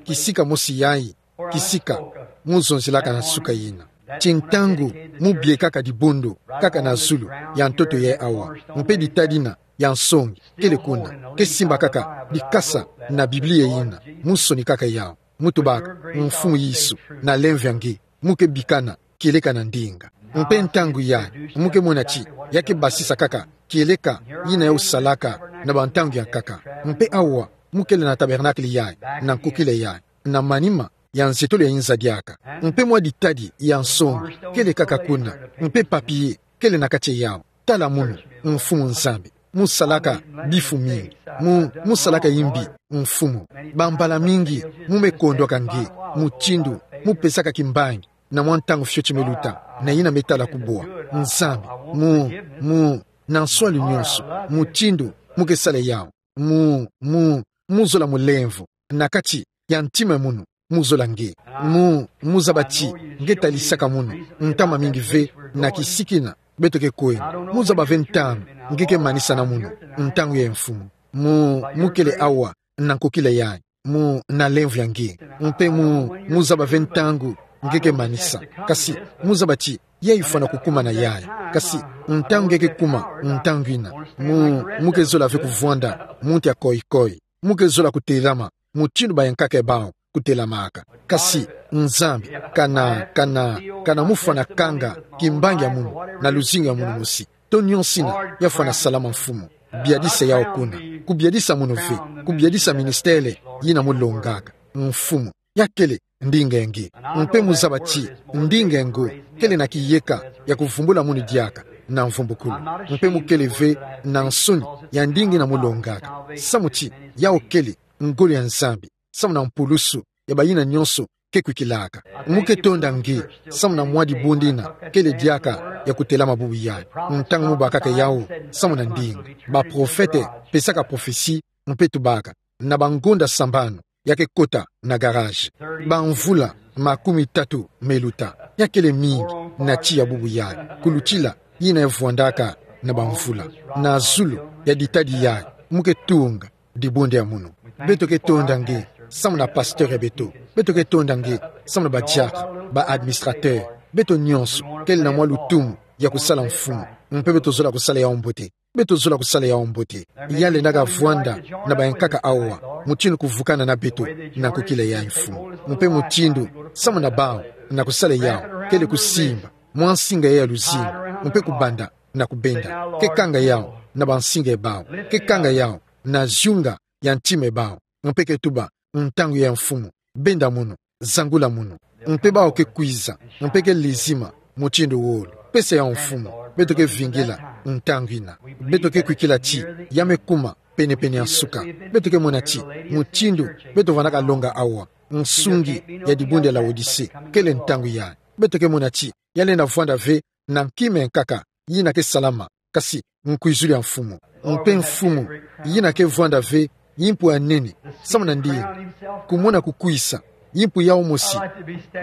Kisika mosi yayi, kisika mu zonzelaka na suka yina. Ti ntangu mu biekaka dibundu kaka na zulu ya ntoto yayi awa, mpe ditadi yina ya nsongi kele kuna, ke simba kaka dikasa na Biblia yina, mu sonikaka yau, mu tubaka: Mfumu Yesu, na lemvo ya nge, mu ke bikana kieleka na ndinga. Mpe ntangu yayi mu ke mona ti ya ke basisa kaka kieleka yina yau salaka na bantangu ya nkaka. Mpe awa mu kele na tabernacle yayi, na nkokila yayi, na manima ya nzietolo ya inza diaka. Mpe mwa ditadi ya nsongi kele kaka kuna, mpe papier kele na kati yau. Tala munu, Mfumu Nzambi, mu salaka bifu mingi. Mu, mu salaka yimbi, Mfumu. Bambala mingi mu me kondwaka nge, mutindu mu pesaka kimbangi na mwa ntangu fioti me luta, na yina me tala kubwa. Nzambi, mu, mu, na nswalu nyonso, mutindu mu ke sala yau, mu, mu, mu zola mulemvo na kati ya ntima ya munu, mu zola nge. Mu, mu zaba ti nge talisaka munu ntama mingi ve na kisika yina beto ke kwenda. Mu zaba ve ntangu nge ke manisa na munu, ntangu yayi, Mfumu. Mu, mu kele awa na nkokila yayi, mu, na lemvo ya nge. Mpe mu, mu zaba ve ntangu nge ke manisa. Kasi mu zaba ti yayi fwana kukumana yayi. Kasi ntangu nge ke kuma ntangu yina, mu, mu ke zola ve kuvwanda muntu ya koyi-koyi. Mu ke zola kutelama mutindu bayankaka bau kutelamaka. Kasi Nzambi, kana, kana, kana mu fwana kanga kimbangi ya munu na luzingu ya munu mosi, to nyonso yina ya fwana salama, Mfumu, biadisa yau kuna. Kubiadisa munu ve, kubiadisa ministele yina mu longaka, Mfumu. Ya kele ndinga nge. Mpe muzaba ti ndinga ngo kele na kiyeka ya kuvumbula munu diaka na mvumbukulu. Mpe mukele ve na nsoni ya ndinga ina mulongaka. Samu ti yau kele ngolo ya Nzambi, samu na mpulusu ya bayina nionso ke kwikilaka. Muke tonda nge samu na mwa dibundu ina kele diaka ya kutelama bubu yayi. Ntangu mubakaka yau samu na ndinga, baprofete pesaka prophetie mpe tubaka na bangonda sambanu ya ke kota na garage. Bamvula makumi tatu me luta, ya kele mingi na tiya bubu yayi kulutila yina ya vwandaka na bamvula. Na zulu ya ditadi yayi, muke tunga dibundu ya munu. Beto ke tonda nge samu na pasteur ya beto. Beto ke tonda nge samu na badiaka, ba administrateur. Beto nionso kele na mwa lutumu ya kusala Mfumu, mpe beto zola kusala yau mbote. Beto zola kusala yau mbote. Ya lendaka vwanda na bayankaka awa, mutindu kuvukana na beto na nkokila yayi, Mfumu. Mpe mutindu samu na bau na kusala yau kele kusimba mwa nsinga ya luzingu, mpe kubanda na kubenda. Ke kanga yau na bansinga ya bau. Ke kanga yau na ziunga ya ntima ya bau. Mpe ke tuba: Ntangu yayi, Mfumu, benda munu, zangula munu. Mpe bau ke kwiza, mpe ke lezima mutindu wolo. Pesa yau, Mfumu. Beto ke vingila ntangu ina. Beto ke kwikila ti ya me kuma penepene ya nsuka. Beto ke mona ti mutindu beto vandaka longa awa, nsungi ya dibundu ya Laodicee, kele ntangu yayi. Beto ke mona ti ya lenda vwanda ve na nkima ya nkaka yina ke salama, kasi nkwizulu ya Mfumu. Mpe Mfumu, yina ke vwanda ve yimpu ya nene samu na ndinga, kumona kukwisa yimpu yau mosi,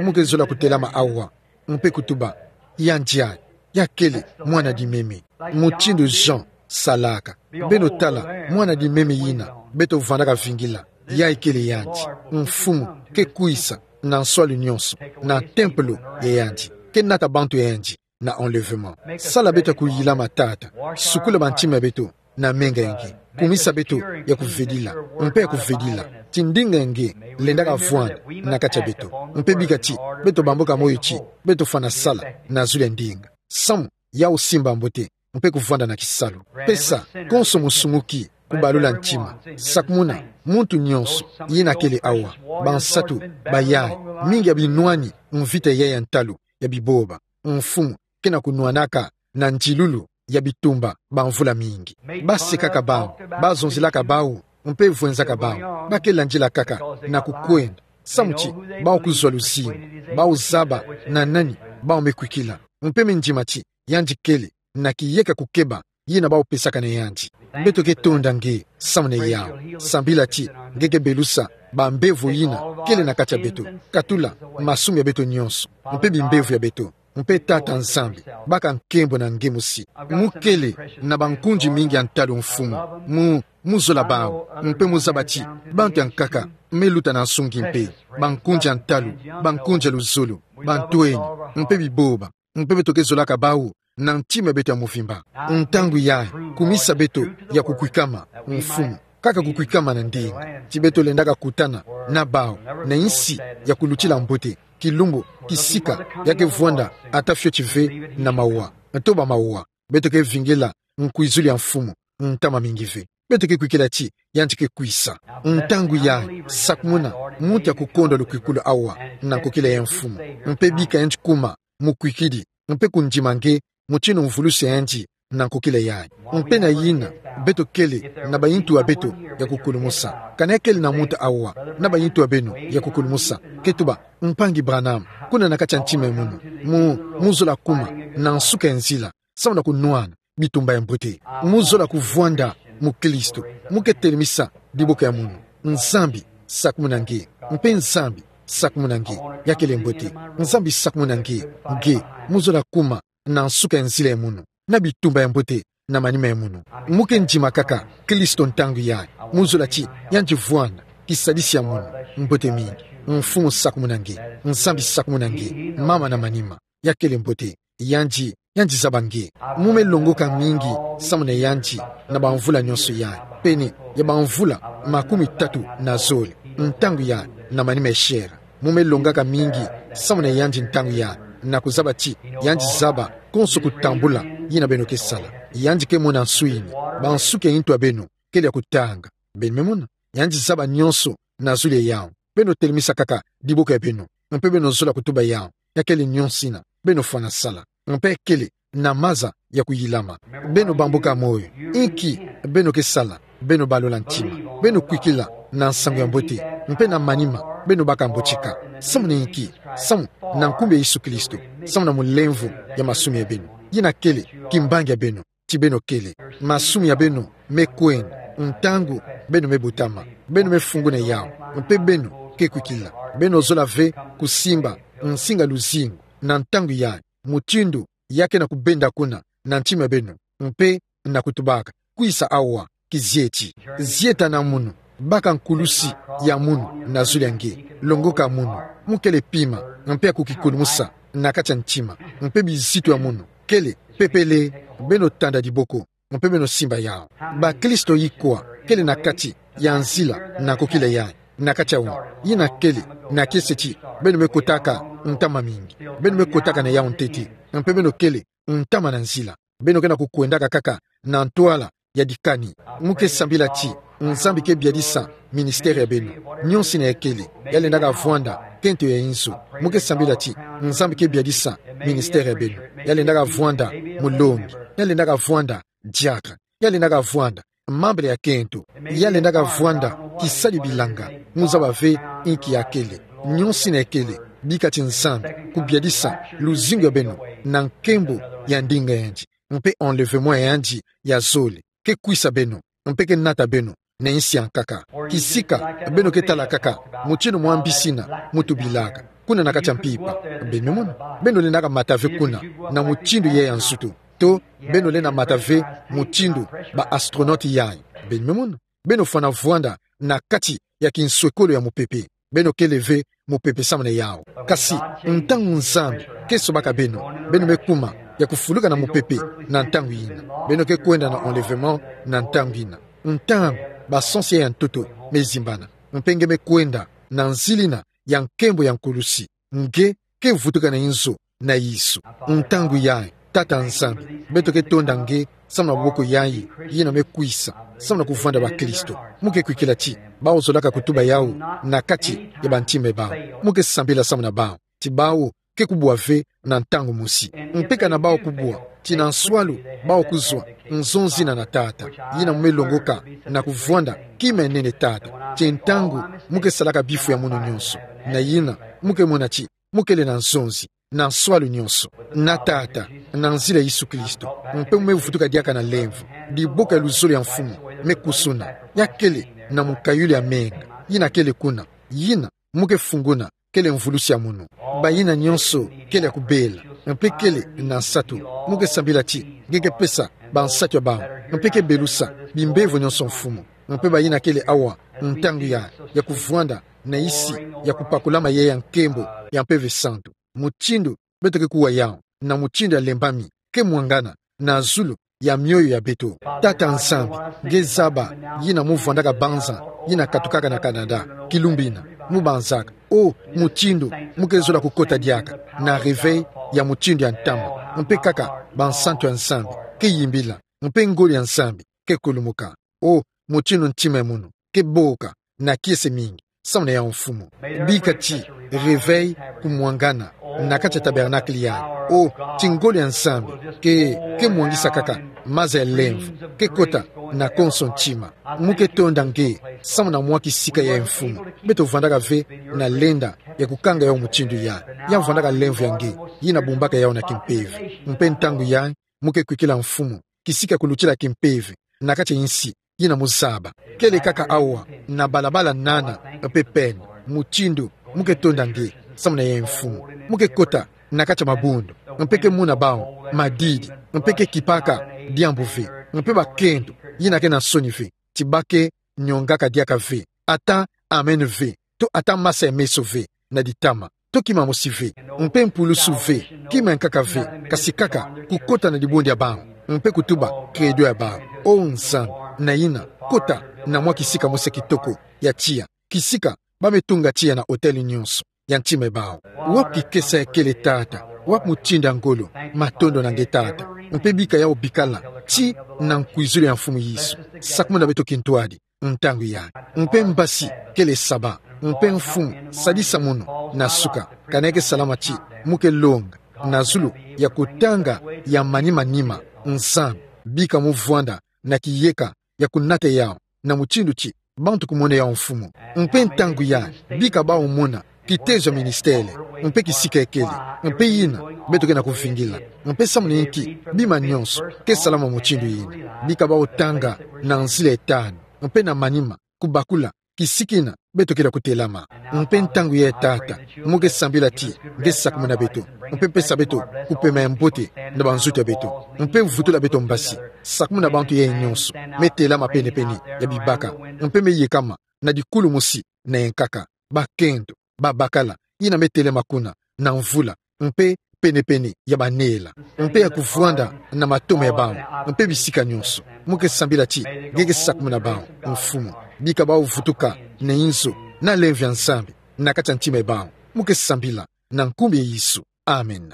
muke zola kutelama awa, mpe kutuba: Yandi yayi, ya kele mwana dimeme, mutindu Jean salaka. Beno tala mwana dimeme yina beto vandaka vingila. Yayi kele yandi. Mfumu ke kwisa na nswalu nionso na tempelo ya yandi. Ke nata bantu ya yandi na enlèvement. Sala beto ya kuyilama, Tata. Sukula bantima ya beto na menga ya nge. Kumisa beto ya kuvedila, mpe ya kuvedila ti ndinga ya nge lendaka vwanda na kati ya beto. Mpe bika ti beto bamboka moyo ti beto fwana sala na zulu ya ndinga, samu yau simba mbote, mpe kuvwanda na kisalu. Pesa konso musumuki kubalula ntima. Sakumuna muntu nionso yina kele awa, bansatu, bayayi, mingi ya binwani mvita yayi ya ntalu ya biboba, Mfumu, ke na kunwanaka na ndilulu ya bitumba bamvula mingi. Basekaka bau, bazonzelaka bau, mpe vwenzaka bau, ba ke landila kaka na kukwenda, samu ti bau kuzwa luzingu, bau zaba na nani bau me kwikila, mpe me ndima ti yandi kele na kiyeka kukeba yina bau pesaka na yandi. Beto ke tonda nge samu na yau. Sambila ti nge ke belusa bambevo yina kele na kati ya beto, katula masumu ya beto nionso, mpe bimbevo ya beto. Mpe Tata Nzambi, baka nkembo na nge mosi. Mukele na bankundi mingi ya ntalu, Mfumu. Mu, muzola bau, mpe muzaba ti bantu ya nkaka me luta na nsungi mpe, bankundi ya ntalu, bankundi ya luzolo, bantwenya, mpe biboba, mpe beto ke zolaka bau na ntima ya beto ya mvimba. Ntangu yayi, kumisa beto ya kukwikama, Mfumu, kaka kukwikama na ndinga, ti beto lendaka kutana na bau na insi ya kulutila mbote, kilumbu, kisika ya ke vwanda ata fioti ve na mawa, nto ba mawa. Beto ke vingila nkwizulu ya Mfumu, ntama mingi ve. Beto ke kwikila ti yandi ke kwisa. Ntangu yayi, sakumuna muntu ya kukondwa lukwikulu awa na nkokila yayi, Mfumu, mpe bika yandi kuma mukwikidi, mpe kundima nge mutindu mvulusi ya yandi na nkokila yayi. Mpe na yina, beto kele na bayintu ya beto ya kukulumusa. Kana kele na muntu awa na bayintu ya beno ya kukulumusa, ke tuba: Mpangi Branham, kuna na kati ya ntima ya munu, mu, muzola kuma na nsuka ya nzila, samu na kunwana bitumba ya mbote. Muzola kuvwanda mukristu. Muke telemisa diboko ya munu. Nzambi, sakumuna nge. Mpe Nzambi, sakumuna nge. Ya kele mbote. Nzambi, sakumuna nge. Nge, muzola kuma na nsuka ya nzila ya munu, na bitumba ya mbote na manima ya munu. Muke ndima kaka Kristo ntangu yayi. Muzola ti yandi vwanda kisadisi ya munu. Mbote mingi. Mfumu, sakumuna nge. Nzambi, sakumuna nge. Mama na manima. Ya kele mbote. Yandi, yandi zaba nge. Mu me longoka mingi samu na yandi na bamvula nionso yayi. Pene ya bamvula makumi tatu na zole, ntangu yayi, na manima ya chair. Mu me longaka mingi samu na yandi ntangu yayi, na kuzaba ti yandi zaba konso kutambula yina beno ke sala. Yandi ke mona nswini, bansuki ya intu ya beno kele ya kutanga. Beno me mona? Yandi zaba nionso na zulu ya yau. Beno telemisa kaka diboko ya beno. Mpe beno zola kutuba yawu. Ya kele nyonso ina. Beno fwana sala. Mpe kele na maza ya kuyilama. Beno bamboka moyo. Inki beno ke sala, beno balola ntima. Beno kwikila na nsangu ya mbote. Mpe na manima, beno baka mbotika. Samu na inki? Samu na nkumbu ya Yesu Kristo. Samu na mulemvo ya masumu ya beno. Yina kele kimbangi ya beno. Ti beno kele. Masumu ya beno me kwenda. Ntangu beno me botama. Beno me funguna yawu. Mpe beno ke kwikila. Beno zola ve kusimba nsinga luzingu na ntangu yayi. Mutindu ya ke na kubenda kuna na ntima ya beno. Mpe na kutubaka: Kwisa awa, kizieti. Zieta na munu, baka nkulusi ya munu na zulu ya nge. Longoka munu. Mu kele pima, mpe ya kukikulumusa na kati ya ntima. Mpe bizitu ya munu kele pepele. Beno tanda diboko, mpe beno simba yawu. Bakristo ikwa kele na kati ya nzila na kokila yayi? Na kati ya wunu. Yina kele na kiese ti beno me kotaka ntama mingi. Beno me kotaka na yawu ntete. Mpe beno kele ntama na nzila. Beno ke na kukwendaka kaka na ntwala ya dikani. Mu ke sambila ti Nzambi ke biadisa ministère ya beno. Nyonso ina ya kele, ya lendaka vwanda kento ya inzo. Mu ke sambila ti Nzambi ke biadisa ministère ya beno. Ya lendaka vwanda mulongi. Ya lendaka vwanda diacre. Ya lendaka vwanda mambele ya kento. Ya lendaka vwanda kisadi bilanga. Mu zaba ve inki ya kele. Nyonso ina ya kele, bika ti Nzambi kubiadisa luzingu ya beno na nkembo ya ndinga yandi. Mpe enlèvement ya yandi ya zole ke kwisa beno, mpe ke nata beno na insi ya nkaka. Kisika beno ke tala kaka mutindu mwa mbisi ina mu tubilaka kuna na kati ya mpimpa. Beno me mona. Beno lendaka mata ve kuna na mutindu yayi ya nsutu. To beno lenda mata ve mutindu ba astronautes yayi. Beno me mona. Beno fwana vwanda na kati ya kinswekolo ya mupepe. Beno kele ve mupepe samu na yawu. Kasi ntangu Nzambi ke sobaka beno, beno me kuma ya kufuluka na mupepe na ntangu ina. Beno ke kwenda na enlèvement na ntangu ina. Ntangu ba sens ya ntoto me zimbana. Mpe nge me kwenda na nzila ina ya nkembo ya nkulusi. Nge ke vutuka na inzo na Yesu. Ntangu yayi, Tata Nzambi, beto ke tonda nge samu na maboko yayi yina me kwisa samu na kuvwanda bakristo. Mu ke kwikila ti bawu zolaka kutuba yawu na kati ya bantima ya bawu. Mu ke sambila samu na bawu ti bawu ke kubwa ve na ntangu mosi. Mpe kana bawu kubwa, ti na nswalu bawu kuzwa nzonzi ina na Tata, yina mu me longoka na kuvwanda kima ya nene Tata. Ti ntangu mu ke salaka bifu ya munu nyonso, na yina mu ke mona ti mu kele na nzonzi na nswalu nyonso na Tata, na nzila Yesu Kristo. Mpe mu me vutuka diaka na lemvo, diboko ya luzolo ya Mfumu me kusuna, ya kele na mukayulu ya menga yina kele kuna, yina mu ke funguna, kele mvulusi ya munu. Bayina nyonso kele ya kubela, mpe kele na nsatu. Mu ke sambila ti nge ke pesa bansatu ya bawu, mpe ke belusa bimbevo nyonso, Mfumu. Mpe bayina kele awa ntangu ya, ya kuvwanda na isi ya kupakulama ya, ya nkembo ya Mpeve Santu, mutindu beto ke kuwa yawu, na mutindu ya lembami, ke mwangana na zulu ya mioyo ya beto. Tata Nzambi, nge zaba yina mu vwandaka banza yina katukaka na Canada, kilumbu ina, mu banzaka: O, mutindu mu ke zola kukota diaka na réveil ya mutindu ya ntama, mpe kaka bansantu ya Nzambi ke yimbila, mpe ngolo ya Nzambi ke kulumuka. O, mutindu ntima ya munu ke boka na kiese mingi samu na yawu, Mfumu. Bika ti réveil kumwangana na kati ya tabernacle yayi. O, ti ngolo ya Nzambi ke, ke mwangisa kaka maza ya lemvo, ke kota na konso ntima. Mu ke tonda nge samu na mwa kisika yayi, Mfumu. Beto vwandaka ve na lenda ya kukanga yawu mutindu yayi. Ya vwandaka lemvo ya nge yina bumbaka yawu na kimpeve. Mpe ntangu yayi mu ke kwikila, Mfumu, kisika kulutila kimpeve na kati ya insi yina mu zaba. Kele kaka awa na balabala nana mpe pene, mutindu mu ke tonda nge samu na yayi, Mfumu. Mu ke kota na kati ya mabundu, mpe ke mona bawu madidi, mpe ke kipaka diambu ve, mpe bakento yina ke na nsoni ve, ti ba ke nyongaka diaka ve, ata amen ve, to ata masa ya meso ve na ditama, to kima mosi ve, mpe mpulusu ve, kima ya nkaka ve, kasi kaka kukota na dibundu ya bawu, mpe kutuba credo ya bawu. O Nzambi, na yina, kota na mwa kisika mosi ya kitoko ya tiya, kisika ba me tunga tiya na hôtel nyonso ya ntima ya bawu. Wapi kikesa ya kele, Tata? Wapi mutindu ya ngolo? Matondo na nge, Tata. Mpe bika yawu bikala ti na nkwizulu ya Mfumu Yesu. Sakumuna beto kintwadi ntangu ya. Mpe mbasi kele saba. Mpe Mfumu, sadisa mono na suka, ka neke salama ti mo ke longa na zulu ya kutanga ya manimanima. Nzambi, bika mo vwanda na kiyeka ya kunata yawu na mutindu ti bantu kumona yawu, Mfumu. Mpe ntangu ya, bika bawu mona kitezo ya ministele, mpe kisika ekele, mpe yina beto ke na kuvingila, mpe samu na inki bima nyonso ke salama mutindu yina. Bika bawu tanga na nzila etanu, mpe na manima, kubakula kisika yina beto ke na kutelama. Mpe ntangu ya, Tata, mo ke sambila ti nge sakumuna beto, mpe pesa beto kupema ya mbote na banzoto ya beto, mpe vutula beto mbasi, sakumuna bantu ya nyonso me telama penepene ya bibaka, mpe me yekama na dikulu mosi na yankaka, bakento, babakala, yina me telama kuna na mvula, mpe penepene ya banela, mpe ya kuvwanda na matoma ya bawu, mpe bisika nyonso. Mo ke sambila ti nge ke sakumuna bawu, Mfumu. Bika bawu vutuka na inzo na lemvo ya Nzambi na kati ya ntima ya bawu. Mo ke sambila na nkumbu ya Yesu. Amen.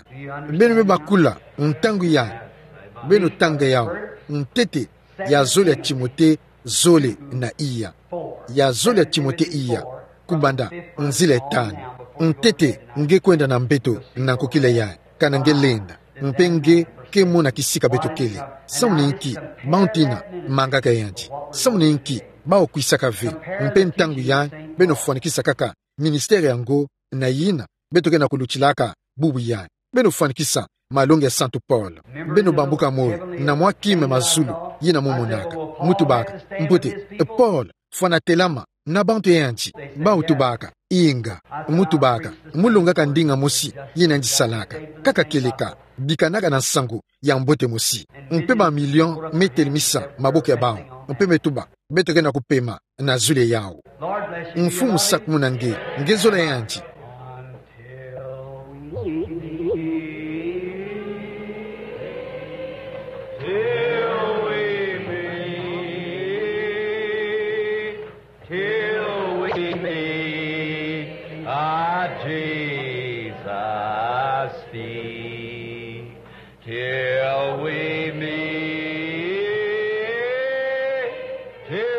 Beno me bakula, ntangu ya, beno tanga yawu, ntete ya zole ya Timote zole na iya. Ya zole ya Timote iya, kubanda nzila etanu. Ntete nge kwenda na mbeto na nkokila yayi, kana nge lenda, mpe nge ke mona kisika beto kele. Samu na inki bantu yina mangaka yandi? Samu na inki bawu kwisaka ve? Mpe ntangu yayi, beno fwanikisa kaka ministere yango na yina beto ke na kulutilaka bubu yayi. Beno fwanikisa malongi ya Santu Polo. Beno bambuka moyo na mwa kima ya mazulu yina mo monaka. Mo tubaka: Mbote, Polo fwana telama na bantu ya yandi. Bawu tubaka: Inga. Mo tubaka: Mo longaka ndinga mosi yina yandi salaka. Kaka kieleka, bikanaka na nsangu ya mbote mosi. Mpe ba million me telemisa maboko ya bawu, mpe me tuba: Beto ke na kupema na zole yawu. Mfumu sakumuna nge, nge zola yandi. Till we meet, till we meet, ah, Jesus, speak. Till we meet, till